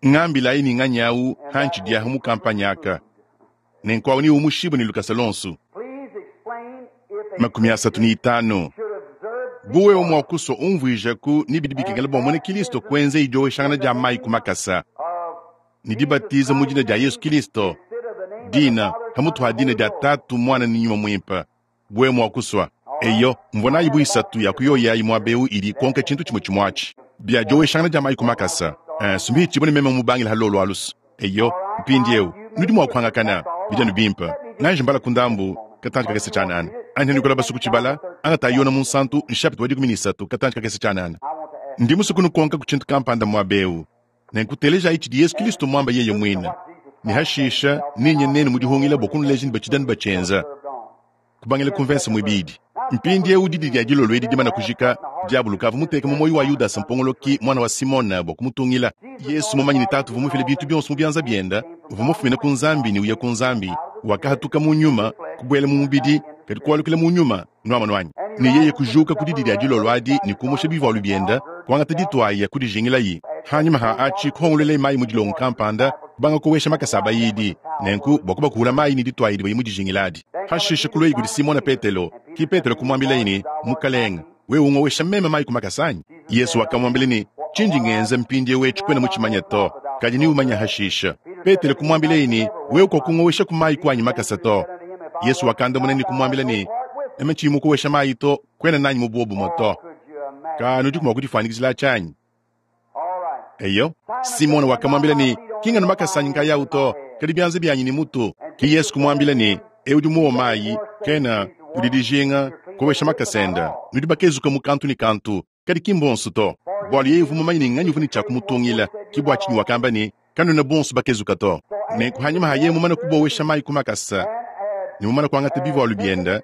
S1: Ngambilayi ne nganyi awu hantshidi aha mu kampanye aka, nenku awu neumushibue ne lukasa luonso. 35. Bu wewe mua kusua umvuijaku ne bidi bikengela bua muena Kilisto kuenza idioweshangana dia mayi ku makasa ne dibatiza mu dina dia Yesu Kilisto, dina pamutu ha dina dia Tatu, Muana ne Nyuma Muimpe, bu wewe mua kusua. Eyo, mvua nayi bu isatu ya ku yoyi ayi muaba eu idi ikonka tshintu tshimue tshimue atshi. Bia dioweshangana dia mayi ku makasa, eh, sumbi tshibue ne meme mubangila ha lolu alusu. Eyo, mpindieu nudi mua kuangakana, bidi anu bimpe. Nganji mbala ku ndambu katantshi kakese tshianana. Anyi hanuikala basue kutshibala, angatayi Yona Munsantu, nshapita wa 13, katantshi kakese tshianana. Ndi musue kunukonka ku tshintu kampanda muaba eu. Nenku telejayi tshidi Yesu Kilisto muamba yeye muine, ne hashisha nenye nenu mu dihungila bua kunuleja ne batshidi anu batshienza. Kubangila ku mvese muibidi. Mpindieu didi dia dilolo edi dimana kujika, Diabolo ukavua muteke mu muoyo wa Yudasa mpongoloki muana wa Simona bua kumutungila. Yesu mumanye ne Tatu uvua mufile bintu bionso mu bianza biende, uvua mufumine ku Nzambi ne uya ku Nzambi, wakahatuka mu nyuma, kubuela mu mubidi, kadi kualukila mu nyuma. Nuamonu anyi? Ne yeye kujuka ku didi dia dilolo adi ne kumusha bivualu biende, kuangata dituaya, kudijingilayi. Hanyima ha atshi, kuhongoluelaye mayi mu dilongo kampanda, kubanga kowesha makasa a bayidi, nenku bua kubakuhula mayi ne dituaya divuaye mudijingile adi. Hashishe kuluaye kudi Simona Petelo. Ke Petelo kumuambilaye ne, Mukalenge, wewe ungowesha meme mayi ku makasa anyi? Yesu wakamuambila ne, Tshindi ngenza mpindieu etshi kuena mutshimanye to, kadi neumanye hashisha. Petelo kumuambilaye ne, Wewe kuakungowesha ku mayi ku anyi makasa to. Yesu wakandamuna ne kumuambila ne, Meme tshiyi mukowesha mayi to, kuena nanyi mu buobumue to. Ka nudiku mua kudifuanyikijila atshi anyi? Eyo. Simona wakamuambila ne, Ki nganu makasa anyi nkayawu to, kadi bianza bianyi ne mutu. Ke Yesu kumuambila ne, Eu udi muowe mayi, kena udi dijinga kowesha makasa ende. Nudi bakezuka mu kantu ne kantu, kadi ki mbonso to. Bualu yeye uvua mumanye ne nganyi uvua ne tshia kumutungila, ke bua tshinyi wakamba ne, Kanuena bonso bakezuka to. Nenku hanyima ha yeye mumane kubowesha mayi ku makasa ne mumane kuangata bivualu biende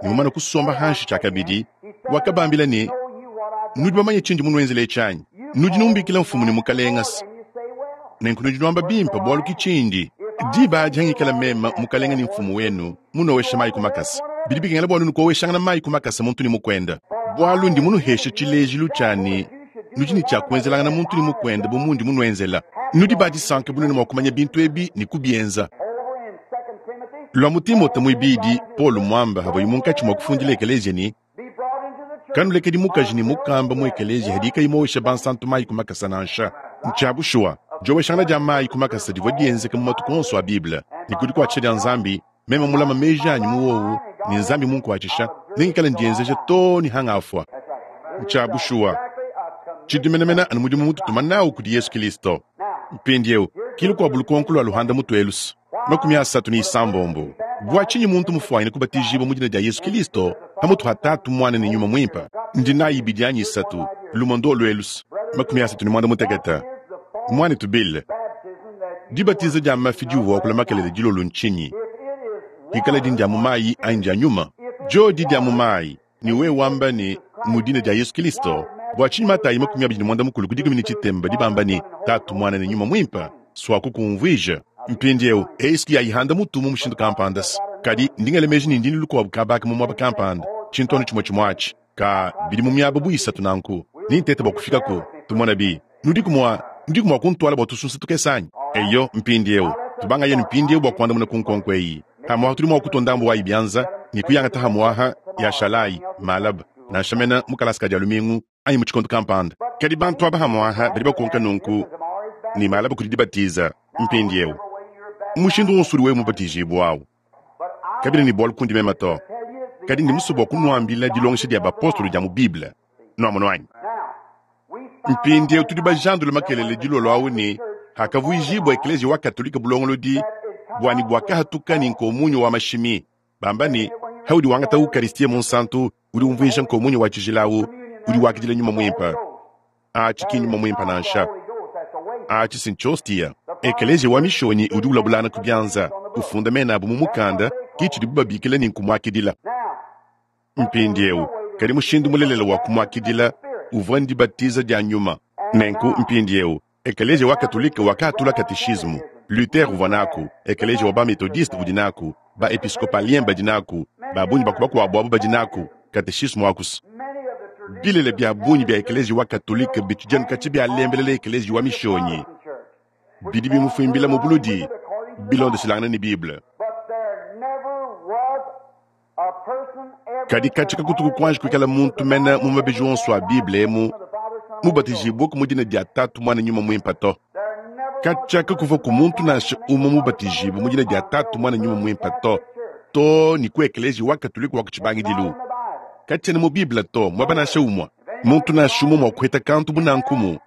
S1: ne mumane kusomba hanshi tshiakabidi, wakabambila ne, Nudi bamanye tshindi munuenzele etshi anyi? Nudi numbikila Mfumu ne Mukalenge, nenku nudi nuamba bimpe, bualu ki tshindi. Diba adi hangikala meme Mukalenge ne Mfumu wenu munowesha mayi ku makasa, bidi bikengela bua nuenu kuoweshangana mayi ku makasa muntu ne mukuende, bualu ndi munuheshe tshilejilu tshia ne, nudi ne tshia kuenzelangana muntu ne mukuende bu mundi munuenzela. Nudi ba disanka bu nuenu mua kumanya bintu ebi ne kubienza. Lua mu Timote muibidi, Paulo muamba havuaye munkatshi mua kufundila ekeleziya ne, Kanulekedi mukaji ne mukamba mu ekeleziya hadiye kayi muowesha bansantu mayi ku makasa nansha. Ntshia bushuwa, dioweshangana dia mayi ku makasa divua dienzeka mu matuku onso a Bible, ne ku dikuatshisha dia Nzambi, meme mulama meji anyi mu wowu ne Nzambi munkuatshisha, nengikale ndienzeja too ne hangafua. Ntshia bushuwa, tshidi menemene anu mudimu mututuma nawu kudi Yesu Kilisto. Mpindieu, ki lukuabu lukonko lua luhanda mutu elusu. 36. Bua tshinyi muntu mufuanyine kubatijibua mu dina dia Yesu Kilisto pamutu ha Tatu, Muana ne Nyuma Muimpe? Ndi nayi ibidi anyi isatu, lumue ndolu elusu. 35. Muanetu Bill, dibatiza dia mafi diuvua wakula makelela dilolo ntshinyi? Pikaladi ndia mu mayi anyi ndia nyuma? Diodi dia mu mayi, ne wewe wamba ne, Mu dina dia Yesu Kilisto, bua tshinyi Matayi 28 ku dikumi ne tshitemba badi bamba ne, Tatu, Muana ne Nyuma Muimpe? Suaku kumvuija. Mpindieu, eyi si yayihanda mutu mu mushindu kampanda se, kadi ndi ngela meji ne ndi ne lukuabu kabaka mu muaba kampanda, tshintu anu tshimue tshimue atshi. Ka, bidi mu miaba bu isatu nanku. Nintete bua kufikaku. Tumonabi. Nudiku mua, nudiku mua kuntuala bua tusunsa tukese anyi? Eyo, mpindieu, tubangayi anu mpindieu bua kuandamuna ku nkonko eyi. Pamuapa tudi mua kutua ndambu wayi bianza ne kuyangata hamuaha yashalayi malaba, nansha mena mu kalasa ka Dia lumingu anyi mu tshikondo kampanda. Kadi bantu aba hamuaha badi bakonka nunku ne malaba kudi dibatiza. Mpindieu, mushindu wonso udi wewe mubatijibue au kabiena ne bualu kundi meme to, kadi ndi musue bua kunuambila dilongesha dia bapostolo dia mu Bible. Nuamonu anyi? Mpindieu tudi bajandule makelele dilolo au ne hakavuijibua Ekleziya wa Katolike bulongolodi buanyi buakahatuka ne nkomunyo wa mashimi, bamba ne, haudi wangata Ukaristia Munsantu udi umvuija nkomunyo wa tshijila au udi wakidila Nyuma Muimpe. Atshi ki Nyuma Muimpe nansha, atshi si ntshostia. Ekleziya wa Mishonyi udi ulabulana ku bianza, ufunda mena abu mu mukanda, ki tshidibu babikila ne nkumuakidila. Mpindieu, kadi mushindu mulelela wa kumuakidila uvua ndibatiza dia nyuma. Nenku mpindiewu, ekeleziya wa Katolike wakaatula kateshismu. Luther uvua naaku, ekeleziya wa ba-Methodiste udi naaku, ba-Episcopalien badi naaku, ba bungi ba ku bakuabu abu badi naaku, kateshismu aku's. Bilele bia bungi bia ekeleziya wa Katolike bitshidi anu katshia bialembelela ekeleziya wa Mishonyi. Bidi bimufuimbila mu buludi bilondeshilangane ne Bible. Kadi katshia kakutuku kuanji kuikala muntu mene mu mabeji onso a Bible emu mubatijibueku mu dina dia Tatu, Muana, Nyuma Muimpe to. Katshia kakuvuaku muntu nansha umue mubatijibue mu dina dia Tatu, Muana, Nyuma Muimpe to, too ne ku Ekeleziya wa Katolike wa ku tshibangidilu. Katshiena mu Bible to, muaba nansha umue. Muntu nansha umue mua kuheta kantu bu nanku mu.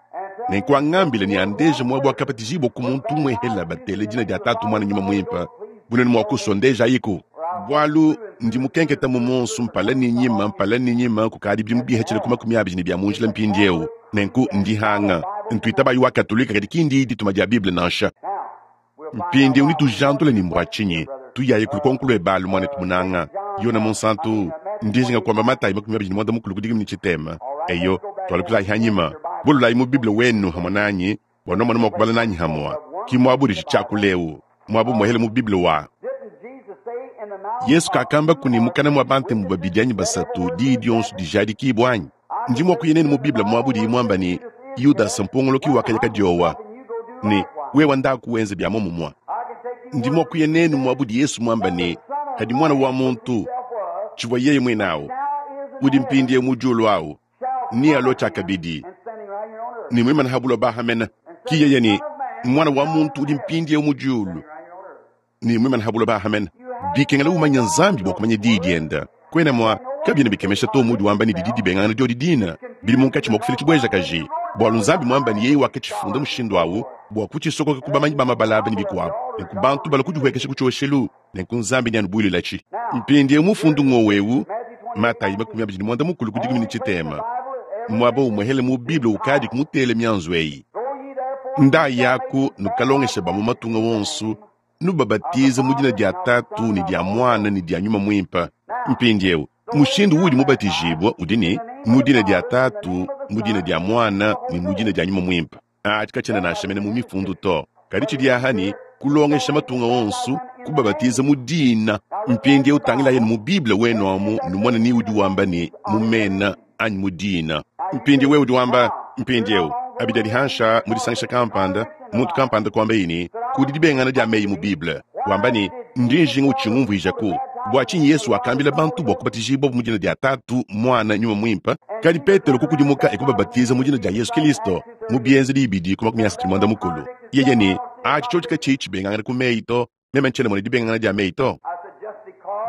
S1: Nenku angambile ne andeje muaba wakabatijibua ku muntu umuehela batele dina dia Tatu, Muana, Nyuma Muimpe, bu nuenu mua kusua ndejayiku. Bualu ndi mukenketa mu monsu mpala ne nyima, mpala ne nyima kukadi bidimu bihatshile ku 20 ne bia mu njila mpindieu. Nenku ndi hanga ntuitabayi wa Katolike, kadi ki ndi dituma dia Bible nansha. Mpindieu netujandule ne mbua tshinyi? Tuyayi ku lukonko luebe alu, muanetu munanga. Yone Munsantu, ndi njinga kuamba Matayi 25 ku dikumi ne tshitema. Eyo, tualukilayi hanyima. Bululayi mu Bible wenu hamue nanyi, bua nuamona mua kubala nanyi hamue. Ki muaba udi tshiakula eu, muaba umuehele mu Bible wa. Yesu kakambaku ne mukana mua bantemu babidi anyi basatu diyi dionso dijadikibua anyi? Ndi mua kuya nenu mu Bible muaba udiyi muamba ne, Yudasa mpongoloki wakaya kadiowa, ne wewe ndaku wenze bia muomumue. Ndi mua kuya nenu muaba udi Yesu muamba ne, Kadi Muana wa muntu, tshivua yeye muine au, udi mpindieu mu diulu au, nealue tshiakabidi ne muimane ha buloba aha mene. Ki yeye ne, Muana wa muntu udi mpindieu mu diulu ne muimane ha buloba aha mene. Bikengela umanya Nzambi bua kumanya diyi diende. Kuena mua, kabiena bikemesha to muudi wamba ne didi dibengangana diodi dina, bidi munkatshi mua kufila tshibuejakaji, bualu Nzambi muamba ne yeye wakatshifunda mushindu au bua kutshisokoka ku bamanyi ba mabala aba ne bikuabu, ne ku bantu balua kudihuekesha ku tshioshelu, nenku Nzambi neanubuilulatshi. Mpindieu mufundu ngowu eu, Matayi 25 ku dikumi ne tshitema, muaba umuehele mu Bible ukadiku mutele mianzu eyi. Ndayaku nukalongeshe ba mu matunga wonso, nubabatize mu dina dia Tatu ne dia Muana ne dia Nyuma Muimpe. Mpindieu mushindu uudi mubatijibue udi ne, mu dina dia Tatu, mu dina dia Muana ne mu dina dia Nyuma Muimpe. Atshi katshiena nansha mene mu mifundu to, kadi tshidi aha ne kulongesha matunga onso, kubabatiza mu dina. Mpindieu tangilayi mu Bible wenu amu numone ni udi wamba ne mu mena anyi mu dina. Mpindieu wewe udi wamba mpindieu abidi adi hansha mu disangisha kampanda, muntu kampanda kuambaye ne kudi dibengangana dia meyi mu Bible, wamba ne ndi njinga utshingumvuijaku. Bua tshinyi Yesu wakambila bantu bua kubatijibua mu dina dia Tatu, Muana, Nyuma Muimpe? Kadi Petelo kukudimuka e kubabatiza mu dina dia Yesu Kilisto mu Bienzedi ibidi ku 35. Yeye ne, atshi tshiotshi katshiyi tshibengangana ku meyi to, meme ntshiena mona dibengangana dia meyi to.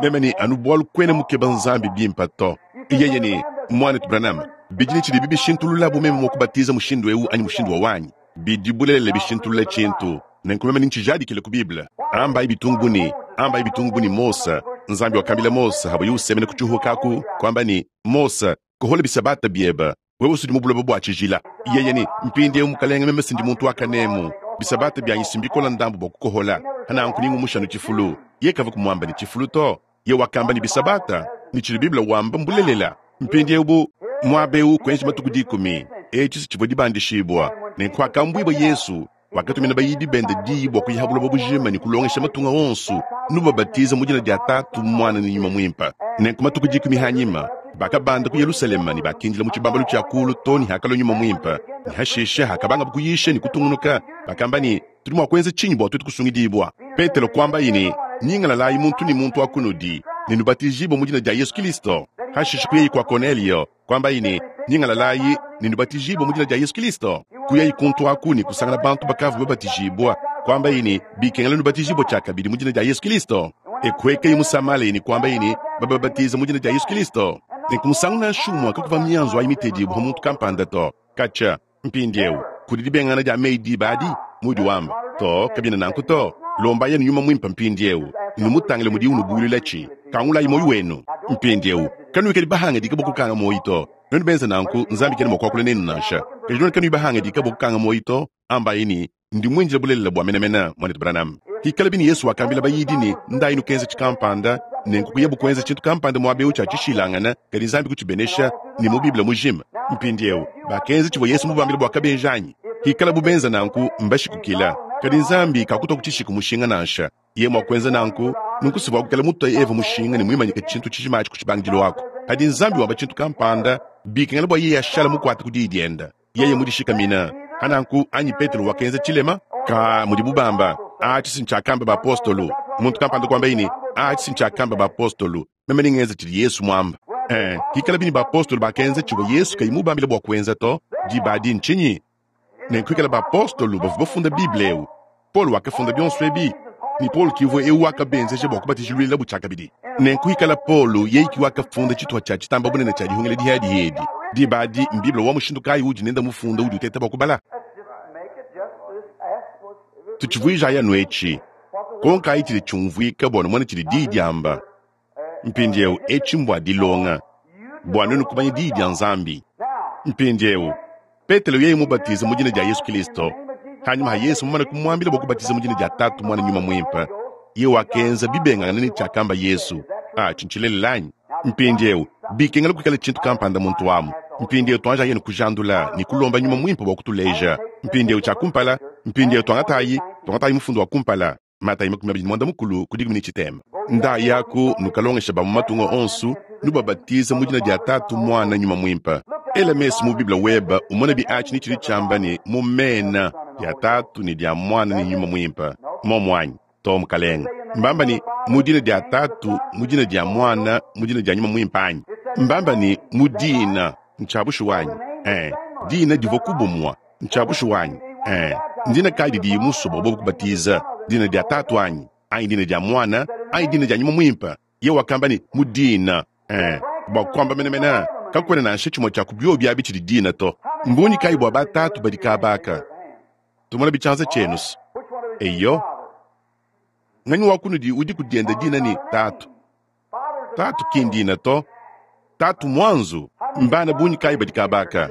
S1: Meme ne, anu bualu kuena mukeba Nzambi bimpe to. Yeye ne, Muanetu Branham, bidi ne tshidibi bishintulula bu meme mua kubatiza mushindu eu anyi mushindu wa wanyi? Bidi bulelela bishintulula tshintu. Nenku meme nintshijadikile ku Bible. Ambayi bitungu bu ne, ambayi bitungu bu ne Mose, Nzambi wakambila Mose habuye usemena ku tshihuka aku, kuamba ne, Mose, kohola bisabata biebe, wewe usudi mu buloba bua tshijila. Yeye ne, mpindieu mukalenge, meme sindi muntu wa kanemu, bisabata bianyi si mbikola ndambu bua kukohola, hananku ningumusha anu tshifulu. Ye kavua kumuamba ne tshifulu to. Ye wakamba ne bisabata, ne tshidi Bible wamba mbulelela. Mpindieu bu muaba eu kuenji matuku dikumi, etshi si tshivua dibandishibua. Nenku hakambuibua Yesu, wakatumina bayidi bende diyi bua kuya ha buloba bujima ne kulongesha matunga onso, nubabatiza mu dina dia Tatu, Muana ne Nyuma Muimpe. Nenku matuku dikumi hanyima, bakabanda ku Yelusalema ne bakindila mu tshibambalu tshia kulu to ne hakalua Nyuma Muimpe. Ne hashishe hakabangabu kuyisha ne kutungunuka, bakamba ne, Tudi mua kuenza tshinyi bua tuetu kusungidibua? Petelo kuambaye ne, Nyingalalayi muntu ne muntu wa kunudi, ne nubatijibue mu dina dia Yesu Kilisto. Hashishe kuyayi kua Konelio, kuambaye ne, Nyingalalayi ne nubatijibue mu dina dia Yesu Kilisto. Kuyayi kuntu aku ne kusangana bantu bakavua babatijibua, kuambaye ne, Bikengela nubatijibue tshiakabidi mu dina dia Yesu Kilisto. E kuekaye mu Samalea ne kuambaye ne, Bababatize mu dina dia Yesu Kilisto. Nenku musangu nansha umue kakuvua mianzu ayi mitedibue pa muntu kampanda to. Katshia mpindieu kudi dibengangana dia meyi diba adi muudi wamba to, kabiena nanku to. Lombayi anu Nyuma Muimpe mpindieu, numutangile mudiye unubuuluilatshi. Kangulayi muoyo wenu mpindieu, kanuikadi bahangadika bua kukanga muoyo to. Nuenu benze nanku, Nzambi kena mua kuakula nenu nansha. Kadi nuenu kanuyi bahangadika bua kukanga muoyo to, ambayi ne, Ndi muindile bulelela bua menemene, muanetu Branham. Pikalabi ne Yesu wakambila bayidi ne, Ndayi nukenze tshikampanda, nenku kuyabu kuenza tshintu kampanda muaba eu tshia tshishilangane, kadi Nzambi kutshibenesha, ne mu Bible mujima. Mpindiewu, bakenza tshivua Yesu mubambile bua kabenji anyi? Hikalabu benza nanku, mbashikukila. Kadi Nzambi kakutua ku tshishiku mushinga nansha. Yeye mua kuenza nanku, nunku sivua kukala mutua Eva mushinga ne muimanyike tshintu tshijima atshi ku tshibangidilu aku. Padi Nzambi wamba tshintu kampanda, bikengela bua yeye ashale mukuate ku diyi diende. Yeye mudishikamina. Pa nanku, anyi Petelo wakenza tshilema? Ka mudibu bamba, atshi si ntshiakamba bapostolo. Muntu kampanda kuambaye ne, atshi si ntshiakamba bapostolo. Meme nengenze tshidi Yesu muamba. Ee, hikalabi ne bapostolo bakenza tshivua Yesu kayi mubambile bua kuenza to, diba adi ntshinyi? Nenku hikala bapostolo bavua bafunda Bible eu, Paulo wakafunda bionso ebi, ne Paulo ki uvua eu wakabenzeja bua kubatijilwilabu tshiakabidi. Nenku hikala Paulo yeye ki wakafunda tshituha tshia tshitamba bunene tshia dihungila dihiadihi edi, diba adi m'Bible wa mushindu kayi uudi nende mufunda udi uteta bua kubala? Tutshivuijayi anu etshi, konkayi tshidi tshiumvuika bua numone tshidi Diyi diamba. Mpindieu etshi mbua dilonga, bua nuenu kumanya Diyi dia Nzambi. Mpindieu, Petelo yeye mubatize mu dina dia Yesu Kilisto, hanyima ha Yesu mumane kumuambila bua kubatiza mu dina dia Tatu, Muana, Nyuma Muimpe, yeye wakenza bibengangane ne tshiakamba Yesu. Atshi ntshilelela anyi? Mpindieu, bikengela kuikala tshintu kampanda muntu amu. Mpindieu tuanjayi kujandula ne kulomba Nyuma Muimpe bua kutuleja. Mpindieu tshia kumpala, mpindieu tuangatayi, tuangatayi mufundu wa kumpala. Matayi 28 ku dikumi ne tshitema. Ndayaku nukalongesha ba mu matunga onso, nubabatiza mu dina dia Tatu, Muana, Nyuma Muimpe. Ela mesu mu Bible weba umone bi atshi ne tshidi tshiamba ne mu mena dia Tatu ne dia Muana ne Nyuma Muimpe. Momu anyi? To, Mukalenge. Mbamba ne mu dina dia Tatu, mu dina dia Muana, mu dina dia Nyuma Muimpe anyi? Mbamba ne mu dina. Ntshia bushuwa anyi? Ee, dina divua ku bumua. Ntshia bushuwa anyi? Ee, ndina kayi didiye musue bua bobu kubatiza? Dina dia Tatu anyi? Anyi dina dia Muana? Anyi dina dia Nyuma Muimpe? Yeye wakamba ne, mu dina. Ee, bua kuamba menemene, kakuena nansha tshimue tshia ku biobi abi tshidi dina to. Mbungi kayi bua batatu badi kaba aka? Tumona bitshianza tshienu. Eyo, nganyi wa kunudi udi ku diende dina ne Tatu? Tatu ki ndina to. Tatu muanzu. Mbana bungi kayi badi kaba aka?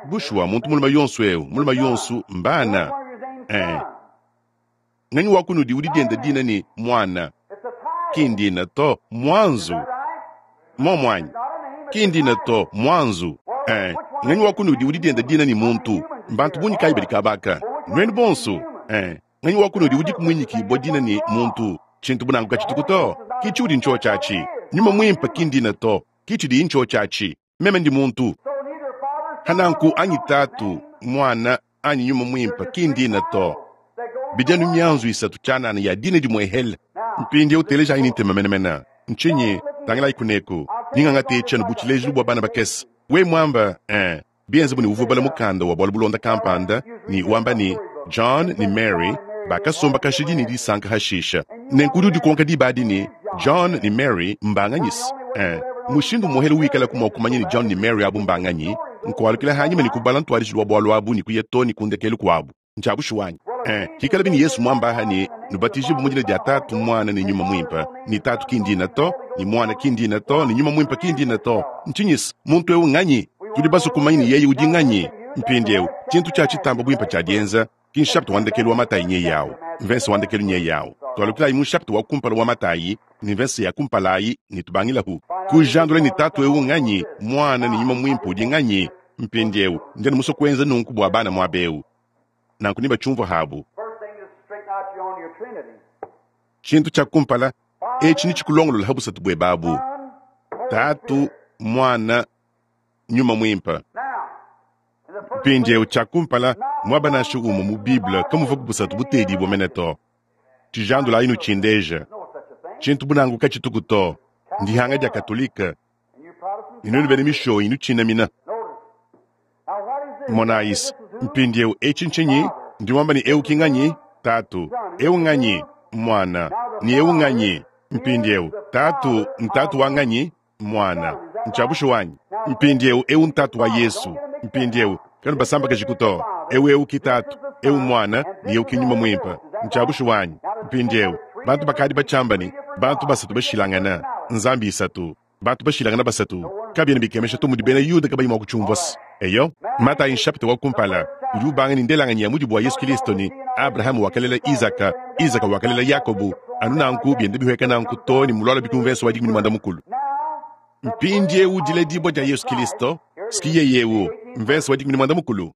S1: Bushuwa, muntu mulume yonso eu, mulume yonso mbana. Eh. Nganyi wa kunudi udi diende dina ne muana? Ki ndina to, muanzu. Momu anyi? Ki ndina to, muanzu. Eh. Nganyi wa kunudi udi diende dina ne muntu? Mbantu bungi kayi badi kaba aka? Nuenu bonso. Eh. Nganyi wa kunudi udiku muinyikibua dina ne muntu? Tshintu bu nanku katshituku to. Ki tshiudi ntshiotshi atshi. Nyuma Muimpe ki ndina to. Ki tshidiyi ntshiotshi atshi. Meme ndi muntu. Hananku anyi Tatu, Muana, anyi Nyuma Muimpe ki ndina to. Bidi anu mianzu isatu tshianana ya dina dimuehele. Mpindieu telejayi ne ntema menemene. Ntshinyi? Tangilayi kuneku. Ningangate etshi anu bu tshilejilu bua bana bakese. We muamba, eh, Bienze bu ne uvua ubala mukanda wa bualu bulonda kampanda ne wamba ne, John ne Mary bakasomba kashidi ne disanka hashisha. Nenku udi udikonka diba adi ne, John ne Mary mbanganyise? Eh, mushindu umuehele wikalaku mua kumanya ne John ne Mary abu mbanganyi, nkualukila hanyima ne kubala ntuadijilu wa bualu abu ne kuya too ne ku ndekelu kuabu. Ntshia bushuwa anyi? Eh, hikalabi ne Yesu muamba aha ne, nubatijibue mu dina dia Tatu, Muana ne Nyuma Muimpe, ne Tatu ki ndina to, ne Muana ki ndina to, ne Nyuma Muimpe ki ndina to. Ntshinyisa? Muntu eu nganyi? Tudi basue kumanya ne yeye udi nganyi. Mpindieu, tshintu tshia tshitamba buimpe tshia dienza, ki nshapita wa ndekelu wa Matayi nyeye au, mvese wa ndekelu nyeye au. Tualukilayi mu nshapita wa kumpala wa Matayi ne mvese ya kumpala ayi ne tubangilahu kujandula ne Tatu eu nganyi, Muana ne Nyuma Muimpe udi nganyi. Mpindieu, ndi anu musue kuenza nunku bua bana muaba eu, nanku nebatshiumvue habu. Tshintu tshia kumpala, etshi netshikulongolola ha busatu buebe abu, Tatu, Muana, Nyuma Muimpe. Mpindieu, tshia kumpala, muaba nansha umue mu Bible kamuvua busatu butedibue mene to. Tshijandulayi nutshindeja. Tshintu bu nanku katshituku to. Ndihanga dia Katolike. Ne nuenu bena mishoyi nutshinamina. Monayi, mpindieu etshi ntshinyi? Ndi wamba ne eu ki nganyi? Tatu. Eu nganyi? Muana. Ne eu nganyi? Mpindieu, Tatu ntatu wa nganyi? Muana. Ntshia bushuwa anyi? Mpindieu, eu ntatu wa Yesu. Mpindieu, kanubasambakajiku to. Eu eu ki Tatu, eu Muana, ne eu ki Nyuma Muimpe. Ntshia bushuwa anyi? Mpindieu, bantu bakadi batshiamba ne, bantu basatu bashilangane, Nzambi isatu. Bantu bashilangane basatu. Kabiena bikemesha to mudi bena Yuda kabayi mua kutshiumvua. Eyo, Matayi nshapita wa kumpala udi ubanga ne ndelanganyi ya mudibu wa Yesu Kilisto ne Abrahama wakalela Izaka, Izaka wakalela Yakobo, anu nanku bienda bihueka nanku too ne mulualua bikumvenso wa 18. Mpindieu diledibua dia Yesu Kilisto. S'ki yeye eu, mvese wa 14.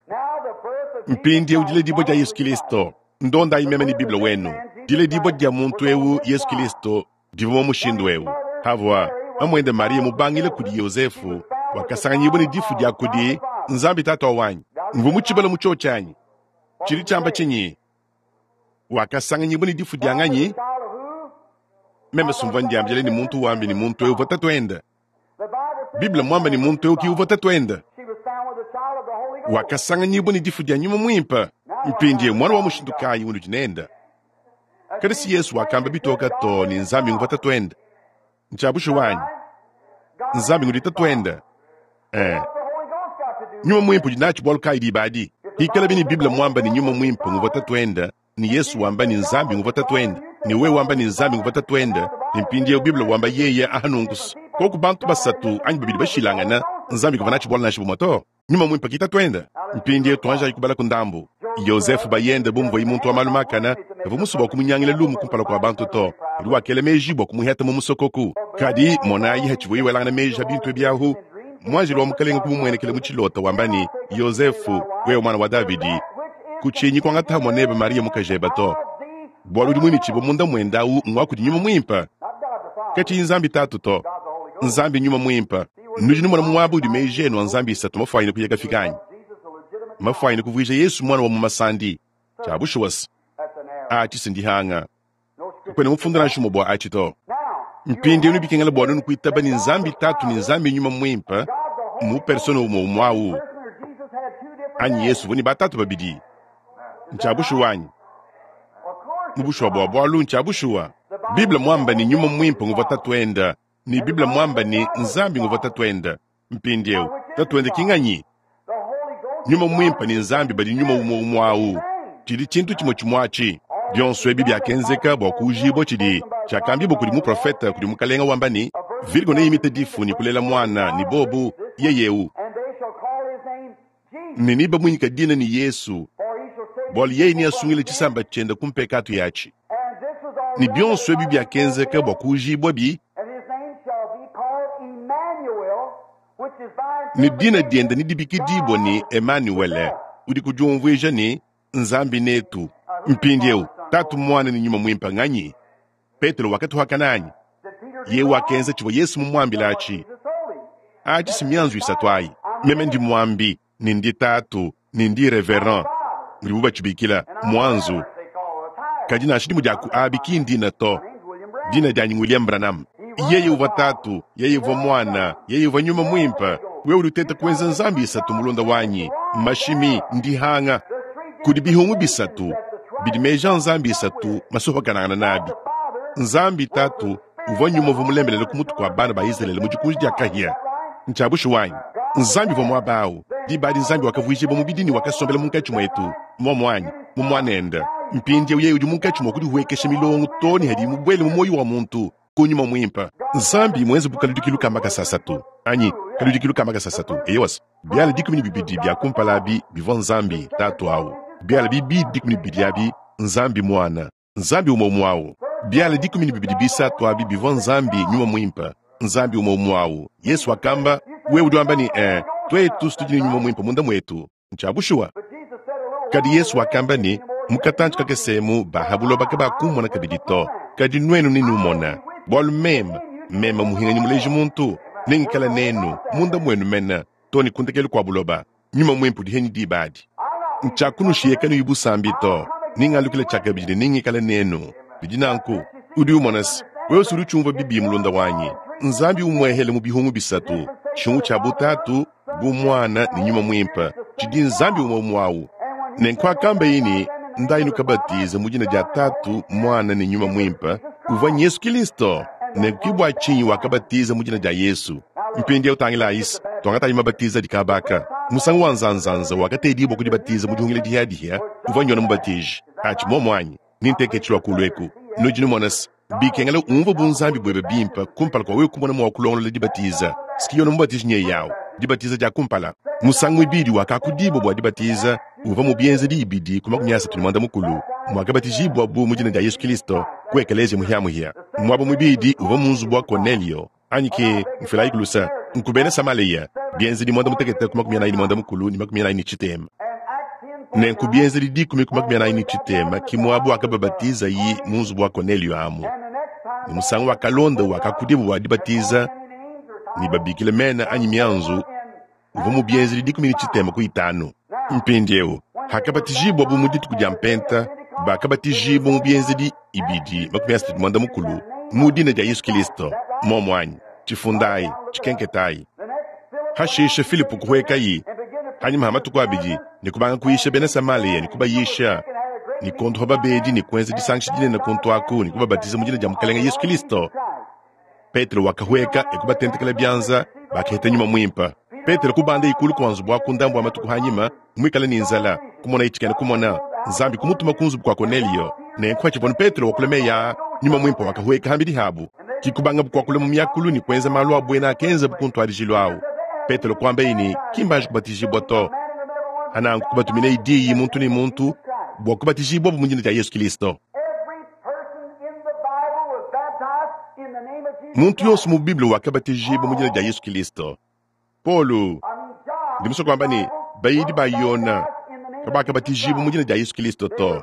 S1: Mpindieu diledibua dia Yesu Kilisto. Ndondayi meme ne Bible wenu. Diledibua dia muntu eu, Yesu Kilisto, divua mu mushindu eu. Pavua mamuende Mariya mubangile kudi Yozefu, wakasanganyibua ne difu dia kudi Nzambi Tatu wanyi. Mvua mutshibale mu tshiotshi anyi? Tshidi tshiamba tshinyi? Wakasanganyibua ne difu dia nganyi? Meme sumvua ndiambila ne muntu wambi ne muntu eu uvua tatuende. Bible muamba ne muntu eu ki uvua tatuende. Wakasanganyibua ne difu dia nyuma muimpe. Mpindieu muana wa mushindu kayi unudi nende? Kadi si Yesu wakamba bitoka to ne Nzambi nguvua tatuende. Ntshia bushuwa anyi? Nzambi ngudi tatuende. Eh. Nyuma muimpe udi natshi bualu kayi diba adi? Pikalabi ne Bible muamba ne nyuma muimpe nguvua tatuende, ne Yesu wamba ne Nzambi nguvua tatuende, ne wewe wamba ne Nzambi nguvua tatuende, ne mpindieu Bible wamba yeye aha nunku koku bantu basatu anyi babidi bashilangana, Nzambi kavua natshi bualu nansha bumue to. Nyuma muimpe ki tatuende. Mpindieu tuanjayi kubala ku ndambu. Yozefe bayende bu muvuaye muntu wa malu makane, kavua musue bua kumunyangila lumu kumpala kua bantu to, kadi wakela meji bua kumuheta mu musokoku. Kadi monayi, hatshivuaye welangana meji a bintu ebi ahu, muanjelu wa Mukalenge kumumuenekela mu tshilota wamba ne, Yozefe, wewe muana wa Davidi, kutshinyi kuangata muanebe Mariya mukajebe to, bualu udi muimitshibue munda muende au ngua kudi Nyuma Muimpe. Katshiyi Nzambi Tatu to, Nzambi Nyuma Muimpe. Nudi numona muaba udi meji enu a nzambi isatu mafuanyine kuya kafika anyi? Mafuanyine kuvuija Yesu muana wa mu masandi. Tshia bushuwa se, atshi si ndihanga. Kakuena mufundu nansha umue bua atshi to. Mpindieu nebikengela bua nuenu kuitaba ne Nzambi Tatu ne Nzambi Nyuma Muimpe mu persona umue umue au. Anyi Yesu uvua ne batatu babidi. Ntshia bushuwa anyi? Mu bushuwa bua bualu ntshia bushuwa. Bible muamba ne Nyuma Muimpe nguvua Tatuende, ne Bible muamba ne Nzambi nguvua Tatuende. Mpindieu, Tatuende ki nganyi? Nyuma Muimpe ne Nzambi badi nyuma umue umue au. Tshidi tshintu tshimue tshimue atshi. Bionso ebi biakenzeka bua kuujibua tshidi tshiakambibua kudi muprofete kudi Mukalenge wamba ne, Virgo neimite difu ne kulela muana, ne bobu, yeye eu, ne nebamuinyike dina ne Yesu, bualu yeye neasungile tshisamba tshiende ku mpekatu yatshi. Ne bionso ebi biakenzeka bua kuujibuabi ne dina diende nedibikidibue ne Emanuele, udi kudiumvuija ne, Nzambi netu. Mpindieu, Tatu, Muana ne Nyuma Muimpe nganyi? Petelo wakatuhakana anyi? Yeye wakenza tshivua Yesu mumuambile atshi. Atshi si mianzu isatu ayi. Meme ndi muambi, ne ndi tatu, ne ndi reverend, mudibu batshibikila, muanzu. Kadi nansha dimue dia ku abi ki ndina to. Dina dianyi ng'William Branham. Yeye uvua Tatu, Yeye uvua Muana, Yeye uvua Nyuma Muimpe. Wewe udi uteta kuenza nzambi isatu, mulunda wanyi. Mmashimi, ndihanga. Kudi bihungu bisatu bidi meji a nzambi isatu masupakanangana nabi. Nzambi Tatu uvua nyuma uvua mulembelele ku mutu kua bana ba Izalele mu dikunji dia kahia. Ntshia bushuwa anyi? Nzambi uvua muaba au. Diba adi Nzambi wakavuijibua mubidi ne wakasombela munkatshi muetu, muomu anyi? Mu Muanende. Mpindieu yeye udi munkatshi mua kudihuekesha milongo too ne hadiye mubuele mu muoyo wa muntu ku nyuma muimpe. Nzambi muenze bu kaludikilu ka makasa asatu anyi kaludikilu ka makasa asatu. Eyowa, biala 12 bia kumpala abi bivua Nzambi Tatu au, biala bibidi 12 abi Nzambi Muana, Nzambi umue umue au. Biala 12 bisatu abi bivua Nzambi Nyuma Muimpe, Nzambi umue umue au. Yesu wakamba, wewe udi wamba ne, eh, tuetu tudi ne Nyuma Muimpe munda muetu. Ntshia bushuwa. Kadi Yesu wakamba ne, mu katantshi kakese emu ba ha buloba kabakummona kabidi to, kadi nuenu nenumona, bualu meme, meme muhinganyi muleji muntu, nengikala nenu munda muenu mene to ne ku ndekelu kua buloba. Nyuma Muimpe udi henyi diba adi. Ntshiakunushiya kanuyi busambi to, nengalukile tshiakabidi ne nengikale nenu. Bidi nanku. Udi umona se, wewe udi utshiumvua bibi mulunda wanyi. Nzambi umuehele mu bihungu bisatu, tshihungu tshia butatu, bu Muana ne Nyuma Muimpe, tshidi Nzambi umue umue au. Nenku akambaye ne, Ndayi nukabatize mu dina dia Tatu, Muana ne Nyuma Muimpe, uvua Yesu Kilisto. Nenku ke bua tshinyi wakabatiza mu dina dia Yesu. Mpindieu tangilayi se, tuangatayi mabatiza adi kabaka. Musangu wa nzanzanza wakatedibua ku dibatiza mu dihungila dihiadihia uvua Yone Mubatiji. Atshi muomu anyi? Ninteke tshilua kulu eku. Nudi numona se, bikengela umvue bunzambi buebe bimpe kumpala kua wewe kumona mua kulongolola dibatiza. Siki Yone Mubatiji nyeye au, dibatiza dia kumpala. Musangu muibidi wakakudibua bua dibatiza uvua mu Bienzedi ibidi ku 34, muakabatijibua bu mu dina dia Yesu Kilisto ku ekeleziya muhiamuhia. Muaba muibidi uvua mu nzubu wa Konelio, anyi ke mfilayi ku lusa. Nku bena Samaleya, Bienzedi muanda mutekete ku 45 ne 40. Nenku Bienzedi dikumi ku 40 ki muaba wakababatizayi mu nzubu wa Konelio amu. Ne musangu wakalonda wakakudibu bua dibatiza ne babikila mena anyi mianzu uvua mu Bienzedi 15 ku 5. Mpindieu, hakabatijibuabu mu dituku dia Mpenta, bakabatijibua mu Bienzedi 2 35 mu dina dia Yesu Kilisto. Muomu anyi? Tshifundayi, tshikenketayi. Hashishe Filipo kuhuekayi hanyima ha matuku abidi ne kubanga kuyisha bena Samalia ne kubayisha ne kuondopa babedi ne kuenza disangisha dinene kuntu aku ne kubabatiza mu dina dia Mukalenge Yesu Kilisto. Petelo wakahueka e kubatentekela bianza, bakaheta Nyuma Muimpe. Petelo kubanda ikulu kua nzubu aku ndambu wa matuku hanyima, muikale ne nzala, kumonaye tshikena kumona. Nzambi kumutuma ku nzubu kua Konelio. Nenku hatshivua Petelo wakula meyi aa, Nyuma Muimpe wakahueka hambidi habu. Ki kubangabu kuakula mu miakulu ne kuenza malu a buena akenzabu ku ntuadijilu au. Petelo kuambaye ne, ki mbanji kubatijibua to. Hananku kubatuminaye diyi muntu ne muntu bua kubatijibua mu dina dia Yesu Kilisto. Muntu yonso mu Bible wakabatijibua mu dina dia Yesu Kilisto. Paulo, ndi musue kuamba ne, bayidi ba Yona kabakabatijibua mu dina dia Yesu Kilisto to.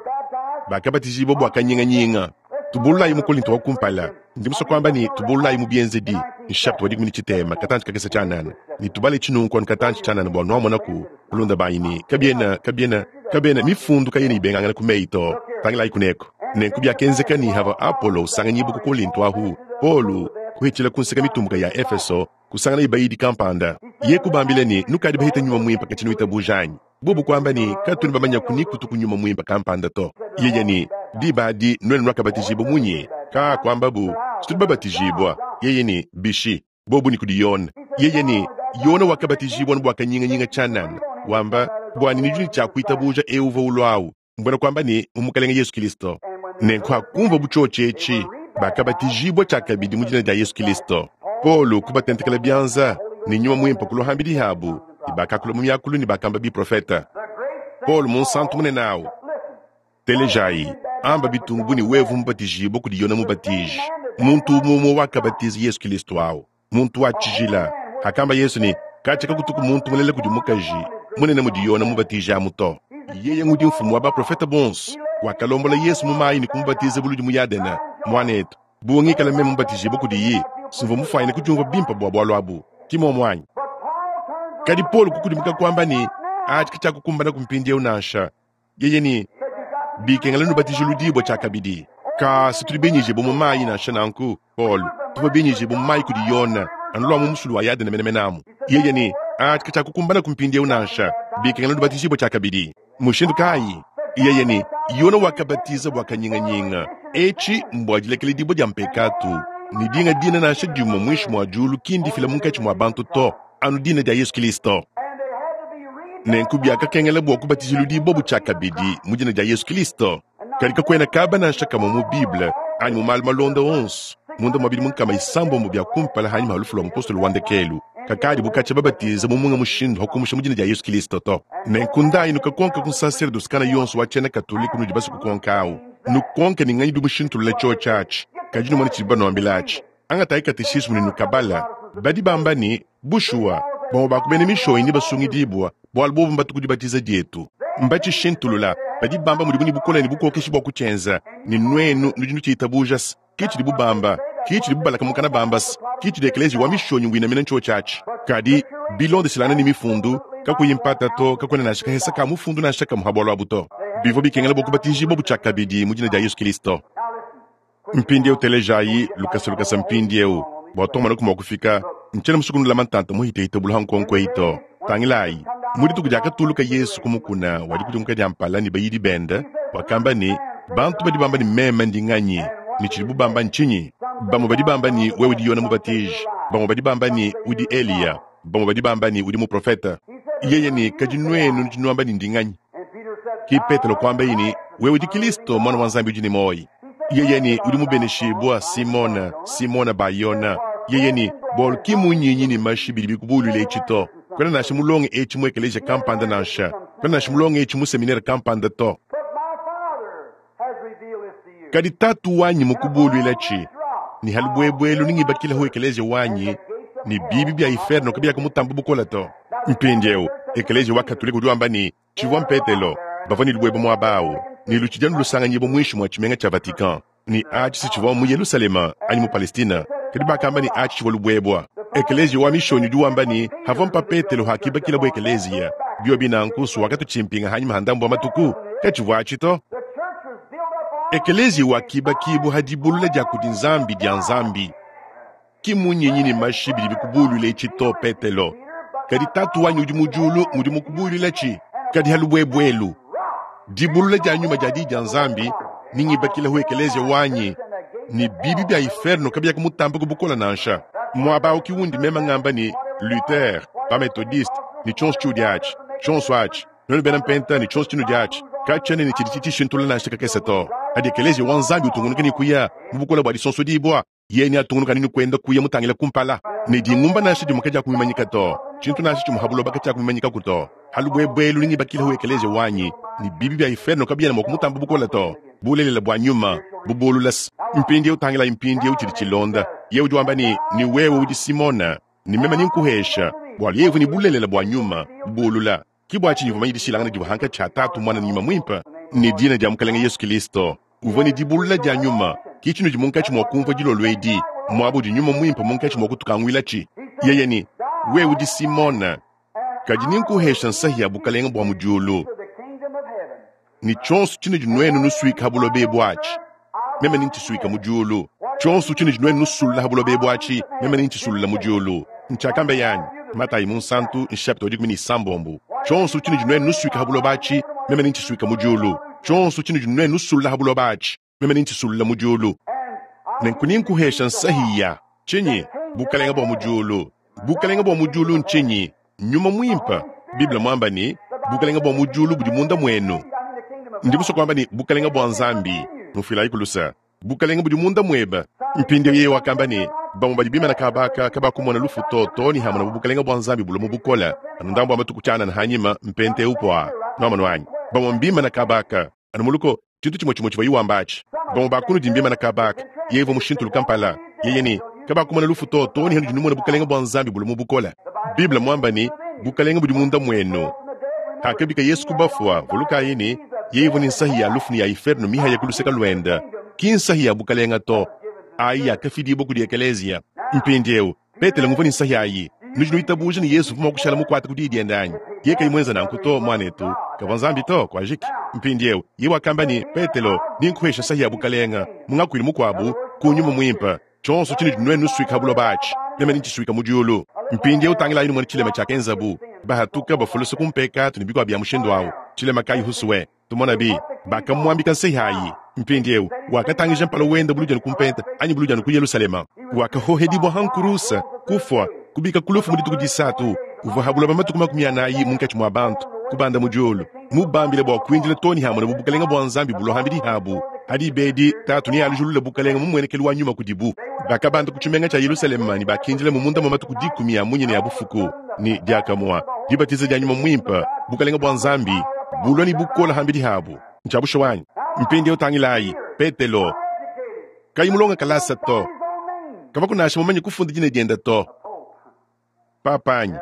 S1: Bakabatijibua bua kanyinganyinga. Tubululayi mu Kolinto wa kumpala. Ndi musue kuamba ne, tubululayi mu Bienzedi, nshapita wa 13, katantshi kakese tshianana, ne tubale tshinunku anu katantshi tshianana bua nuamonaku, balunda banyi, ne kabiena, kabiena, kabiena, mifundu kayena ibengangana ku meyi to. Tangilayi kuneko. Nenku biakenzeka ne havua Apolo usanganyibua ku Kolinto ahu, Paulo kuhitshila ku nseka mitumbuka ya Efeso, kusanganaye bayidi kampanda. Ye kubambila ne, nukadi bahita Nyuma Muimpe katshia nuitabuja anyi? Bobu kuamba ne, katuena bamanyaku ni kutuku Nyuma Muimpe kampanda to. Yeye ne, diba adi nuenu nuakabatijibua munyi? Ka kuambabu, tudi babatijibua. Yeye ne, bishi? Bobu ne kudi Yone. Yeye ne, Yone wakabatijibua bua kanyinganyinga tshianana, wamba bua ne nudi ne tshia kuitabuja eu uvua ulua awu, mbuena kuamba ne mu Mukalenge Yesu Kilisto. Nenku hakumvua bu tshiotshi etshi, bakabatijibua tshiakabidi mu dina dia Yesu Kilisto. Paulo kubatentekela bianza ne Nyuma Muimpe kulua hambidi habu, ne bakakula mu miakulu ne bakamba biprofeta. Paulo munsantu munene awu, telejayi, amba bitungu ne wevu mubatijibua kudi Yone Mubatiji, muntu umue umue wakabatiza Yesu Kilisto awu, muntu wa tshijila. Hakamba Yesu ne, katshia kakutuku muntu mulela kudi mukaji munene mudi Yone Mubatiji amu to. Yeye ngudi mfumu wa baprofeta bonso, wakalombola Yesu mu mayi ne kumubatiza buludi mu Yadena. Muanetu, bu ngikala meme mubatijibua kudiyi, simvua mufuanyine kudiumvua bimpe bua bualu abu, ki muomu anyi? Kadi Paulo kukudimuka kuamba ne, atshi katshiakukumbana ku mpindieu nansha. Yeye ne, bikengela nubatijiludibua tshiakabidi. Ka si tudi binyijibue mu mayi nansha nanku, Paulo, tuvua binyijibue mu mayi kudi Yone, anu lua mu musulu wa Yadene menemene amu. Yeye ne, atshi katshiakukumbana ku mpindieu nansha, bikengela nubatijibue tshiakabidi. Mushindu kayi? Yeye ne, Yone wakabatiza bua kanyinganyinga, etshi mbua dilekeledibua dia mpekatu, ne dinga dina nansha dimue muinshi mua diulu ki ndifila munkatshi mua bantu to, anu dina dia Yesu Kilisto. Nenku biakakengela bua kubatijiludibua bu tshiakabidi mu dina dia Yesu Kilisto. Kadi kakuena kaba nansha kamue mu Bible anyi mu malu malonda onso munda mua bidimu 600 bia kumpala hanyima ha lufu lua mupostolo wa ndekelu kakadi bu katshia babatiza mu munga mushindu ha kumusha mu dina dia Yesu Kilisto to. Nenku ndayi nukakonka ku nsaserdosi kana yonso wa tshiena Katolike unudi basue kukonka awu, nukonke ne nganyi udi mushintulula tshiotshi atshi, kadi numone tshidi banuambila atshi. Angatayi kateshismu ne nukabala. Badi bamba ne, bushuwa, bamue ba ku bena mishonyi nebasungidibua, bualu bobu mbatu ku dibatiza dietu. Mbatshishintulula. Badi bamba mudibu ne bukole ne bukokeshi bua kutshienza, ne nuenu nudi nutshitabuja-se. Ke tshidibu bamba, ke tshidibu balaka mukana bamba-se, ke tshidi ekeleziya wa mishonyi winamina ntshiotshi atshi. Kadi, bilondeshilangane ne Mifundu, kakuyi mpata to, kakuena nansha kahesa ka mufundu nansha kamue ha bualu abu to. Bivua bikengela bua kubatijibua bu tshiakabidi mu dina dia Yesu Kilisto. Mpindieu telejayi lukasa lukasa mpindieu bua tumonaku mua kufika. Ntshiena musue kunulama ntanta muhitehite bulu ha nkonko eyi to. Tangilayi, mu dituku diakatuluka Yesu ku mukuna wa dikudimuka dia mpala ne bayidi bende, wakamba ne, bantu badi bamba ne meme ndi nganyi, ne tshidibu bamba ntshinyi? Bamue badi bamba ne wewe udi Yone Mubatiji, bamue badi bamba ne udi Eliya, bamue badi bamba ne udi muprofete. Yeye ne, kadi nuenu nudi nuamba ne ndi nganyi? Ki Petelo kuambaye ne, wewe udi Kilisto, Muana wa Nzambi udi ne muoyo. Yeye ne, udi mubeneshibua, Simona, Simona Bayona. Yeye ne, bualu ki munyinyi ne mashi bidi bikubuluila etshi to. Kuena nansha mulonge etshi mu ekeleziya kampanda nansha. Kuena nansha mulonge etshi mu seminere kampanda to. Kadi Tatu wanyi mukubuluilatshi, ne ha lubuebue elu nengibakilehu ekeleziya wanyi, Ne biibi bya iferno kabyakumutamba bukole to. Mpindyewu, ekeleeziya wa Katolike udi wamba ne, Civwa m'Peetelo. Bavwa ne lubwebwe mwaba awu, ne lucidi anu lusanganyiibwa mwinshi mwa cimenga cya Vatican. Ne aci si civwa mu Yelusalema anyi mu Palestina, kadi bakamba ne aci civwa lubwebwa. Ekeleeziya wa Mishoonyi udi wamba ne, Havwa mpa Peetelo hakibakilabu ekeleeziya. Byobi nanku, s'wakatucimpinga hanyima ha ndambu wa matuku. Kacivwa aci to. Ekeleeziya wakibakiibwa ha dibulula dya kudi Nzambi dya Nzambi. Ki munyinyi ne mashi bidi bikubuuluila eci to, Petelo, kadi Taatu wanyi udi mu dyulu ngudi mukubuuluilaci. Kadi ha lubwebwe elu, dibulula dya nyuma dya Diyi dya Nzambi, nengibakilehu ekeleeziya wanyi, ne biibi bya iferno kabyakumutamba ku bukole nansha. Mwaba awu ki wundi meme ngamba ne, Luther, ba-Methodiste, ne cyonso cyudi aci, cyonso aci. Nuenu bena Mpenta ne tshionso tshinudi atshi, katshiena ne tshidi tshitshishintulula nansha kakese to. Padi Ekeleziya wa Nzambi utungunuka ne kuya mu bukole bua disonsodibua, yeye neatungunuka anu ne kuenda kuya mutangile kumpala. Ne dingumba nansha dimue kadiakumimanyika to, tshintu nansha tshimue ha buloba katshiakumimanyikaku to. Ha lubuebue elu nengibakilehu Ekeleziya wanyi, ne bibi bia iferno kabiena mua kumutamba bukole to. Bulelela bua nyuma bubulula. Mpindieu tangilayi mpindieu tshidi tshilonda. Yeye udi wamba ne, Ne wewe udi Simona, ne meme nenkuhesha, bualu yeye uvua ne bulelela bua nyuma bubulula. Ke bua tshinyi uvua mumanye dishilangana divua hankatshi ha Tatu, Muana ne Nyuma Muimpe, ne dina dia Mukelenge Yesu Kilisto. Uvua ne dibulula dia Nyuma. Ke tshinudi munkatshi mua kunvua dilolo edi, muaba udi Nyuma Muimpe munkatshi mua kutukanguilatshi. Yeye ne, Wewe udi Simona, kadi nenkuhesha nsahi ya bukelenge bua mu diulu, ne tshionso tshinudi nuenu nusuika ha buloba ebu atshi, meme nentshisuike mu diulu, tshionso tshinudi nuenu nusulula ha buloba ebu atshi, meme nentshisulule mu diulu. Ntshiakambeye anyi? Matayi Munsantu, nshapita wa 16. Tshionso tshinudi nuenu nusuika ha buloba atshi, meme nentshisuike mu diulu, tshionso tshinudi nuenu nusulula ha buloba atshi, meme nentshisulule mu diulu. Nenku nenkuhesha nsahi ya tshinyi? Bukalenge bua mu diulu. Bukalenge bua mu diulu ntshinyi? Nyuma Muimpe. Bible muamba ne, Bukalenge bua mu diulu budi munda muenu. Ndi musue kuamba ne, Bukalenge bua Nzambi. Nufuilayiku luse. Bukalenge budi munda muebe. Mpindieu yeye wakamba ne, Bamue badi bimana kaba aka kabakumona lufu to, too ne hamonabu Bukalenge bua Nzambi bulua mu bukole. Anu ndambu wa matuku tshianana hanyima, mpenta eu puaa. Nuamonu anyi? Bamue mbimana kaba aka. Anu muluko, tshintu tshimue tshimue tshivua wamba atshi. Bamue ba kunudi mbimana kaba aka. Yeye uvua mushintuluka mpala. Yeye ne, Kabakumona lufu to, too ne hanudi numona Bukalenge bua Nzambi bulua mu bukole. Bible muamba ne, Bukalenge budi munda muenu. Hakabika Yesu ku bafua, vulukayi ne, yeye uvua ne nsahi ya lufu ne ya iferno mihaya ku luseke luende. Ki nsahi ya bukalenge to. Ayi yakafidibua kudi ekeleziya. Mpindieu, Petelo nguvua ne nsahi ayi. Nudi nuitabuja ne Yesu uvua mua kushala mukuate ku diyi diende anyi? Yeye kayi muenze nanku to, muanetu, kavua Nzambi to. Kuajiki. Mpindieu, yeye wakamba ne, Petelo, ndi nkuhesha nsahi ya bukalenge, mu ngakuilu mukuabu, ku Nyuma Muimpe. Tshionso tshinudi nuenu nusuika ha buloba atshi, meme nentshisuika mu diulu. Mpindieu tangilayi numone tshilema tshiakenzabu. Bahatuka bafulusa ku mpekatu ne bikuabu bia mushindu au. Tshilema kayi husue? Tumonabi, bakamuambika nsahi ayi. Mpindieu wakatangija mpala wende buludi anu ku mpenta anyi buludi anu ku Yelushalema. Wakahohedibua ha nkuruse, kufua, kubika ku lufu mu dituku disatu. Uvua ha buloba matuku 40 munkatshi mua bantu, kubanda mu diulu, mubambile bua kuindila too ne hamonabu bukelenge bua Nzambi bulua hambidi habu. Ha diba edi Tatu nealujulule bukelenge mu muenekelu wa nyuma kudibu. Bakabanda ku tshimenga tshia Yelushalema ne bakindilamu munda mua matuku dikumi a munya ne a bufuku, ne diakamue dibatiza dia Nyuma Muimpe, bukelenge bua Nzambi bulua ne bukole hambidi habu. Ntshia bushuwa anyi? Mpindieu tangilayi, Petelo, kayi mulonge kalasa to, kavua nansha mumanye kufunda dina diende to. Papa anyi?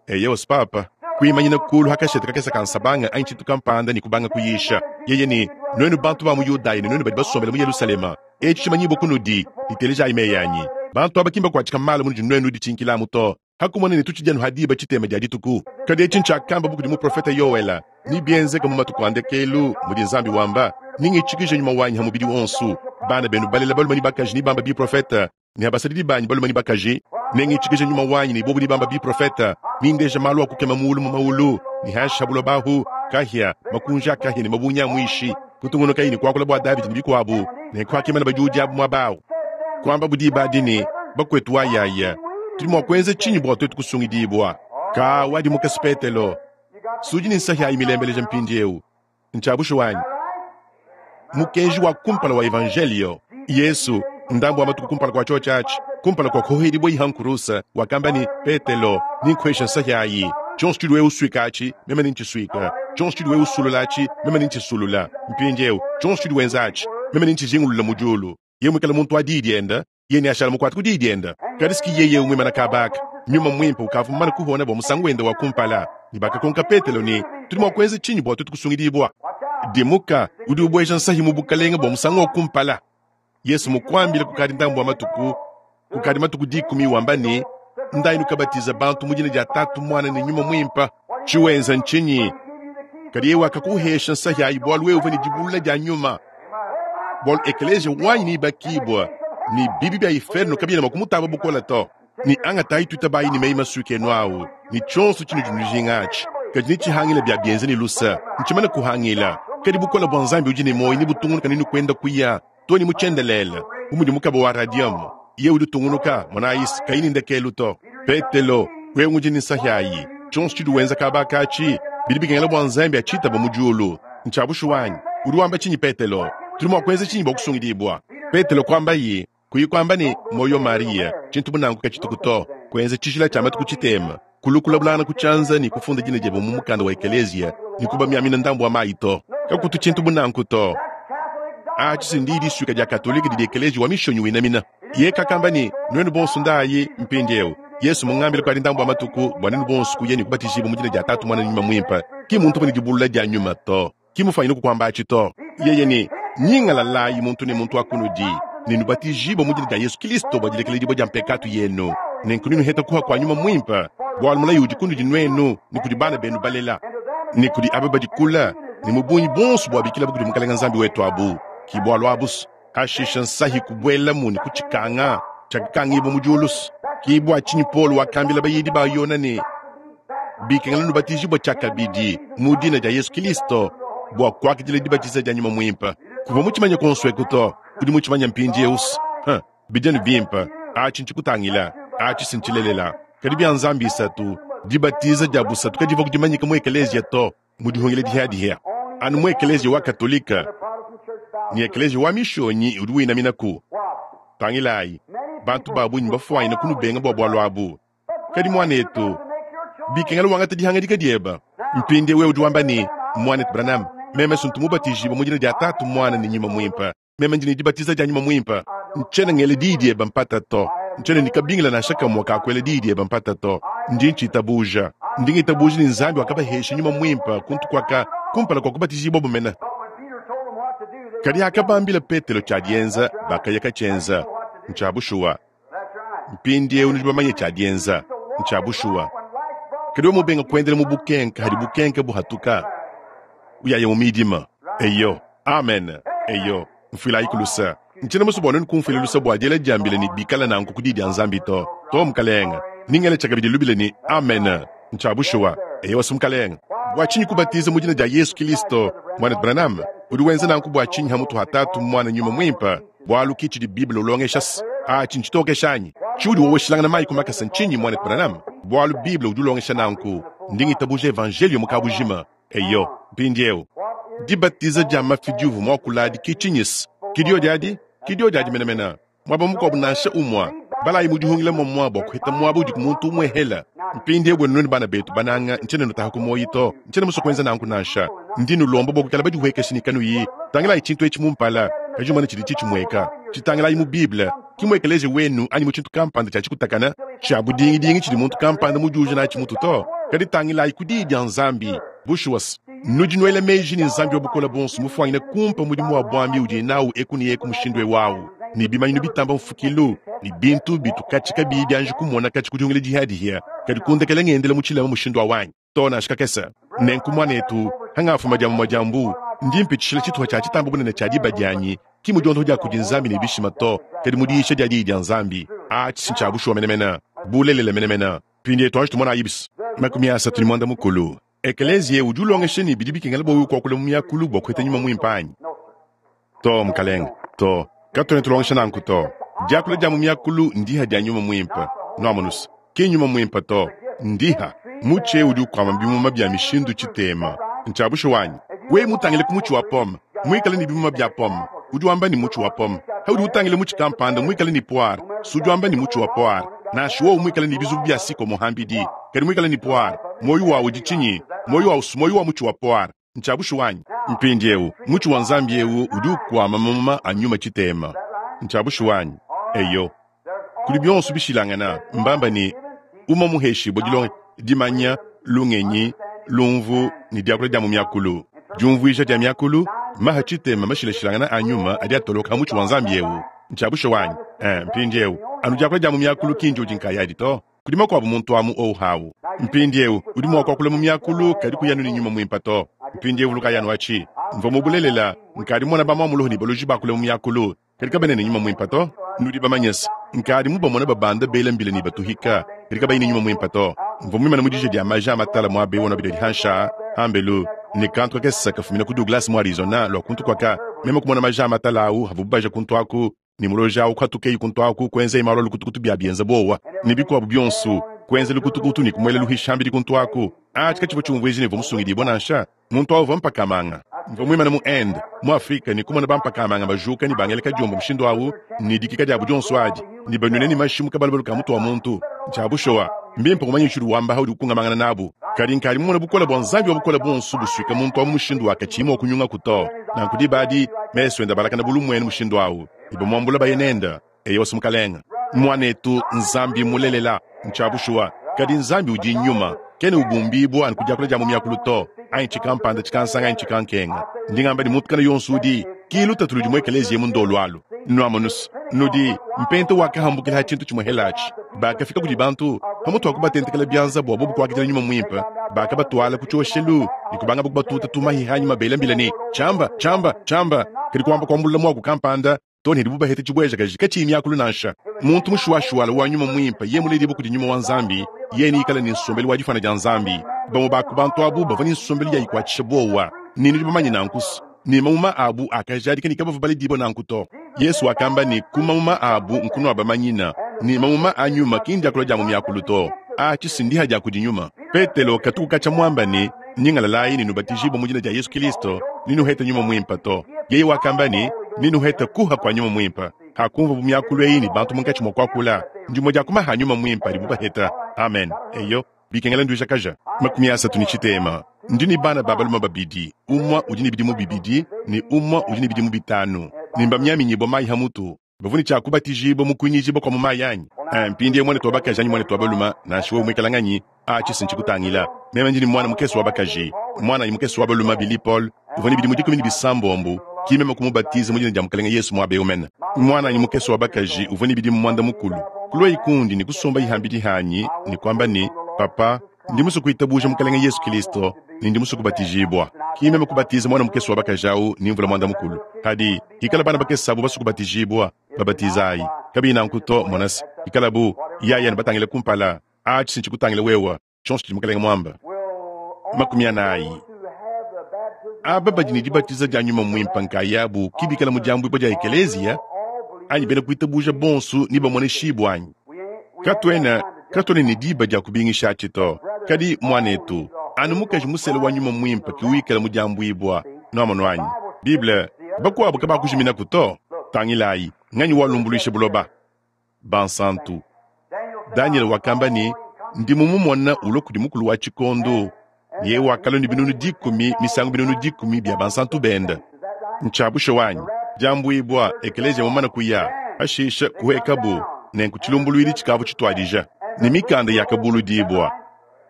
S1: Eyo, papa. Kuimanyina kulu ha kashete kakese ka nsabanga anyi tshintu kampanda ne kubanga kuyisha. Yeye ne, Nuenu bantu ba mu Yudaya ne nuenu badi basombele mu Yelushalema, etshi tshimanyibue kunudi, ne telejayi meyi anyi. Bantu aba ki mbakuatshika malu munudi nuenu nuditshinkilamu to, ha kumona ne tutshidi anu ha diba tshitema dia dituku. Kadi etshi ntshiakamba kudi muprofete Yoela, Nebienzeke mu matuku a ndekelu, mudi Nzambi wamba, nengitshikije nyuma wanyi ha mubidi wonso, bana benu balela balume ne bakaji nebambe biprofete, ne basadidi banyi balume ne bakaji, nengitshikije nyuma wanyi ne bobu nebamba biprofete, nindeja malu a kukema muulu mu maulu ne hanshi ha buloba ahu, kahia, makunji a kahia ne mabungi a muishi. Kutungunukayi ne kuakula bua Davidi ne bikuabu, ne kuakimana badiudi abu muaba au. Kuambabu diba adi ne, Bakuetu wayaya, tudi mua kuenza tshinyi bua tuetu kusungidibua? Ka wadimuka Petelo, sudi ne nsahi ayi milembeleja mpindieu. Ntshia bushuwa anyi? Mukenji wa kumpala wa Evanjelio. Yesu, ndambu wa matuku kumpala kua tshiotshi atshi, kumpala kua kuhohedibua ha nkurusa, wakamba ne, Petelo, ninkuhesha nsahi ayi. Tshionso tshidi wewe usuika atshi, meme nentshisuika. Tshionso tshidi wewe usulula atshi, meme nentshisulula. Mpindieu, tshionso tshidi wenza atshi, meme nentshijingulula mu diulu. Yeye muikale muntu wa diyi diende. Yeye neashala mukuate ku diyi diende. Kadi si ki yeye eu muimane kaba aka. Nyuma Muimpe ukavua mumane kuhona bua musangu wende wa kumpala, ne bakakonka Petelo ne, Tudi mua kuenza tshinyi bua tuetu kusungidibua? Dimuka, udi ubueja nsahi mu bukalenge bua musangu wa kumpala. Yesu mukuambile kukadi ndambu wa matuku, kukadi matuku dikumi, wamba ne, Ndayi nukabatiza bantu mu dina dia Tatu, Muana ne Nyuma Muimpe. Tshiwenza ntshinyi? Kadi yeye wakakuhesha nsahi ayi bualu wewe uvua ne dibulula dia nyuma, bualu ekeleziya wanyi neibakibue, ne bibi bia inferno kabiena mua kumutamba bukole to. Ne angatayi tuitabayi ne meyi masuike enu au, ne tshionso tshinudi nujinga atshi, kadi netshihangile bia bienza ne luse, ntshimane kuhangila. Kadi bukole bua Nzambi udi ne muoyo nebutungunuka nenu kuenda kuya to ne mu tshiendelele, bu mudi mukaba wa radium. Yeye udi utungunuka, monayi, kayi ne ndekelu to. Petelo, wewe ngudi ne nsahi ayi. Tshionso tshidi wenza kaba akatshi, bidi bikengela bua Nzambi atshitaba mu diulu. Ntshia bushuwa anyi? Udi wamba tshinyi, Petelo? Tudi mua kuenza tshinyi bua kusungidibua? Petelo kuambaye, kuyi kuamba ne, Muoyo Mariya, tshintu bu nanku katshituku to. Kuenza tshijila tshia matuku tshitema, kulukula bulana ku tshianza ne kufunda dina diebe mu mukanda wa ekeleziya ne kubamiamina ndambu wa mayi to. Kakutu tshintu bu nanku to. Atshi si ndiyi disuika dia Katolike didi ekeleziya wa mishonyi winamina. Yeye kakamba ne, Nuenu bonso ndayi mpindieu. Yesu mungambile kukadi ndambu wa matuku bua nuenu bonso kuya ne kubatijibua mu dina dia Tatu, Muana ne Nyuma Muimpe. Ki muntu uvua ne dibulula dia nyuma to. Ki mufanyine kukuamba atshi to. Yeye ne, Nyingalalayi muntu ne muntu wa kunudi, ne nubatijibue mu dina dia Yesu Kilisto bua dilekeledibua dia mpekatu yenu, nenku nenuhete kuha kua Nyuma Muimpe, bualu mulayi udi kunudi nuenu ne kudi bana benu balela, ne kudi aba badi kule, ne mu bungi buonso buabikilabu kudi Mukelenge Nzambi wetu abu. Ki bualu abu's. Hashishe nsahi kubuelamu ne kutshikanga, tshiakakangibua mu diulu. Ki bua tshinyi Paulo wakambila bayidi ba Yona ne, Bikengela nubatijibua tshiakabidi mu dina dia Yesu Kilisto bua kuakidila dibatiza dia Nyuma Muimpe. Kuvua mutshimanye kuonso eku to, udi mutshimanye mpindieu. Huh, bidi anu bimpe. Atshi ntshikutangila, atshi si ntshilelela. Kadi bia Nzambi isatu, dibatiza dia busatu kadivua kudimanyika mu ekeleziya to, mu dihungila dihiadihia, anu mu ekeleziya wa Katolike ne ekeleziya wa Mishonyi udi winaminaku. Tangilayi, bantu ba bungi mbafuanyine kunubenga bua bualu abu. Kadi muanetu, bikengela wangate dihangadika diebe. Mpindieu wewe udi wamba ne, Muanetu Branham, meme si ntu mubatijibue mu dina dia Tatu, Muana ne Nyuma Muimpe. Meme ndi ne dibatiza dia Nyuma Muimpe. Ntshiena ngela diyi diebe mpata to. Ntshiena ne kabingila nansha kamue ka kuela diyi diebe mpata to. Ndi ntshitabuja. Ndi ngitabuja ne Nzambi wakabahesha Nyuma Muimpe kuntu kuaka kumpala kua kubatijibuabu mene. Kadi hakabambila Petelo tshia dienza, bakaya katshienza. Ntshia bushuwa. Mpindieu nudi bamanye tshia dienza. Ntshia bushuwa. Kadi wewe mubenga kuendela mu bukenke hadi bukenke buhatuka, uyaya mu midima. Eyo. Amen. Eyo. Mfuilayi ku luse. Ntshiena musue bua nuenu kumfuila luse bua diela dia mbila ne bikala nanku ku Diyi dia Nzambi to. To, mukalenge. Ningele tshiakabidi lubila ne, Amen. Ntshia bushuwa. Eyowa, mukalenge. Bua tshinyi kubatiza mu dina dia Yesu Kilisto, Muanetu Branham? Udi wenza nanku bua tshinyi hamutu ha Tatu, Muana, Nyuma Muimpe? Bualu ki tshidi Bible ulongesha. Atshi ntshitokesha anyi? Tshiudi woweshilangana mayi ku makasa ntshinyi, Muanetu Branham? Bualu Bible udi ulongesha nanku. Ndi ngitabuja Evanjeliyo mu kabujima. Eyo, mpindieu, dibatiza dia mafi diuvua muakula adi ki tshinyi-se? Ki diodi adi? Ki diodi adi menemene. Muaba mukuabu nansha umue, balayi mu dihungila muamua bua kuheta muaba udiku muntu umuehela. Mpindieu buenu nuenu bana betu bananga, ntshiena nutaha ku muoyo to, ntshiena musue kuenza nanku nansha. Ndi nulomba bua kuikala badihuekeshe ne kanuyi tangilayi tshintu etshi mu mpala, kadi umone tshidi tshitshimueka. Tshitangilayi mu Bible, ki mu ekeleziya wenu anyi mu tshintu kampanda tshia tshikutakana tshia budingidingi tshidi muntu kampanda mudiuje natshi mutu to, kadi tangilayi ku Diyi dia Nzambi. Bushuwa, nudi nuela meji ne Nzambi wa Bukole Buonso mufuanyine kumpa mudimu wa buambi udiye nawu eku ne eku mushindu eu au, ne bimanyinu bitamba mfukilu ne bintu bitu katshi kabiyi bianji kumona katshi ku dihungila dihiadihia, kadi kundekela ngendela mu tshilema mushindu au anyi? Too, nansha kakese. Nenku, muanetu, hangafuma dia mumue dia mbu, ndi mpitshishila tshituha tshia tshitamba bunene tshia diba dianyi, ki mu diondoho dia kudi Nzambi ne bishima to, kadi mu diyisha dia Diyi dia Nzambi. Atshi ntshia bushuwa menemene, bulelela menemene. Mpindieu tuanji tumonayi bis. 35. Ekeleziya udi ulongesha ne bidi bikengela bua wewe kuakula mu miakulu bua kupeta nyuma muimpe anyi? Too, mukalenge. Too, katuena tulongesha nanku to. Diakula dia mu miakulu ndiha dia nyuma muimpe. Nuamonus, ki nyuma muimpe to, ndiha. Mutshi eu udi ukuama bimuma bia mishindu tshitema. Ntshia bushuwa anyi? Wewe mutangile ku mutshi wa pomme, muikale ne bimuma bia pomme, udi wamba ne mutshi wa pomme. Paudi utangila mutshi kampanda muikale ne poire, si udi wamba ne mutshi wa poire. Nansha wowu muikale ne bizubu bia sikomo hambidi, kadi muikale ne poire, muoyo wawu udi tshinyi? Muoyo wawu si muoyo wa mutshi wa poire. Ntshia bushuwa anyi? Mpindieu, mutshi wa Nzambi eu udi ukuama mamuma a nyuma tshitema. Ntshia bushuwa anyi? Eyo. Kudi bionso bishilangana, mbamba ne, Umue muheshibue dilonga, dimanya, lungenyi, lumvu ne diakula dia mu miakulu. Diumvuija dia miakulu, maha tshitema mashilashilangana a nyuma adi atoloka ha mutshi wa Nzambi eu. Ntshia bushuwa anyi? Eh, mpindieu, anu diakula dia mu miakulu ki ndiodi nkayadi to. Kudi makuabu muntu amu owu hawu. Mpindieu, udi mua kuakula mu miakulu kadi kuyi anu ne nyuma muimpe to. Mpindieu vulukayi anu atshi. Mvua mu bulelela nkadi mumona bamuamuluho ne baloji bakula mu miakulu kadi kabena ne nyuma muimpe to. Nudi bamanye se, nkadi mubamona babanda bela mbila ne batuhika kadi kabayi ne nyuma muimpe to. Mvua muimane mu dija dia maja a matala muaba eu wa bidadi hansha hambelu ne kantu kakese kafumina ku Douglas mu Arizona lua kuntu kuaka meme kumona maja a matala au havubu baja kuntu aku ne muloji au kuhatukeyi kuntu aku kuenzeyi malu a lukutukutu bia bienza buowa ne bikuabu bionso kuenza lukutukutu ne kumuela luhishambidi kuntu aku. Atshi katshivua tshiumvuija ne uvua musungidibue nansha. Muntu au uvua mpakamanga. Mvua muimane mu Inde, mu Afrike, ne kumona bampakamanga bajuka ne bangela kadiombo mushindu au ne dikika diabu dionso adi, ne banuina ne mashi mu kabalubalu ka mutu wa muntu. Ntshia bushuwa, mbimpe kumanya tshiudi wamba paudi ukungamangana nabu. Kadi nkadi mumone bukole bua Nzambi wa Bukole Buonso busuika muntu au mu mushindu wa katshiyi mua kunyungaku to. Nanku diba adi, mesu ende abalakana bu lumuenu mushindu au, ne bamuambula baye nende. Eyowa, Mukalenge. Muanetu, Nzambi mmulelela. Ntshia bushuwa. Kadi Nzambi udi Nyuma. Kena ubumbibua anu ku diakula dia mu miakulu to, anyi tshikampanda tshikansanga anyi tshikankenga. Ndi ngamba ne muntu kana yonso udi, ki lutatu ludi mu ekeleziya emu ndolu alu. Nuamonus, nudi, mpenta wakahambukila ha tshintu tshimue helatshi. Bakafika kudi bantu, pamutu ha kubatentekela bianza bua bobu kuakidila Nyuma Muimpe, bakabatuala ku tshioshelu ne kubangabo kubatuta tumahi hanyima bela mbila ne, Tshiamba, tshiamba, tshiamba! Kadi kuamba kuambulula muaku kampanda too ne dibu baheta tshibuejakaji katshiyi miakulu nansha. Muntu mushuwashuwala wa nyuma muimpe yeye muledibue kudi nyuma wa Nzambi, yeye neikale ne nsombelu wa difuana dia Nzambi. Bamue ba ku bantu abu bavua ne nsombelu ya ikuatshisha buowa, ne nudi bamanye nanku ne mamuma abu akajadika ne kabavua baledibue nanku to. Yezu wakamba ne, ku mamuma abu nkunuabamanyina, ne mamuma a nyuma ki ndiakula dia mu miakulu to. Atshi si ndiha dia kudi nyuma. Petelo katuku katshia muamba ne, Nyingalalayi ne nubatijibue mu dina dia Yezu Kristo ne nuhete nyuma muimpe to. Yeye wakamba ne, Nenuhete kuha kua Nyuma Muimpe. Hakunvuabo miakulu ei ne bantu munkatshi mua kuakula, ndimue dia ku maha a Nyuma Muimpe adibo baheta. Amen. Eyo, bikengela nduijakaja. 33. Ndi ne bana ba balume babidi, umue udi ne bidimu bibidi ne umue udi ne bidimu bitanu, ne mbamiaminyibue mayi ha mutu. Bavua ne tshia kubatijibua mu kuinyijibua kua mu mayi anyi? Eh, mpindieu muanetu wa bakaji anyi muanetu wa balume, nansha wewe muikale nganyi, atshi si ntshikutangila. Meme ndi ne muana mukese wa bakaji, muananyi mukese wa balume Billy Paul, uvua ne bidimu 16, ki meme kumubatiza mu dina dia Mukalenge Yesu muaba eu mene. Muananyi mukese wa bakaji uvua ne bidimu 15, kuluaye kundi ne kusombaye hambidi hanyi ne kuamba ne, Papa, Ndi musue kuitabuja Mukalenge Yesu Kilisto ne ndi musue kubatijibua. Ki meme kubatiza muana mukese wa bakaji au ne mvula 10. Kadi, hikala bana bakese abu basue kubatijibua, babatizayi. Kabiyi nanku to, mona se, hikalabu, yaya ne batangile kumpala, atshi si ntshikutangile wewe, tshionso tshidi Mukalenge muambe. 40. Aba badi ne dibatiza dia Nyuma Muimpe nkayabu ki bikala mu diambuibua dia Ekeleziya anyi bena kuitabuja bonso nebamoneshibue anyi? Katuena, katuena ne diba dia kubingisha atshi to. Kadi, muanetu, anu mukaji musela wa Nyuma Muimpe ke wikala mu diambuibua. Nuamonu anyi? Bible, bakuabu kabakujiminaku to. Tangilayi, nganyi walumbuluisha buloba? Bansantu. Danyele wakamba ne, Ndi mumumona ulua kudi mukulu wa tshikondo, ne yeye wakalua ne 10000 misangu 10000 bia bansantu bende. Ntshia bushuwa anyi? Diambuibua, ekeleziya mumane kuya, pashishe kuhuekabu, nenku tshilumbuluidi tshikavua tshituadija, ne mikanda yakabuludibua.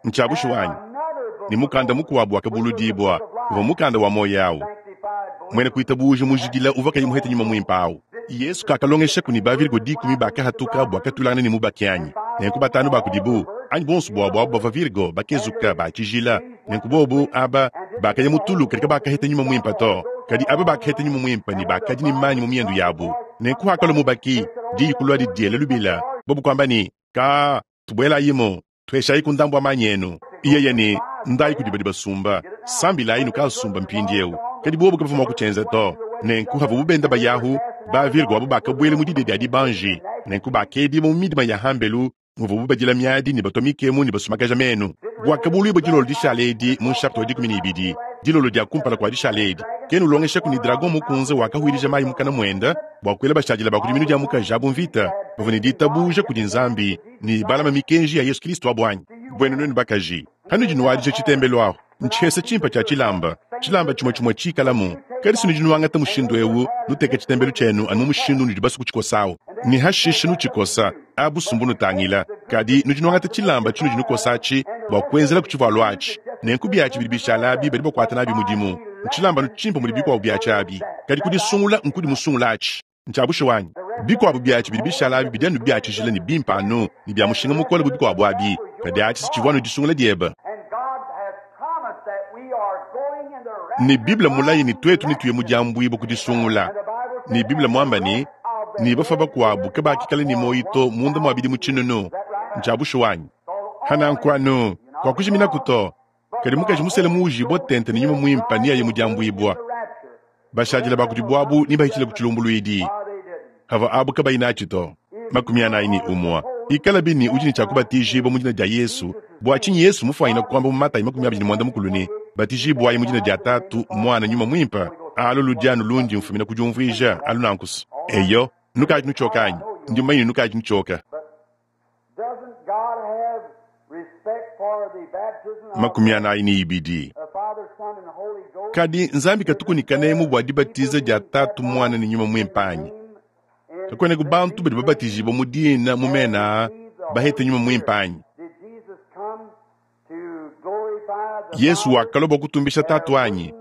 S1: Ntshia bushuwa anyi? Ne mukanda mukuabu wakabuludibua, uvua mukanda wa muoyo au. Muena kuitabuja mujidila uvua kayi muhete nyuma muimpe au. Yesu kakalongeshaku ne ba-virgo dikumi bakahatuka bua katuilangana ne mubaki anyi? Nenku batanu ba kudibu, anyi buonso buabu abu bavua virgo bakezuka ba tshijila. Nenku bobu aba bakaya mu tulu kadi kabakaheta nyuma muimpe to. Kadi aba bakaheta nyuma muimpe ne bakadi ne manyi mu miendu yabu. Nenku hakalua mubaki, diyi kuluadi diela lubila, bobu kuamba ne, Ka, tubuelayimu. Tuheshayiku ndambu wa manyi enu. Yeye ne, Ndayi kudi badi basumba, sambilayi nukasumba mpindieu. Kadi bobu kabavua mua kutshienza to. Nenku havuabu benda bayahu, ba virgo abu bakabuela mu didia dia dibanji. Nenku bakedibua mu midima ya hambelu muvuabu badila miadi ne batua mikemu ne basumakaja menu. Buakabuluibua dilolo dishala edi mu nshapita wa 12, dilolo dia kumpala kua dishala edi, kena ulongeshaku ne dragon mukunze wakahuilija mayi mukana muende bua kuela bashadile ba ku diminu dia mukaji abu mvita bavua ne ditabuja kudi Nzambi ne balama mikenji ya Yesu Kristo abu anyi? Buenu nuenu bakaji, hanudi nuadija tshitembelu ahu, ntshihesa tshimpe tshia tshilamba, tshilamba tshimue tshimue tshikalamu. Kadi si nudi nuangata mushindu eu, nuteke tshitembelu tshienu anu mu mushindu unudi basue kutshikosa au, ne hashishe nutshikosa. Abu's mbunutangila. Kadi nudi nwangata cilamba cinudi nukosa aci bwa kwenzelaku civwalu aci. Nenku byaci bidi bishala abi badi bakwata naabi mudimu. Ncilambanu cimpe mudi bikwabo byaci abi. Kadi kudisungula nkudi musungula aci. Ncya bushuwa anyi? Bikwabo byaci bidi bishala abi bidi anu bya cijila ne bimpe anu ne bya mushinga mukole bu bikwabo abi. Kadi aci s'civwa anu disungula dyebe. Ne Bible mmulaye ne twetu netuye mu dyambwibwa ku disungula. Ne Bible mwamba ne, Ne bafwa bakwabo kabaakikala ne mwoyi to munda mwa bidimu cinunu. Ncya bushuwa anyi? Pa nanku anu kwakujiminaku to. Kadi mukaji musela muujibwa tente ne Nyuma Mwimpe neaye mu dyambwibwa. Bashadile ba kudibo abu nebahitshile ku tshilumbuluidi, havua abu kabayi natshi to. 41. Ikalabi ne udi ne tshia kubatijibua mu dina dia Yesu, bua tshinyi Yesu mufuanyina kuamba mu Matayi 25 ne, Batijibuayi mu dina dia Tatu, Muana, Nyuma Muimpe? Alu ludi anu lundi mfumina ku diumvuija alu nanku's. Eyo, nukadi nutshioka anyi? Ndi mumanye ne nukadi nutshioka. 42. Kadi Nzambi katuku ne kanemu bua dibatiza dia Tatu, Muana ne Nyuma Muimpe anyi? Kakuenaku bantu badi babatijibua mu dina mu mena aa bahete Nyuma Muimpe anyi? Yesu wakalua bua kutumbisha Tatu anyi?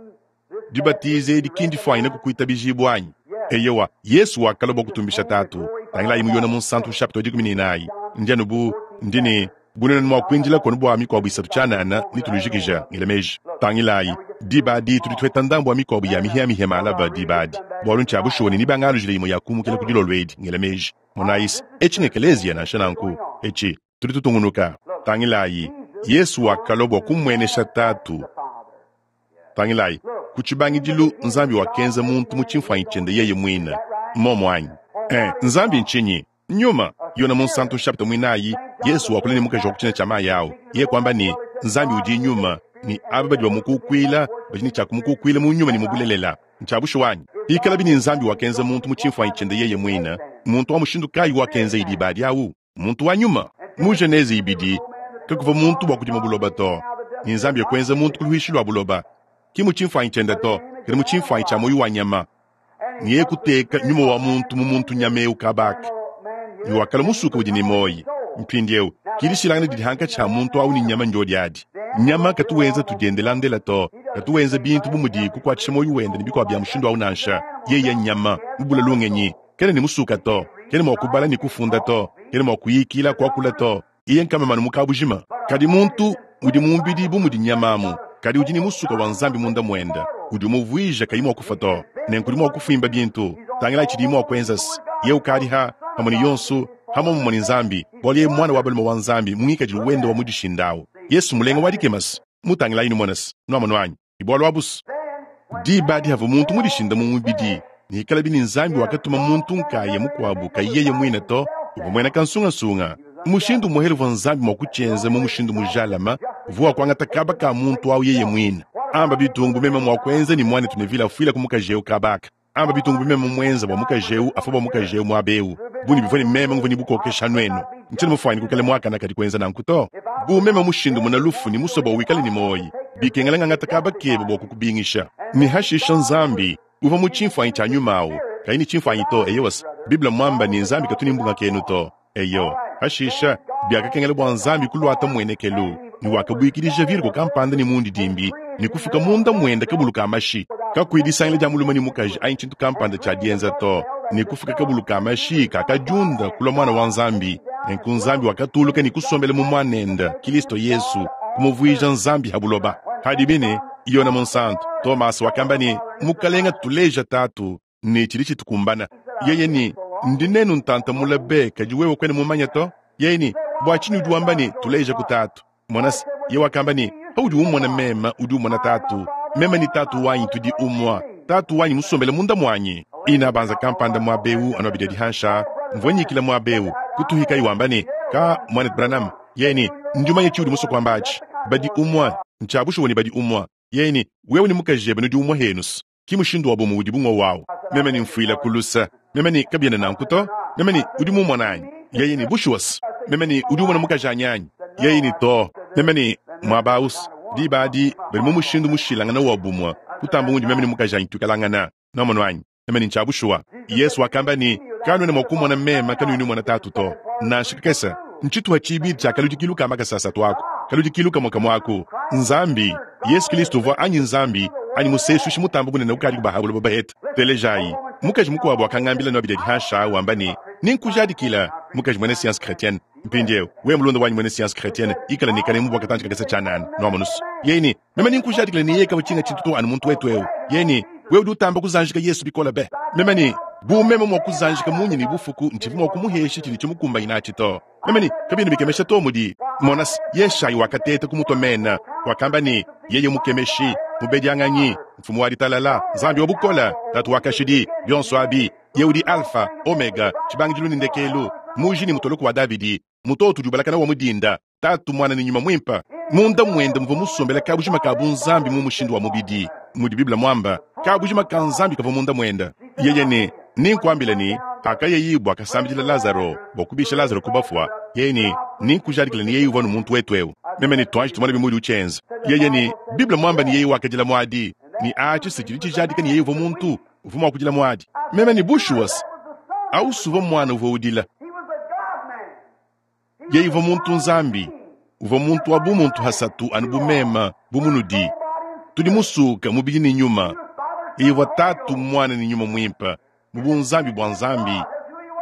S1: Dibatiza edi ki ndifwanyine kukwitabijibwa anyi? Eyowa, Yesu wakalwa bwa kutumbisha Taatu. Tangilaayi mu Yone Munsantu nshapita wa 14. Ndi anu bu, ndi ne, bu nwenu mwa kwindilaku anu bwa mikwabo isatu cyanaana ne tulujikija, ngela meeji. Tangilaayi, diba adi tudi tweta ndambu wa mikwabo ya mihyamihya maalaba diba adi, bwalu ncya bushuwa ne nibangaalujile yimwe ya kuumukila ku dilolo edi, ngela meeji. Monaayi's, eci ng'ekeleeziya nansha nanku. Eci, tudi tutungunuka. Tangilaayi, Yesu wakalwa bwa kumwenesha Taatu. Tangilayi, ku tshibangidilu Nzambi wakenza muntu mu tshimfuanyi tshiende yeye muine. Mmuomu anyi? Ee, Nzambi ntshinyi? Nyuma. Yone Munsantu nshapita muinayi, Yesu wakula ne mukaji wa ku tshina tshia mayi au, yeye kuamba ne, Nzambi udi Nyuma, ne aba badi bamukukuila badi ne tshia kumukukuila mu nyuma ne mu bulelela. Ntshia bushuwa anyi? Pikalabi ne, Nzambi wakenza muntu mu tshimfuanyi tshiende yeye muine, mmuntu wa mushindu kayi wakenzaye diba adi au? Muntu wa nyuma. Mu Genese ibidi, kakuvua muntu bua kudima buloba to, ne Nzambi e kuenza muntu ku luhuishi lua buloba, ki mu tshimfuanyi tshiende to, kadi mu tshimfuanyi tshia muoyo wa nyama, ne yeye kuteka nyuma wa muntu mu muntu nyama eu kaba aka, ne wakalua musuka udi ne muoyo. Mpindieu, ki dishilangana didi hankatshi ha muntu au ne nyama ndiodi adi. Nyama katu wenza tudiendelandela to, katu wenza bintu bu mudi kukuatshisha muoyo wende ne bikuabu bia mushindu au nansha. Yeye nnyama mubule lungenyi. Kena ne musuka to, kena mua kubala ne kufunda to, kena mua kuyikila, kuakula to. Iye nkamamanu mu kabujima. Kadi muntu udi mu mubidi bu mudi nyama amu, kadi udi ne musuka wa Nzambi munda muende, udi umuvuija kayi mua kufua to. Nenku udi mua kufuimba bintu. Tangilayi tshidiye mua kuenza's. Yeye ukadi ha, pamue ne yonso, ha muomumue ne Nzambi, bualu yeye mmuana wa balume wa Nzambi mu ngikadilu wende wa mudishinda awu. Yesu mulenga wa dikema's. Mutangilayi numone's. Nuamonu anyi? Ne bualu abu's. Diba adi havua muntu mudishinda mu mubidi, ne hikalabi ne Nzambi wakatuma muntu nkaya mukuabu kayi yeye muine to, uvua muena kansungasunga. Mushindu umuehele uvua Nzambi mua kutshienza mu mushindu mujalame uvua wa kuangata kaba ka muntu au yeye muine. Amba bitungu bu meme mua kuenza ne muanetu Neville afuila ku mukaji eu kaba aka. Amba bitungu bu meme muenza bua mukaji eu afue bua mukaji eu muaba eu. Bu ne bivua ne meme nguvua ne bukokeshi anu enu, ntshiena mufuanyine kuikala muakane kadi kuenza nanku to. Bu meme mushindumuna lufu ne musue bua wikale ne muoyi, bikengela ngangata kaba kebe bua kukubingisha. Ne hashisha Nzambi, uvua mu tshimfuanyi tshia nyuma au, kayi ne tshimfuanyi to, eyowa, Bible mmuamba ne Nzambi katu ne mbungakenu to. Eyo, pashisha, biakakengela bua Nzambi kuluata mmuenekelu, ne wakabuikidija virgo kampanda ne mundidimbi ne kufuka munda muende kabulu ka mashi, kakuyi disangila dia mulume ne mukaji anyi tshintu kampanda tshia dienza to, ne kufuka kabulu ka mashi kakadiunda kulua Muana wa Nzambi. Nenku Nzambi wakatuluka ne kusombela mu Muanende, Kilisto Yesu, kumuvuija Nzambi ha buloba. Padibi ne, Yone Munsantu, Tomase wakamba ne, Mukalenge, tuleja Tatu, ne tshidi tshitukumbana. Yeye ne, Ndi nenu ntanta mule be, kadi wewe kuena mumanye to. Yeye ne, Bua tshinyi udi wamba ne, Tuleja ku Tatu? Mona se, yeye wakamba ne, Paudi ummona meme, udi umona Tatu. Meme ne Tatu wanyi tudi umue. Tatu wanyi musombele munda muanyi. Ina banza kampanda muaba eu anu abidi adi hanshi aa, mvua nyikila muaba eu, kutuhikayi wamba ne, Ka, Muanetu Branham, yeye ne, Ndi mumanye tshiudi musue kuamba atshi. Badi umue. Ntshia bushuwa ne badi umue. Yeye ne, Wewe ne mukajebe nudi umue henu's. Ki mushindu wa bumue udi bu ngowu awu. Meme ne mfuila ku luse. Meme ne, Kabiena nanku to. Meme ne, Udi mumona anyi? Yeye ne, Bushuwa's. Meme ne, Udi umona mukajanyi anyi? Yeye ne, Too. Meme ne, Muaba awu's, diba adi badi mu mushindu mushilangane wa bumue kutamba undi meme ne mukajanyi tuikalangana. Nwamonu anyi? Meme ne, Ncya bushuwa. Yesu wakamba ne, Kanuena mua kummona meme kanuyi numona Tatu to, nansha kakese. Ntshituha tshibidi tshia kaludikilu ka makasa asatu aku, kaludikilu kamue kamue aku. Nzambi, Yesu Kilisto uvua anyi Nzambi, anyi Musesuishi mutambe bunene ukadiku ba ha buloba baheta. Telejayi. Mukaji mukuabu wakangambila nobidi adi hanshi aa wamba ne, Nenkujadikila, mukaji muena science chretienne. Mpindieu, wewe mulunda wanyi muena science chretienne, ikala ne kanemu bua katantshi kakese tshianana. Nuamonu's? Yeye ne, Meme nenkujadikile ne yeye kavua tshinga tshintu to anu muntu wetu eu. Yeye ne, Wewe udi utamba kuzanjika Yesu bikole be. Meme ne, Bu meme mua kuzanjika munyi ne bufuku, ntshivua mua kumuhesha tshidi tshimukumbanyina atshi to. Meme ne, Kabiena bikemesha to mudi. Mona se, Yeshayi wakateta kumutua mena. Wakamba ne, Yeye Mukemeshi, Mubedianganyi, Mfumu wa Ditalala, Nzambi wa Bukole, Tatu wa Kashidi, bionso abi, Yeye udi Alfa, Omega, tshibangidilu ne ndekelu, Muji ne Mutoloku wa Davidi, Mutoto udi ubalakana wa mu dinda, Tatu, Muana ne Nyuma Muimpe. Munda muende muvua musombele kabujima ka bunzambi mu mushindu wa mubidi, mudi Bible muamba. Kabujima ka Nzambi kavua munda muende. Yeye ne, Nenkuambile ne, pakayeye bua kasambidila Lazaro, bua kubisha Lazaro ku bafua, yeye ne, Nenkujadikile ne yeye uvua anu muntu wetu eu. Meme ne, Tuanji tumone bimudi utshienza. Yeye ne, Bible muamba ne yeye wakadila muadi, ne atshi se tshidi tshijadika ne yeye uvua muntu, uvua mua kudila muadi. Meme ne, Bushuwa se, au suvua muana uvua udila. Yeye uvua muntu Nzambi, uvua muntu wa bumuntu hasatu anu bu meme, bu munudi. Tudi musuka mubidi ne nyuma. Yeye uvua Tatu, Muana ne Nyuma Muimpe, mu bunzambi bua Nzambi.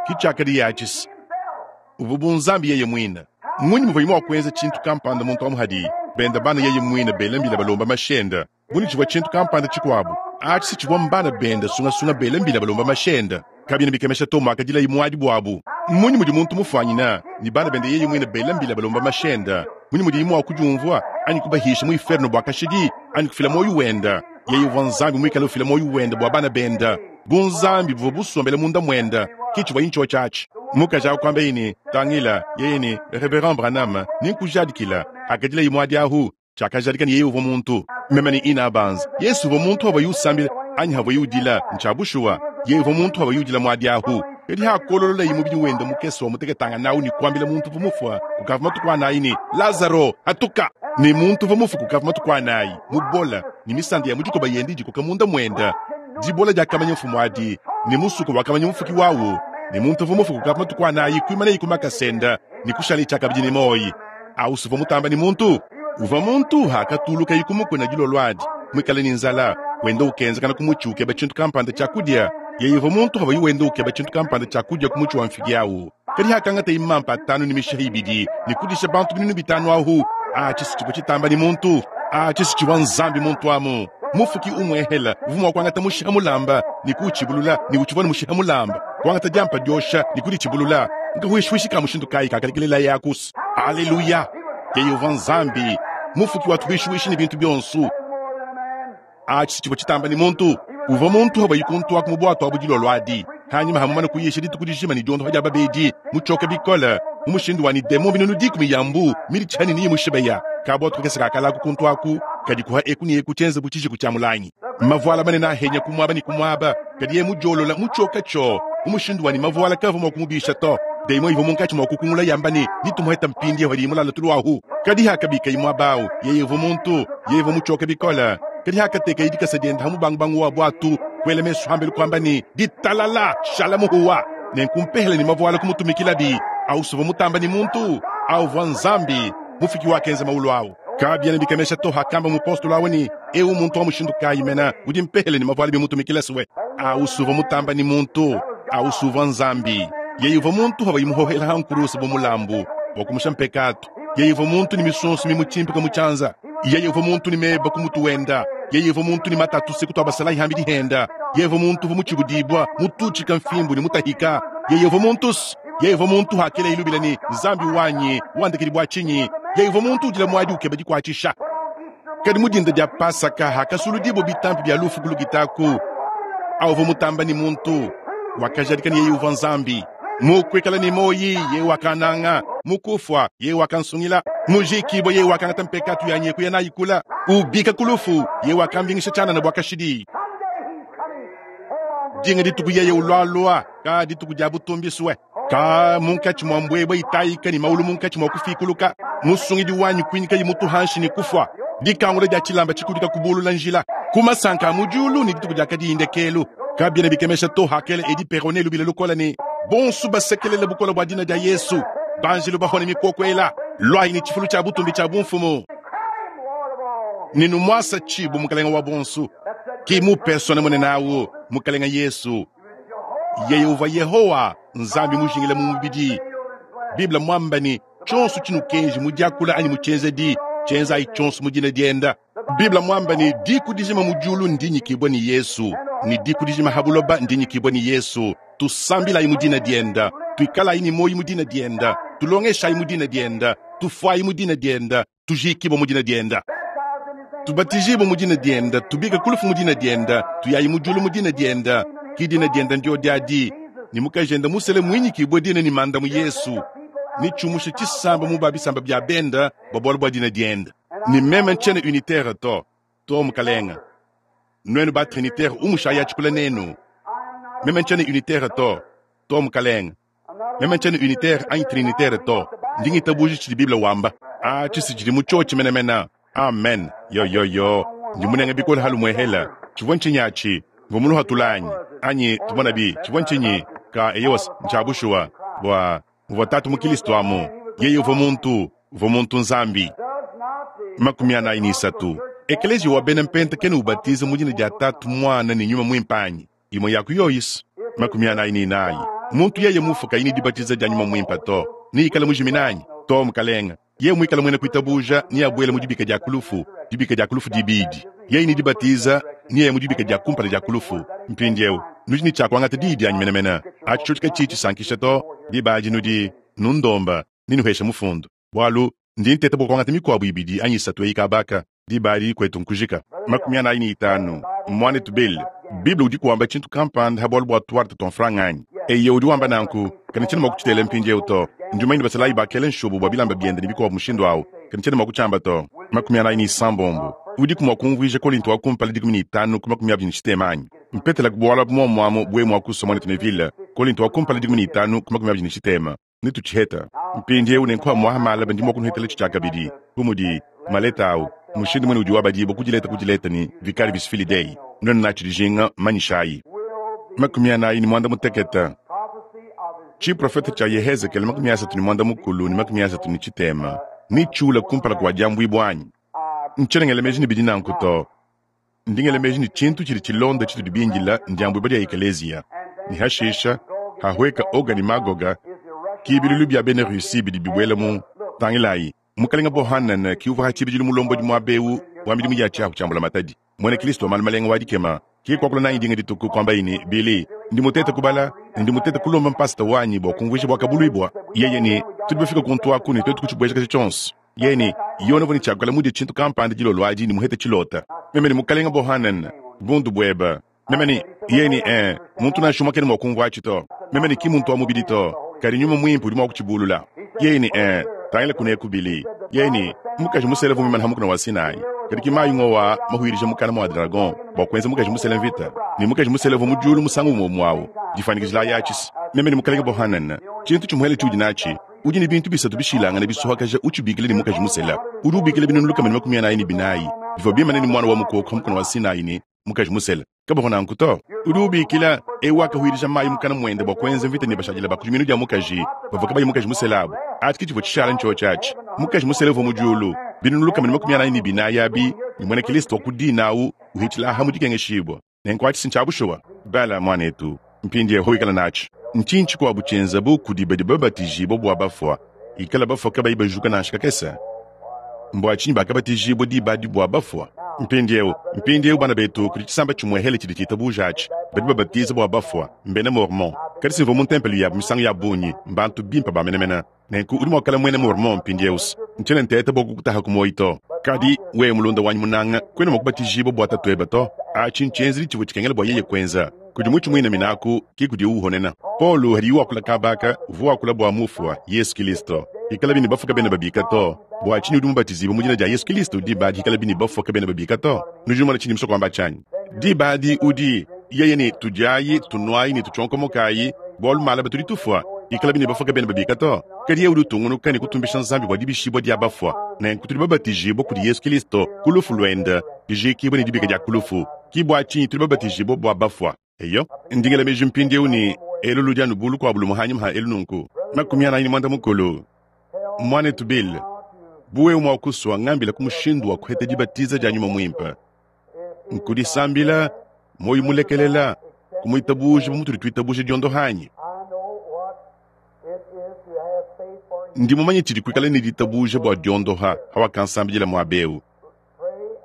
S1: Ki tshiakadi atshi uvua bunzambi yeye muine. Mmunyi muvuaye mua kuenza tshintu kampanda muntu amu hadi benda bana yeye muine bela mbila balomba mashenda? Bu ne tshivua tshintu kampanda tshikuabu, atshi si tshivua mbana benda sungasunga bela mbila balomba mashenda. Kabiena bikemesha to muakadilayi muadi buabu. Mmunyi mudi muntu mufuanyina ne bana bende yeye muine bela mbila balomba mashenda? Mmunyi mudiye mua kudiumvua anyi kubahisha mu inferno bua kashidi anyi kufila muoyo wende? Yeye uvua Nzambi muikale ufila muoyo wende bua bana bende. Bunzambi buvua busombele munda muende, ke tshivuaye ntshiotshi atshi. Mukaji au kuambaye ne, Tangila, yeye ne, Reverend Branham, nenkujadikila. Hakadilaye muadi ahu, tshiakajadika ne yeye uvua muntu. Meme ne Ina Banza, Yesu uvua muntu havuaye usambila anyi havuaye udila, ntshia bushuwa. Yeye uvua muntu havuaye udila muadi ahu. Kadi hakolololaye mubidi wende mukese wa muteketangana ne kuambila muntu uvua mufua kukavua matuku anayi ne, Lazaro, hatuka! Ne muntu uvua mufue kukavua matuku anayi, mubola, ne misanda ya mu dikoba yende idikoka munda muende. Dibola diakamanya mfumu adi, ne musuka wakamanya mufuki wawu. Ne muntu uvua mufue kukavua matuku anayi kuimanaye ku makasa ende ne kushalaye tshiakabidi ne muoyo. Au uvua mutamba ne muntu uvua muntu akatulukaye ku mukuna dilolo adi muikale ne nzala, wenda ukenzakana ku mutshi ukeba tshintu kampanda tshia kudia. Yeye uvua muntu havuaye wenda ukeba tshintu kampanda tshia kudia ku mutshi wa mfigi au. Kadi hakangataye mampa atanu ne mishiha ibidi ne kudisha bantu 5,000 ahu, atshi si tshivua tshitamba ne muntu, atshi si tshivua Nzambi muntu amu. Mufuki umuehela uvua mua kuangata mushiha mulamba ne kuutshibulula, ne utshivua ne mushiha mulamba, kuangata diampa diosha ne kuditshibulula. Nkahuishihuishi ka mushindu kayi kakalekelelaye akusa? Aleluya! Yeye uvua Nzambi, mufuki wa tuhuishihuishi ne bintu bionso. Atshi si tshivua tshitamba ne muntu uvua muntu havuaye kuntuaku mu buatu abu dilolo adi, hanyima hamumana kuyisha dituku dijima ne diondoha dia babedi, mutshioke bikole mu mushindu wa ne demon 10,000 ya mbu miditshihane ne imushibeya. Kabuatu kakese kakalaku kuntuaku kadi kuha eku ne eku tshienza bu tshijiku tshia mulangi. Mavuala manene ahenya ku muaba ne ku muaba, kadi yeye mudiolola mutshioke tshio mu mushindu wa ne mavuala kavua mua kumubisha to. Demon ivua munkatshi mua kukungula yamba ne, Nitumuheta mpindieu hadiye mulale tulu ahu. Kadi hakabikaye muaba au, yeye uvua muntu, yeye uvua mutshioke bikole. Kadi hakatekeye dikasa diende ha mubangubangu wa buatu, kuela mesu hambelu kuamba ne, Ditalala, shala muhuwa. Nenku mpehele ne mavuala kumutumikilabi. Au uvua mutamba ne muntu, au uvua Nzambi, mufuki wakenza maulu au. Kabiena bikemesha to hakamba mupostolo au ne, Eu muntu wa mushindu kayi mena udi mpehele ne mavuala bimutumikila suwe? Au uvua mutamba ne muntu, au uvua Nzambi. Yeye uvua muntu havuaye muhohela ha nkurusu bu mulambu bua kumusha mpekatu. Yeye uvua muntu ne misonso mimutshimpika mu tshianza. Yeye uvua muntu ne meba ku mutu wenda. Yeye uvua muntu ne matatu se kutua basalayi hambidi henda. Yeye uvua muntu uvua mutshibudibua, mututshika mfimbu ne mutahika. Yeye uvua muntu yeye uvua muntu hakela ilubila ne, Nzambi wanyi, wandekedi bua tshinyi? Yeye uvua muntu udila muadi ukeba dikuatshisha. Kadi mu dinda dia Pasaka hakasuludibua bitampi bia lufu ku lukita aku, au uvua mutamba ne muntu wakajadika ne yeye uvua Nzambi. Mu kuikala ne muoyi yeye wakananga, mu kufua yeye wakansungila, mujikibua yeye wakangata mpekatu yanyi kuya nayi kula, ubika ku lufu yeye wakambingisha tshianana bua kashidi. Dinga dituku yeye ulualua, ka dituku dia butumbisue, ka munkatshi mua mbuebue itayika ne maulu munkatshi mua kufikuluka, musungidi wanyi kuinyikaye mutu hanshi ne kufua, dikangula dia tshilamba tshikudika kubulula njila ku masanka a mu diulu ne dituku diakadi ndekelu. Kabiena bikemesha to hakela Edi Perone lubila lukola ne, Bonsu basekelele bukole bua dina dia Yesu. Banjelu bahone mikoko ela. Luayi ne tshifulu tshia butumbi tshia bumfumu. Ne numuasa tshibu Mukalenga wa bonsu. Ki mu persona munene awu, Mukalenga Yesu. Yeye uvua Yehowa, Nzambi mujingila mu mubidi. Bible muamba ne, tshionso tshinukenji mu diakula anyi mu tshienzedi, tshienzayi tshionso mu dina dienda. Bible muamba ne, diku dijima mu diulu ndinyikibue ne Yesu, ne diku dijima ha buloba ndinyikibue ne Yesu. Tusambilayi mu dina dienda, tuikalayi ne muoyo mu dina dienda, tulongeshayi mu dina dienda, tufuayi mu dina dienda, tujikibue mu dina dienda, tubatijibue mu dina dienda, tubike ku lufu mu dina dienda, tuyayi mu diulu mu dina dienda. Ki dina dienda ndio diadi, ne mukajende musele muinyikibue dina ne manda mu Yesu, ne tshiumushe tshisamba mu ba bisamba bia benda bua bualu bua dina dienda. Ne meme ntshiena unitaire to, to mukalenga. Nuenu ba trinitaire umushayi atshikula nenu. Meme ntshiena unitaire to, to mukalenga. Meme ntshiena unitaire anyi trinitaire to. Ndi ngitabuja tshidi Bible wamba. Atshi si tshidi mu tshiotshi menemene. Amen. Yo yo yo. Ndi munenge bikole halumuehela. Tshivua ntshinyi atshi? Mvua muluhatula anyi? Anyi tumonabi, tshivua ntshinyi? Ka eyowa, ntshia bushuwa. Bua muvua Tatu mu Kilisto amu. Yeye uvua muntu, uvua muntu Nzambi. 43. Ekeleziya wa bena Mpenta kena ubatiza mu dina dia Tatu, Muana ne Nyuma Muimpe anyi? Imue ya ku yoyisi. 44. Muntu yeye mufue kayi ne dibatiza dia Nyuma Muimpe to, neikale mujimine anyi? To, mukalenga. Yeye muikale muena kuitabuja, neabuele mu dibika dia ku lufu, dibika dia ku lufu dibidi. Yeye ne dibatiza, neaye mu dibika dia kumpala dia ku lufu. Mpindieu, nudi ne tshia kuangata diyi dianyi menemene. Atshi tshiotshi katshiyi tshisankisha to, diba adi nudi nundomba ne nuhesha mufundu, bualu ndi nteta bua kuangata mikuabu ibidi anyi isatu eyi kaba aka. Diba adi kuetu nkujika. 45. Muanetu Bill, Bible udiku wamba tshintu kampanda ha bualu bua tuarte tua mfranga anyi? Eyo, udi wamba nanku. Kadi ntshiena mua kutshitela mpindieu to. Ndi mumanye ne basalayi bakela nshobo bua bilamba biende ne bikuabu mushindu au, kadi ntshiena mua kutshiamba to. 46. Udiku mua kumvuija Kolinto wa kumpala 15 ku 23 anyi? Mpetelaku bualu abu muomu amu bu wewe mua kusua, muanetu Neville. Kolinto wa kumpala 15 ku 23. Netutshiheta mpindieu ne nkuha muaha malaba ndi mua kunuhetela tshiakabidi bu mudi maleta au mushindu muene udi wabadibua ku dileta ku dileta ne vicarius filii Dei. Nuenu natshi dijinga, manyishayi. 45. Tshiprofete tshia Yehezekele 34 ne 33 netshiule kumpala kua diambuibua anyi? Ntshiena ngela meji ne bidi nanku to. Ndi ngela meji ne tshintu tshidi tshilonda tshitudi bindila ndiambuibua dia ekeleziya, ne hashisha hahueka Oga ne Magoga, ki bilulu bia bena Russie bidi bibuela mu. Tangilayi, Mukalenga Bohanan ki uvua ha tshibidilu mulombodi muaba eu wa midimu ya tshiahu tshia mbulamatadi, muena Kristo wa malu malenga wa dikema. Ki kuakula nanyi dinga dituku, kuambaye ne, Billy, ndi mutete kubala ne ndi mutete kulomba mpasata wanyi bua kumvuija Buakabuluibua. Yeye ne, Tudi bafike kuntu aku ne tuetu kutshibuejakaja tshionso. Yeye ne, Yone uvua ne tshiakuikala mudie tshintu kampanda dilolo adi ne muhete tshilota. Meme ne, Mukalenga Bohanan, bundu buebe. Meme ne, Yeye ne, Ee, muntu nansha umue kena mua kumvua atshi to. Meme ne, Ki muntu wa mubidi to, kadi Nyuma Muimpe udi mua kutshibulula. Yeye ne, Ee, tangila kuneku, Billy. Yeye ne, Mukaji musela uvua muimane ha mukuna wa Sinai, kadi ki mayi ngowa mahuirija mukana mua dragon bua kuenza mukaji musela mvita, ne mukaji musela uvua mu diulu musangu umue umue au. Difuanyikijilayi atshi. Meme ne, Mukalenge Bohanan, tshintu tshimuele tshiudi natshi, Udi ne bintu bisatu bishilangane bisuhakaja utshibikila ne mukaji musela. Udi ubikila binunu 144 bivua bimane ne muana wa mukoko ha mukuna wa Sinai ne mukaji musela. Kabavua nanku to. Udi ubikila eu wakahuidija mayi mukana muende bua kuenza mvita ne bashadile ba ku diminu dia mukaji bavua kabayi mukaji musela abu. Atshi ke tshivua tshishala ntshiotshi atshi. Mukaji musela uvua mu diulu. Binunu 144 abi ne muena Kristo wa ku dina au uhitshila aha mu dikengeshibua. Nenku atshi si ntshia bushuwa? Bala, muanetu, mpindieu ikala natshi. Ntshinyi tshikuabu tshienzabu kudi badi babatijibua bua bafua, ikala bafua kabayi bajuka nansha kakese? Mbua tshinyi bakabatijibua diba adi bua bafua? Mpindieu, mpindieu bana betu, kudi tshisamba tshimuehele tshidi tshitabuja atshi. Badi babatiza bua bafua mbena Mormon. Kadi simvua mu ntempelo yabu misangu ya bungi, mbantu bimpe ba menemene. Nenku udi mua kuikala muena Mormon mpindieu. Ntshiena nteta bua kukutaha ku muoyo to. Kadi wewe mulunda wanyi munanga, kuena mua kubatijibua bua tatuebe to. Atshi ntshienzedi tshivua tshikengela bua yeye kuenza. Kudi mutshi muinamina aku ke kudiwu uhonena. Paulo hadiye wakula kaba aka, uvua wakula bua mufua, Yesu Kilisto. Hikalabi ne bafua kabena babika to, bua tshinyi udi mubatizibue mu dina dia Yesu Kilisto diba adi hikalabi ne bafua kabena babika to? Nudi numona tshindi musue kuamba tshianyi? Diba adi udi yeye ne, Tudiayi, tunuayi ne tutshionkomokayi, bualu malaba tudi tufua. Ikalabi ne bafua kabena babika to, kadi yeye udi utungunuka ne kutumbisha Nzambi bua dibishibua dia bafua. Nenku tudi babatijibue kudi Yesu Kilisto ku lufu luende, dijiikibua ne dibika dia ku lufu. Ki bua tshinyi tudi babatijibue bua bafua. Eyo, ndi ngela meji mpindieu ne, Elu ludi anu bu lukuabu lumue hanyima ha elu nunku. 45. Muanetu Bill, bu wewe mua kusua, ngambilaku mushindu wa kuheta dibatiza dia Nyuma Muimpe. Nkudisambila, muoyo mulekelela, kumuitabuja bu mutudi tuitabuja diondoha anyi? Ndi mumanye tshidi kuikala ne ditabuja bua diondoha hawakansambidila muaba eu.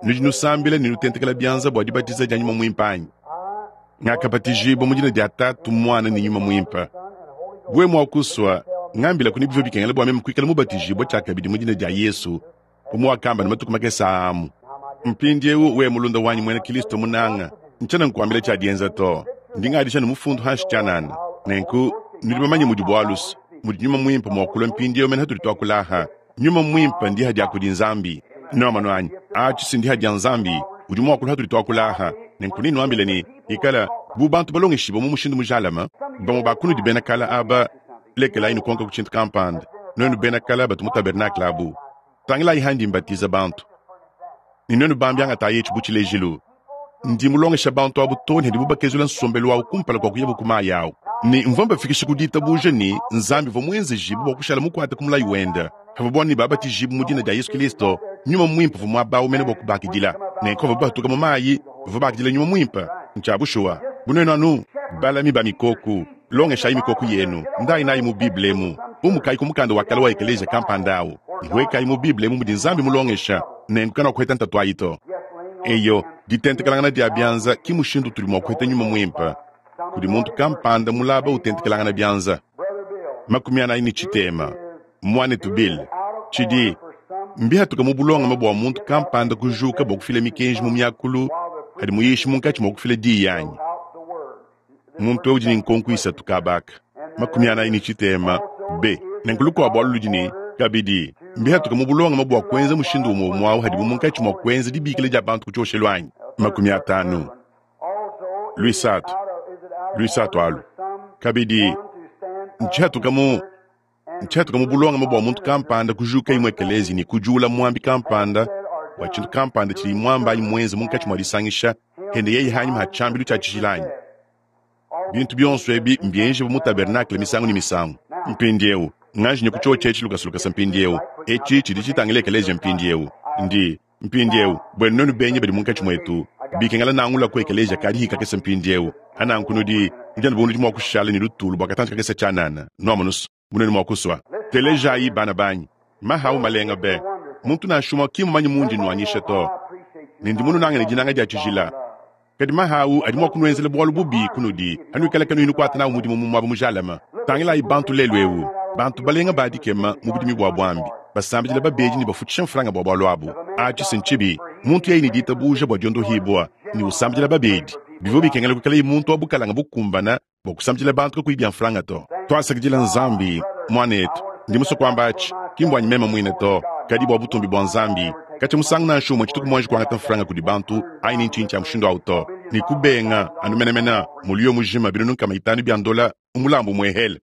S1: Nudi nusambila ne nutentekela bianza bua dibatiza dia Nyuma Muimpe anyi? Ngakabatijibua mu dina dia Tatu, Muana ne Nyuma Muimpe. Wewe mua kusua, ngambilaku ne bivua bikengela bua meme kuikala mubatijibua tshiakabidi mu dina dia Yesu, bu muwakamba ne matuku makese aa amu. Mpindieu wewe mulunda wanyi muena Kilisto munanga, ntshiena nkuambila tshia dienza to. Ndi ngadisha ne mufundu hanshi tshianana. Nenku nudi bamanye mudi bualu's, mudi Nyuma Muimpe mua kulua mpindieu mene hatudi tuakula aha. Nyuma Muimpe ndiha dia kudi Nzambi. Nuamonu anyi? Atshi si ndiha dia Nzambi. Udi mua kulua hatudi tuakula aha. Nenku nenuambile ne, Ikala bu bantu balongeshibue mu mushindu mujalame. Bamue ba kunudi bena kale aba, lekelayi nukonka ku tshintu kampanda. Nuenu bena kale batu mu tabernakle abu, tangilayi handi mbatiza bantu. Ne nuenu bambi angatayi etshi bu tshilejilu. Ndi mulongesha bantu abu too ne hadibu bakezula nsombelu wabu kumpala kua kuyabu ku mayi awu. Ne mvua mbafikisha ku ditabuja ne, Nzambi uvua muenzejibue bua kushala mukuate ku mulayi wende. Pavuabu ne babatijibue mu dina dia Yesu Kilisto, Nyuma Muimpe uvua muaba awu mene bua kubakidila. Nenku pavuabu batuka mu mayi, bavua bakidila Nyuma Muimpe. Ntshia bushuwa. Bu nuenu anu balami ba mikoku, longeshayi mikoku yenu, ndayi nayi mu Bible emu. Umukayi ku mukanda wa kale wa ekeleziya kampanda awu, huekayi mu Bible emu mudi Nzambi mulongesha, nenku kanuakuheta ntatu ayi to. Eyo, ditentekelangana dia bianza ki mushindu utudi mua kuheta Nyuma Muimpe, kudi muntu kampanda mulaba utentekelangana bianza. 40. Muanetu Bill, tshidi, mbihatuka mu bulongame bua muntu kampanda kujuka bua kufila mikenji mu miakulu adi muyishi munkatshi mua kufila diyi anyi? Muntu eu udi ne nkonko isatu kaba aka. 40 B. Nenku lukuabu alu ludi ne, kabidi, mbihatuka mu bulongame bua kuenza mushindu umue umue au hadibu munkatshi mua kuenza dibikila dia bantu ku tshioshelu anyi? 50. Luisatu, luisatu alu, kabidi, ntshihatuka mu Ntshiatuka mu bulongame bua muntu kampanda kujuka imue ekeleziya ne kudiula muambi kampanda bua tshintu kampanda tshidi muamba anyi muenze munkatshi mua disangisha hende yeye hanyima ha tshiambilu tshia tshijila anyi? Bintu bionso ebi mbienjibue mu tabernakle misangu ne misangu. Mpindieu, nganji nye ku tshiotshi etshi lukasa lukasa mpindieu. Etshi tshidi tshitangila ekeleziya mpindieu. Ndi. Mpindieu, buenu nuenu benyi badi munkatshi muetu, bikengela nangula ku ekeleziya ka dihi kakese mpindieu. Ananku nudi, nudi anu bu nudi mua kushala ne lutulu bua katantshi kakese tshianana, nuamonu's, bu nuenu mua kusua. Telejayi, bana banyi, mahawu malenga be. Muntu nansha umue ki mmumanye mundi nnuanyisha to, ne ndi mununange ne dinanga dia tshijila. Kadi maha au adi mua kunuenzela bualu bubi kunudi hanuikala kanuyi nukuata n'au mudimu mu muaba mujalame. Tangilayi bantu lelu eu, bantu balenga ba dikema mu budimi bua buambi, basambidila babedi ne bafutshisha mfranga bua bualu abu. Atshi si ntshibi. Muntu yeye ne ditabuja bua diondohibua ne usambidila babedi, bivua bikengela kuikalaye muntu wa bukalanga bukumbana bua kusambidila bantu kakuyi bia mfranga to. Tuasakidila Nzambi, muanetu. Ndi musue kuamba atshi, ki mbuanyi meme muine to, kadi bua butumbi bua Nzambi. Katshia musangu nansha umue tshituku muanji kuangata mfranga kudi bantu anyi ne ntshinyi tshia mushindu au to, ne kubenga anu menemene muliyo mujima 500 bia ndola mu mulambu umuehele.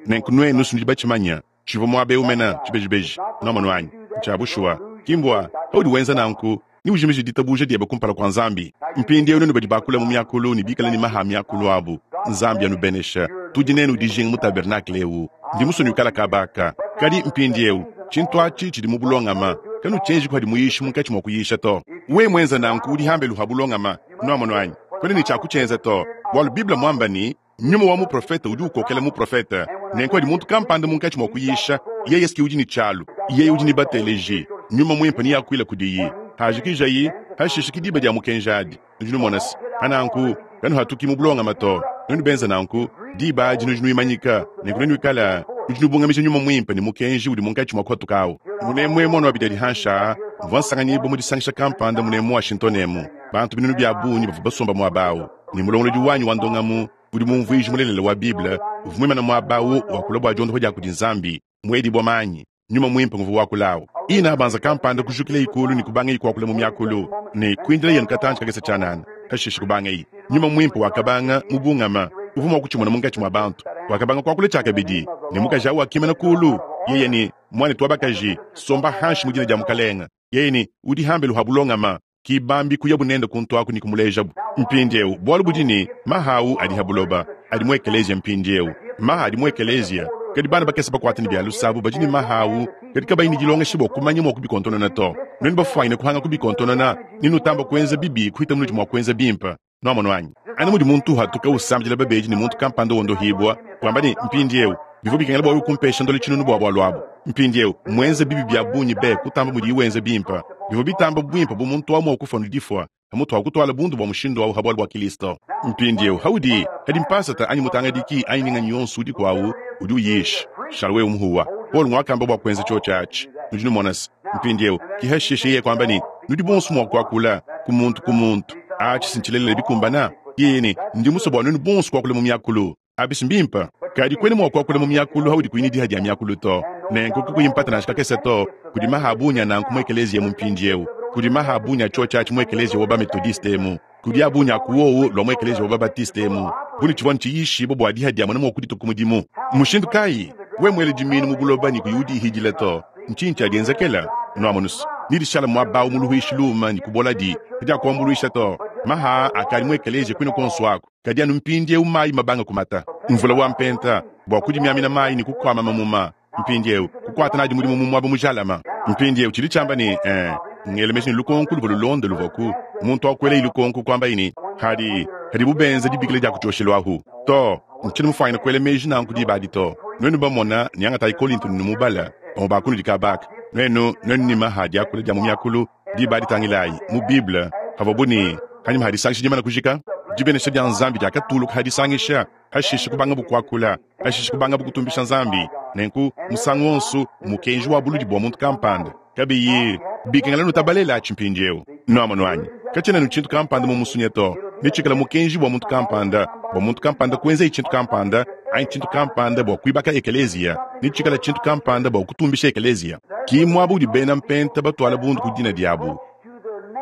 S1: Nenku nuenu nudi batshimanya, tshivua muaba eu mene tshibejibeji. Nuamonu anyi? Ntshia bushuwa. Ki mbua paudi wenza nanku neujimije ditabuja diebe kumpala kua Nzambi. Mpindieu nuenu badi bakula mu miakulu ne bikale ne maha a miakulu abu, Nzambi anubenesha. Tudi nenu dijinga mu tabernakle eu. Ndi musue nuikala kaba aka. Kadi mpindieu, tshintu atshi tshidi mu bulongama. Kanutshienji padi muyishi munkatshi mua kuyisha to. Wewe muenza nanku udi hambelu ha bulongama. Nuamonu anyi? Kuena ne tshia kutshienza to, bualu Bible muamba ne, Nyuma wa muprofete udi ukokela muprofete. Nenku adi muntu kampanda munkatshi mua kuyisha, yeye si udi ne tshialu, yeye udi ne bateleji. Nyuma Muimpe neakuile kudiyi. Hajikijayi, hashishe ki diba dia mukenji adi. Nudi numona se, pananku kanuhatuki mu bulongame to. Nuenu benza nanku, diba adi nudi nuimanyika, nenku nenuikale nudi nubungamija Nyuma Muimpe ne mukenji udi munkatshi mua kuhatuka awu. Munemu emu anu abidi adi hanshi aa, mvua nsanganyibua mu disangisha kampanda munemu mu Washington emu. Bantu binunu bia bungi bavua basomba muaba awu. Ne mulongolodi wanyi wa ndongamu udi mumvuiji mulelela wa Bible uvua muimane muaba au wakula bua diondopa dia kudi Nzambi, muedibua manyi, Nyuma Muimpe nguvua wakula au. Ina banza kampanda kujukilayi kulu ne kubangayi kuakula mu miakulu ne kuindilayi anu katantshi kakese tshianana, pashishe kubangayi. Nyuma Muimpe wakabanga mubungama, uvua mua kutshimona munkatshi mua bantu. Wakabanga kuakula tshiakabidi, ne mukaji au wakimana kulu, yeye ne, Muanetu wa bakaji, somba hanshi mu dina dia Mukalenge. Yeye ne, Udi hambelu ha bulongama. Ki bambi kuyabu nende kuntu aku ne kumulejabu. Mpindiewu, bualu budi ne, maha awu adi ha buloba, adi mu ekeleziya mpindiewu. Maha adi mu ekeleziya. Kadi bana bakese bakuate ne bia luse abu badi ne maha awu, kadi kabayi ne dilongesha bua kumanya mua kubikontonona to. Nuenu bafuanyine kuhanga kubikontonona, nenutamba kuenza bibi kuhita munudi mua kuenza bimpe. Nuamonu anyi? Anu mudi muntu uhatuka usambidila babedi ne muntu kampanda wondohibua, wamba ne, Mpindiewu, bivua bikengela bua wewe kumpesha ndola tshinunu bua bualu abu. Mpindiewu, mmuenze bibi bia bungi be kutamba mudiye wenza bimpe. Bivua bitamba buimpe bu muntu awu mua kufua ne difua, pamutu pa kutuala bundu bua mushindu awu ha bualu bua Kilisto. Mpindiewu, haudi, hadi mpasata anyi mutangadiki anyi nganyi yonso udiku awu udi uyisha, shala wewe muhuwa. Paulo nguakamba bua kuenza tshiotshi atshi. Nudi numona se, mpindiewu, ki hashishe yeye kuamba ne, Nudi bonso mua kuakula, ku muntu ku muntu. Atshi si ntshilelela bikumbana? Yeye ne, Ndi musue bua nuenu bonso kuakula mu miakulu. Abi si mbimpe? Kadi kuena mua kuakula mu miakulu haudi kuyi ne diha dia miakulu to. Nenku kakuyi mpata nansha kakese to, kudi maha a bungi a nanku mu ekeleziya emu mpindiewu. Kudi maha a bungi a tshiotshi atshi mu ekeleziya wa ba-Methodiste emu. Kudi a bungi a ku wowu lua mu ekeleziya wa ba-Baptiste emu. Bu ne tshivua ntshiyishibua bua diha dia muena mua kuditua ku mudimu. Mushindu kayi? Wewe muele dimiinu mu buloba ne kuyi udihidila to, ntshinyi tshiadienzekela? Nuamonus, nedishala muaba awu mu luhuishi luuma ne kuboladi, kadiakuambuluisha to. Maha aa akadi mu ekeleziya kuine kuonso aku. Kadi anu mpindieu mayi mabanga kumata, mvula wa mpenta bua kudimiamina mayi ne kukuama mamuma, mpindieu kukuata nadi mudimu mu muaba mujalama. Mpindieu tshidi tshiamba ne, Ee, ngela meji ne lukonko luvua lulonda luvuaku. Muntu wa kuelayi lukonko kuambaye ne, Hadi, hadibu benza dibikila dia ku tshioshelu ahu. Too, ntshiena mufuanyine kuela meji nanku diba adi to. Nuenu bamona ne angatayi Kolinto ne numubala, bamue ba kunudi kabaka. Nuenu, nuenu ne maha diakula dia mu miakulu, Diba adi tangilayi mu Bible, pavuabu ne panyima ha disangisha dimana kujika, dibenesha dia Nzambi diakatuluka ha disangisha, hashishe kubangabu kuakula, hashishe kubangabu kutumbisha Nzambi. Nenku musangu wonso mukenji wa buludi bua muntu kampanda, kabiyi bikengela nutabalela atshi mpindieu. Nuamonu anyi? Katshiena anu tshintu kampanda mu musunya to, netshikale mukenji bua muntu kampanda, bua muntu kampanda kuenzaye tshintu kampanda, anyi tshintu kampanda bua kuibaka ekeleziya, netshikale tshintu kampanda bua kutumbisha ekeleziya. Ki muaba udi bena mpenta batuala bundu ku dina diabu,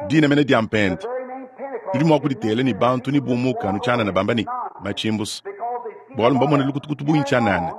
S1: dina mene dia mpenta. Nudi mua kuditela ne bantu ne bumuka anu tshianana bamba ne, Matshimbusa, bualu mbamone lukutukutu bungi tshianana.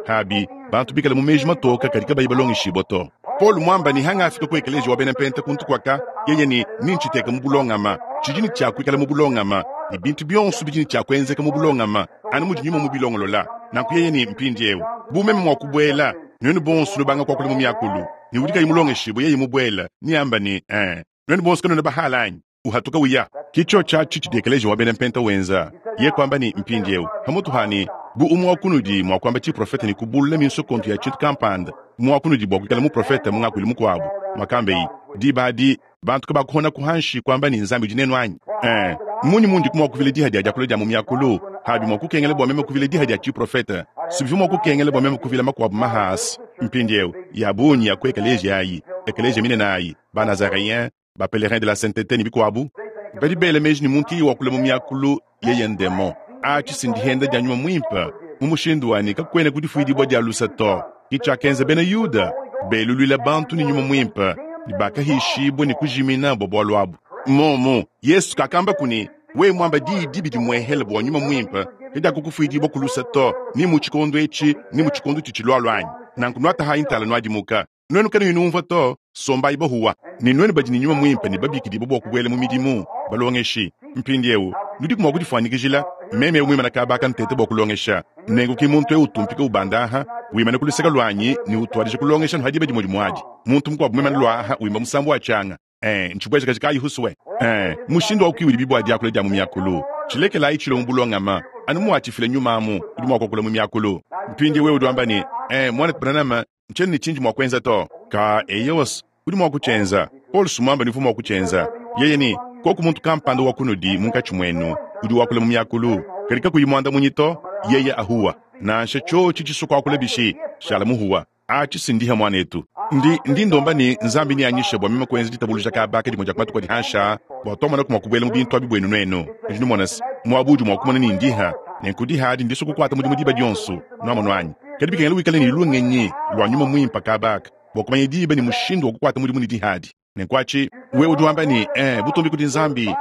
S1: Pabi, bantu bikale mu meji matoka kadi kabayi balongeshibua to. Paulo muamba ne, Hangafika ku ekeleziya wa bena mpenta kuntu kuaka, yeye ne, nintshiteke mu bulongama. Tshidi ne tshia kuikala mu bulongama, ne bintu bionso bidi ne tshia kuenzeka mu bulongama, anu mudi nyuma mubilongolola. Nanku yeye ne, Mpindieu, bu meme mua kubuela, nuenu bonso nubanga kuakula mu miakulu, ne udi kayi mulongeshibue yeye mubuela, neamba ne, Ee, nuenu bonso kanuena bahala anyi? Uhatuka uya. Ki tshiotshi atshi tshidi ekeleziya wa bena mpenta wenza. Ye kuamba ne, Mpindieu, pamutu ha ne, bu umue wa kunudi mua kuamba tshiprofete ne kubulula minsokontu ya tshintu kampanda, umue wa kunudi bua kuikala muprofete mu ngakuilu mukuabu, muakambeye, diba adi bantu kabakuhonaku hanshi kuamba ne, Nzambi udi nenu anyi? Ee, mmunyi mundi mua kuvila diha dia diakula dia mu miakulu? Habi mua kukengela bua meme kuvila diha dia tshiprofete, sibivua mua kukengela bua meme kuvila makuabu maha asa. Mpindieu, ya bungi ya ku ekeleziya ayi, ekeleziya minene ayi, ba-Nazareens, ba Pèlerins de la Sainteté ne bikuabu, badi bela meji ne muntu yeye wakula mu miakulu yeye ndemon. Atshi si ndihenda dia nyuma muimpe mu mushindu wa ne kakuena kudifuidibua dia luse to. Ke tshiakenza bena Yuda, beluluila bantu ne nyuma muimpe ne bakahishibua ne kujimina bua bualu abu. Momu, Yesu kakambaku ne, wewe muamba diyi dibi dimuehele bua nyuma muimpe kadiakukufuidibua ku luse to, ni mu tshikondo etshi ni mu tshikondo tshitshilualua anyi? Nanku nuatahayi ntala nuadimuka. Nuenu kanuyi numvua to, sombayi bahuwa. Ne nuenu badi ne nyuma muimpe ne babikidibue bua kubuela mu midimu, balongeshi. Mpindieu, nudiku mua kudifuanyikijila meme eu muimane kaba aka nteta bua kulongesha, nenku ki muntu eu utumpika ubanda aha, wimana ku luseke luanyi ne utuadija kulongesha anu ha diba dimue dimue adi, muntu mukuabu muimane lua aha wimba musambu wa tshianga. Ee, ntshibuejakaji kayi husue? Ee, mushindu au ki udibi bua diakula dia mu miakulu. Tshilekelayi tshilue mu bulongama, anu muatshifila nyuma amu, udi mua kuakula mu miakulu. Mpindieu wewe udi wamba ne, Ee, muanetu Branham, Ntshiena ne tshindi mua kuenza to. Ka, eyowa, udi mua kutshienza. Paulo sumuamba ne uvua mua kutshienza. Yeye ne, Koku muntu kampanda wa kunudi munkatshi muenu udi wakula mu miakulu, kadi kakuyi muandamunyi to, yeye ahuwa. Nansha tshiotshi tshisua kuakula bishi, shala muhuwa. Atshi si ndiha muanetu. Ndi, ndi ndomba ne Nzambi neanyishe bua meme kuenza ditabuluja kaba aka dimue dia ku matuku adi hanshi aa, bua tuamonaku mua kubuela mu bintu abi buenu nuenu. Nudi numona se, muaba udi mua kumona ne ndiha, nenku diha adi ndisua kukuata mudimu diba dionso. Nuamonu anyi? Kadi bikengela wikale ne lungenyi lua nyuma muimpe kaba aka bua kumanya diba ne mushindu wa kukuata mudimu ne diha adi. Nenku atshi, wewe udi wamba ne, Ee, butumbi kudi Nzambi.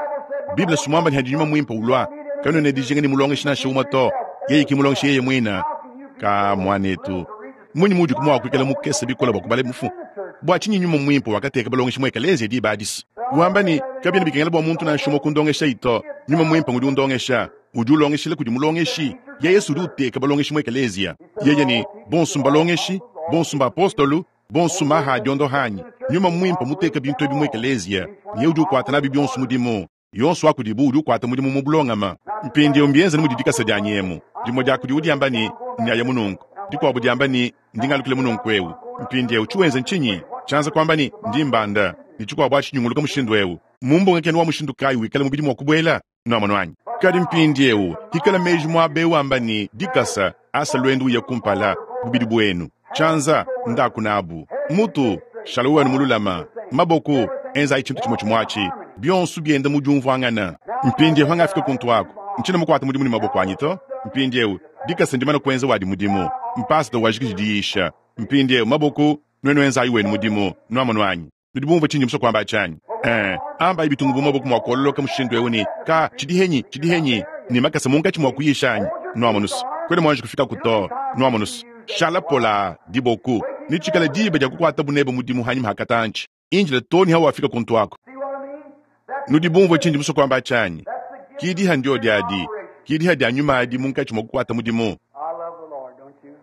S1: Bible si muamba ne hadi nyuma muimpe ulua, kanuena dijinga ne mulongeshi nansha umue to. Yeye ki mulongeshi yeye muine. Ka muanetu, mmunyi muudi mua kuikala mukese bikole bua kubala mifundu? Bua tshinyi nyuma muimpe wakateka balongeshi mu ekeleziya diba adi? Wamba ne, Kabiena bikengela bua muntu nansha umue kundongeshayi to. Nyuma Muimpe ngudi undongesha. Udi ulongeshila kudi mulongeshi. Yeye's udi uteka balongeshi mu ekeleziya. Yeye ne, Bonsu mbalongeshi, bonsu mbapostolu, bonsu maha a diondoha anyi? Nyuma Muimpe muteka bintu ebi mu ekeleziya, ne yeye udi ukuata nabi bionsu mudimu. Yonso wa kudibu udi ukuata mudimu mu bulongame. Mpindieu mbienze mudi dikasa dianyi emu. Dimue dia kudiwu diamba ne, Nyaya mu nunku. Dikuabu diamba ne, Ndi ngalukila mu nunku eu. Mpindieu tshiwenza ntshinyi? Tshianza kuamba ne, Ndi mbanda. Ne tshikuabu atshi nyunguluka mushindu eu. Mu mbungakenu wa mushindu kayi wikala mubidi mua kubuela? Nuamonu anyi? Kadi mpindieu, hikala meji muaba eu amba ne, Dikasa, asa luendu uye kumpala, bubidi buenu. Tshianza, ndaku nabu. Mutu, shala wewe anu mululama. Maboku, enzayi tshintu tshimue tshimue atshi. Bionso bienda mu diumvuangana. Mpindieu hangafika kuntu aku, ntshiena mukuate mudimu ne maboko anyi to. Mpindieu, dikasa ndimane kuenza wadi mudimu. Mpasata wajikiji diyisha. Mpindieu, maboku, nuenu enzayi wenu mudimu. Nuamonu anyi? Nudi bumvue tshindi musue kuamba atshi anyi? Ee, ambayi bitungu bu maboko mua kuololoka mushindu eu ne, Ka, tshidi henyi, tshidi henyi, ne makasa munkatshi mua kuyisha anyi? Nuamonus, kuena muanji kufikaku to. Nuamonus, shala polaa, diboku, netshikale diba dia kukuatabu nebe mudimu hanyima ha katantshi. Indila too ne hawafika kuntu aku. Nudi bumvue tshindi musue kuamba atshi anyi? Ki diha ndiodi adi, ki diha dia nyuma adi munkatshi mua kukuata mudimu.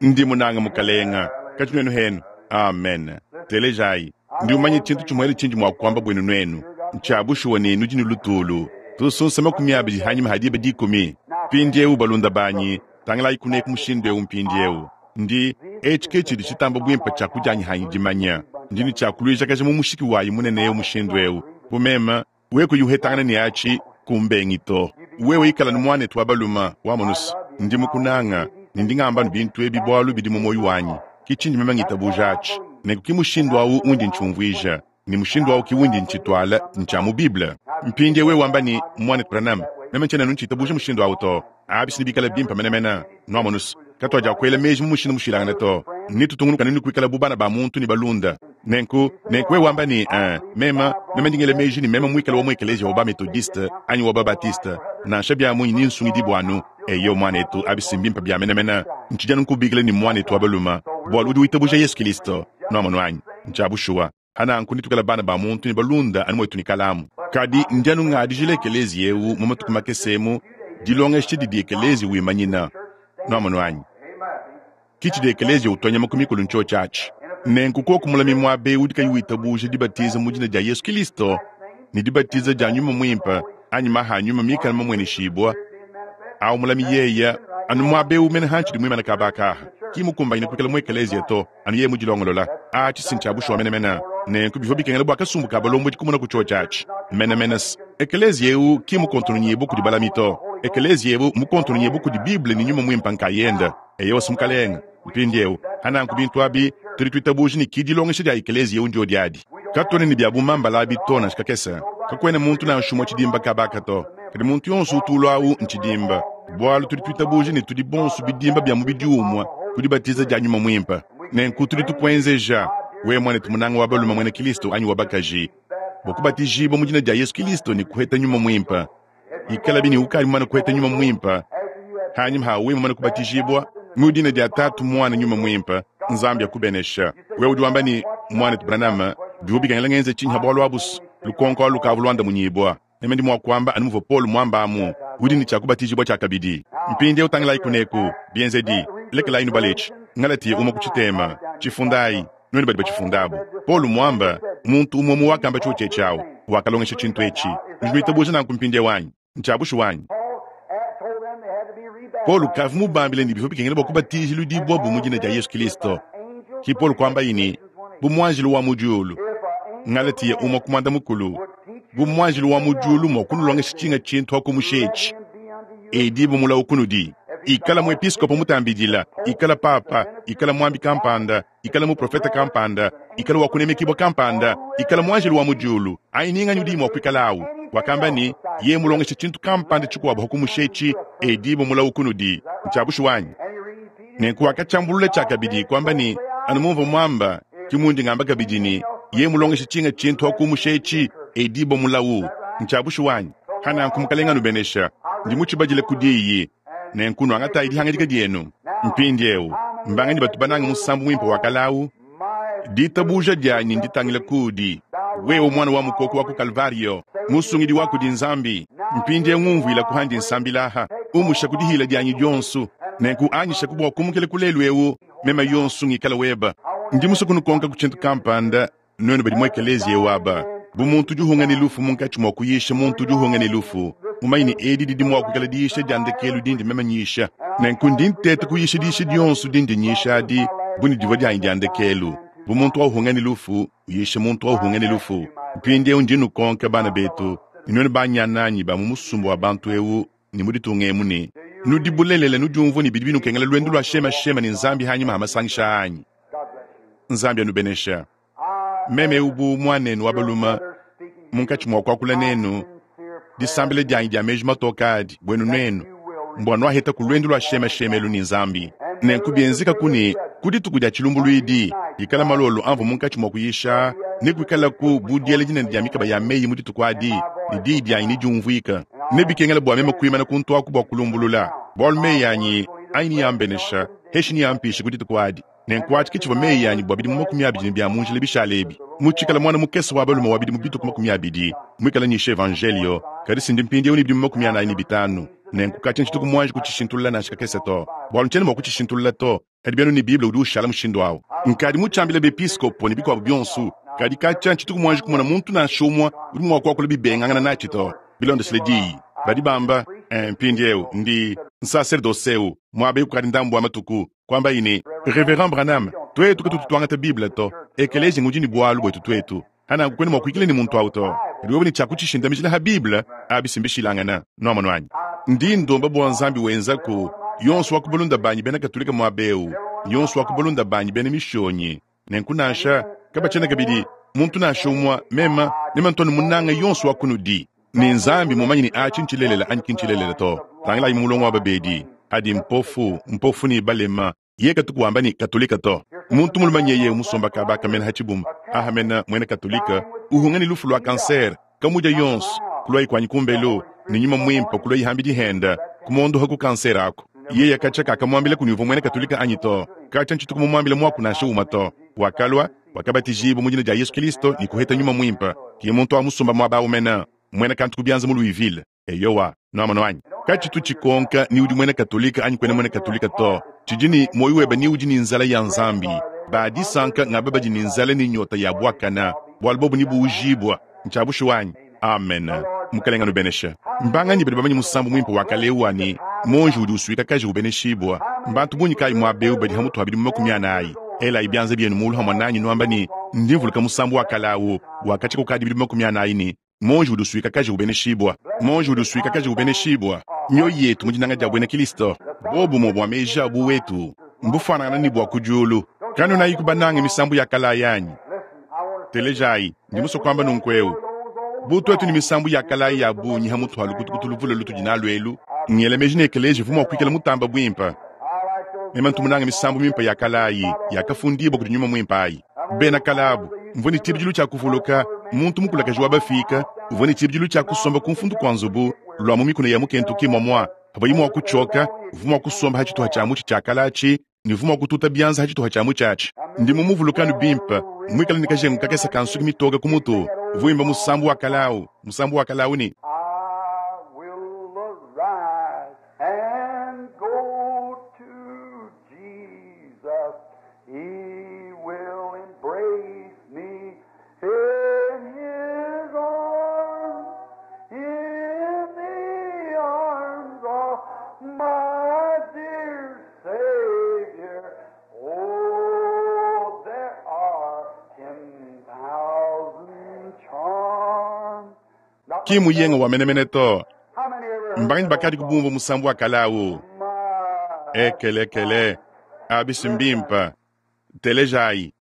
S1: Ndi munange Mukalenga, katshi nuenu henu. Amen. Telejayi. Ndi mumanye tshintu tshimuele tshindi mua kuamba buenu nuenu. Ntshia bushuwa ne nudi ne lutulu. Tusunsa 20 hanyima ha diba dikumi. Mpindiewu, balunda banyi, tangilayi kuneku mushindu eu mpindiewu. Ndi, etshi ke tshidi tshitamba buimpe tshia kudianyi hanyi dimanya. Ndi ne tshia kuluijakaja mu mushiki wayi munene eu mushindu eu. Bu meme, wewe kuyi uhetangana ne atshi, kumbengi to. Wewe ikala ne muanetu wa baluma, wamonus, ndi mukunanga, ne ndi ngamba anu bintu ebi bualu bidi mu muoyo wanyi. Ki tshindi meme ngitabuja atshi. Nenku ki mushindu au undi ntshiumvuija, ne mushindu au ki undi ntshituala, ntshia mu Bible. Mpindieu wewe wamba ne, Muanetu Branham, meme ntshiena anu ntshitabuja mushindu au to. Abi si nebikale bimpe menemene. Nuamonus, katuadiakuela meji mu mushindu mushilangane to. Netutungunuke anu ne kuikala bu bana ba muntu ne balunda. Nenku, nenku wewe wamba ne, Ee, meme, meme ndi ngela meji ne meme muikale wa mu ekeleziya wa ba-Methodiste anyi wa ba-Baptiste, nansha bia munyi nensungidibue anu. Eyo, muanetu, abi si mbimpe bia menemene. Ntshidi anu nkubikila ne muanetu wa balume, bualu udi witabuja Yesu Kilisto. Nuamonu anyi? Ntshia bushuwa. Pa nanku netuikale bana ba muntu ne balunda anu muetu ne kalamu. Kadi ndi anu ngadijila ekeleziya eu mu matuku makese emu dilongesha didi ekeleziya wimanyina. Nuamonu anyi? Ki tshidi ekeleziya utua nyama ku mikolo ntshiotshi atshi. Nenku koku mulami muaba eu udi kayi witabuja dibatiza mu dina dia Yesu Kilisto ne dibatiza dia Nyuma Muimpe anyi maha a Nyuma mikale mamueneshibua, Awu mulami yeya anu muaba eu mene hantshidi muimane kaba aka aha, ki mukumbanyine kuikala mu ekeleziya to, anu yeye mudilongolola. Atshi si ntshia bushuwa menemene. Nenku bivua bikengela bua kasumbu ka balombodi kumona ku tshiotshi atshi menemene. Ekeleziya eu ki mukontononyibue kudi balami to. Ekeleziya eu mmukontononyibue kudi Bible ne Nyuma Muimpe nkayende. Eyowa, Mukalenge. Mpindieu, pa nanku bintu abi, tudi tuitabuja ne ki dilongesha dia ekeleziya eu ndiodi adi. Katuena ne bia bumambala abi to nansha kakese. Kakuena muntu nansha umue tshidimba kaba aka to. Kadi muntu yonso utu ulua au ntshidimba, bualu tudi tuitabuja ne tudi bonso bidimba bia mubidi umue ku dibatiza dia Nyuma Muimpe. Nenku tudi tukuenzeja, wewe muanetu munanga wa balume muena Kilisto anyi wa bakaji, bua kubatijibua mu dina dia Yesu Kilisto ne kuheta Nyuma Muimpe. Ikalabi ne ukadi mumane kuheta Nyuma Muimpe hanyima ha wewe mumane kubatijibua mu dina dia Tatu, Muana, Nyuma Muimpe. Nzambi akubenesha. Wewe udi wamba ne, Muanetu Branham, bivua bikengela ngenze tshinyi ha bualu abu's? Lukonko alu lukavua luandamunyibua. Meme ndi mua kuamba anu muvua Paulo muamba amu, udi ne tshia kubatijibua tshiakabidi. Mpindieu tangilayi kuneku, Bienzedi. Lekelayi nubale etshi, Ngalatiya umue ku tshitema. Tshifundayi, nuenu badi batshifundabu. Paulo muamba, muntu umue umue wakamba tshiotshi etshi awu, wakalongesha tshintu etshi. Nudi nuitabuja nanku mpindieu anyi? Ntshia bushuwa anyi? Paulo kavua mubambile ne bivua bikengela bua kubatijiludibua bu mu dina dia Yesu Kilisto. Ki Paulo kuambaye ne, bu muanjelu wa mu diulu. Ngalatiya umue ku muanda mukulu, bu muanjelu wa mu diulu mua kunulongesha tshinga tshintu ha kumusha etshi, edi bu mulawu kunudi. Ikala muepiskopo mutambidila, ikala papa, ikala muambi kampanda, ikala muprofete kampanda, ikala wa kunemekibua kampanda, ikala muanjelu wa mu diulu, anyi ni nganyi udi mua kuikala awu. Wakamba ne, yeye mulongesha tshintu kampanda tshikuabu ha kumusha etshi, edi bu mulawu kunudi. Ntshia bushuwa anyi? Nenku wakatshiambulula tshiakabidi, kuamba ne, Anu mumvua muamba, ke mundi ngamba kabidi ne, yeye mulongesha tshinga tshintu ha kumusha etshi, edibua mulawu. Ntshia bushuwa anyi? Pa nanku Mukalenge anubenesha. Ndi mutshibadile ku diyi. Nenku nuangatayi dihangadika dienu. Mpindieu, mbanganyi batu banange musambu muimpe wa kale au? Ditabuja dianyi nditangile kuudi. Wewe Mwana wa mukoko wa ku Kalvariyo, Musungidi wa kudi Nzambi, mpindieu ngumvuilaku handi nsambila aha, umushaku dihila dianyi dionso, nenku anyishaku bua kumukila ku lelu eu, meme yonso ngikala weba. Ndi musue kunukonka ku tshintu kampanda, nuenu badi mu ekeleziya eu aba. Bu muntu udi uhunga ne lufu munkatshi mua kuyisha muntu udi uhunga ne lufu, mumanye ne edi didi mua kuikala diyisha dia ndekelu dindi meme nyisha. Nenku ndi nteta kuyisha diyisha dionso dindi nyisha adi bu ne divua dianyi dia ndekelu. Bu muntu wa uhunga ne lufu uyisha muntu wa uhunga ne lufu. Mpindieu ndi nnukonka, bana betu, ne nuenu banyananyi ba mu musumba wa bantu eu ne mu ditunga emu ne, Nudi bulelela nudiumvua ne bidi binukengela luendu lua shemashema ne Nzambi hanyima ha masangisha anyi? Nzambi anubenesha. Meme eu bu muanenu wa balume munkatshi mua kuakula nenu, disambila dianyi dia meji matoke adi buenu nuenu mbua nuaheta ku luendu lua shemashema elu ne Nzambi. Nenku bienzekaku ne ku dituku dia tshilumbuluidi, ikala malolo amvua munkatshi mua kuyisha, nekuikalaku bu diela dinene dia mikaba ya meyi mu dituku adi, ne diyi dianyi nediumvuike. Nebikengele bua meme kuimana kuntu aku bua kulumbulula, bualu meyi anyi anyi neambenesha, heshi neampishe ku dituku adi. Nenku atshi ke tshivua meyi anyi bua bidimu 20 ne bia mu njila bishale ebi. Mutshikale muana mukese wa balume wa bidimu bitue ku 20, muikale nyisha evanjeliyo, kadi si ndi mpindieu ne bidimu 45. Nenku katshia ntshituku muanji kutshishintulula nansha kakese to, bualu ntshiena mua kutshishintulula to. Kadi bianu ne Bible udi ushala mushindu au. Nkadi mutshiambile bepiskopo ne bikuabu bionso, kadi katshia ntshituku muanji kumona muntu nansha umue udi mua kuakula bibengangana natshi to. Bilondeshile diyi, badi bamba, Eh, mpindieu ndi nsaserdose eu muaba eu kukadi ndambu wa matuku, kuambayi ne, Reverend Branham, tuetu katutu tuangata Bible to. Ekeleziya ngudi ne bualu buetu tuetu. Hananku kuena mua kuikila ne muntu awu to. Kadi wewe ne tshia kutshishindamijila ha Bible, abi si mbishilangana. Nuamonu anyi? Ndi ndomba bua Nzambi wenzaku yonso wa ku balunda banyi bena Katolika muaba eu, ne yonso wa ku balunda banyi bena Mishonyi. Nenku nansha, kabatshiena kabidi muntu nansha umue, mema, mema ntu anu munanga yonso wa kunudi. Ne Nzambi mmumanye ne atshi ntshilelela anyi ki ntshilelela to. Tangilayi mu mulongo wa babedi, adi mpofu, mpofu ne balema. Yeye katuku wamba ne Katolika to. Muntu mulume nyeye umusomba kaba aka mena ha tshibumba aha mena muena Katolika, uhunga ne lufu lua kansere, kamudia yonso, kuluayi kuanyi kumbelu, ne Nyuma Muimpe kuluayi hambidi henda, kumuondoha ku kansere aku. Yeye katshia kakamuambila kuni uvua muena Katolika anyi to. Katshia ntshituku mumuambila muaku nansha umue to. Wakalua, wakabatijibua mu dina dia Yesu Kilisto ne kuheta Nyuma Muimpe. Ke muntu wa musomba muaba au mena, muena kantu ku bianza mu Louisville. Eyowa, nuamonu anyi? Katshitu tshikonka ni udi muena Katolika anyi kuena muena Katolika to. Tshidi ne muoyo webe ni udi ne nzala ya Nzambi. Ba disanka ngaba badi ne nzala ne nyota ya buakana, bualu bobu nebuujibua. Ntshia bushuwa anyi? Amen. Mukelenge anubeneshe. Mbanganyi badi bamanye musambu muimpe wa kale eu wa ne, Muonji udi usuikakaja ubeneshibua? Mbantu bungi kayi muaba eu badi ha mutu ha bidimu 40? Elayi bianza bienu mulu hamue nanyi nuamba ne, Ndi mvuluka musambu wa kale au wa katshia kukadi bidimu 40 ne, Muonji udi usuikakaja ubeneshibua. Muonji udi usuikakaja ubeneshibua. Mioyo yetu mu dinanga dia buena Kilisto, buobumue bua meji a buwetu mbufuanangane ne bua ku diulu. Kanuenayiku banange misambu ya kale ayi anyi? Telejayi, ndi musue kuamba nunku eu. Bu tuetu ne misambu ya kale ayi ya bungi ha mutu ha lukutukutu luvule lutudi nalu elu, ngela meji ne ekeleziya uvua mua kuikala mutamba buimpe. Meme ntu munange misambu mimpe ya kale ayi yakafundibua kudi Nyuma Muimpe ayi. Bena kale abu, mvua ne tshibidilu tshia kuvuluka muntu mukulakaje wa bafiike uvua ne tshibidilu tshia kusomba ku mfundu kua nzubu lua mu mikuna ya mu Kentucky muamua pavuaye mua kutshioka, uvua mua kusomba ha tshituha tshia mutshi tshia kale atshi ne uvua mua kututa bianza ha tshituha tshia mutshi atshi. Ndi mumuvuluke anu bimpe, muikale ne kajengu kakese ka nsuki mitoke ku mutu, uvua wimba musambu wa kale au, musambu wa kale au ne.
S2: I will arise and go to Jesus. He will embrace me in his arms, in the arms of my dear Savior. Oh, there are 10,000 charms. Not
S1: Ki muyenga wa menemene to.
S2: How many ever heard
S1: Mbanganyi
S2: that
S1: bakadi
S2: old song?
S1: kubumvua musambu wa kale au?
S2: My
S1: Ekelekele, abi si mbimpe. Telejayi.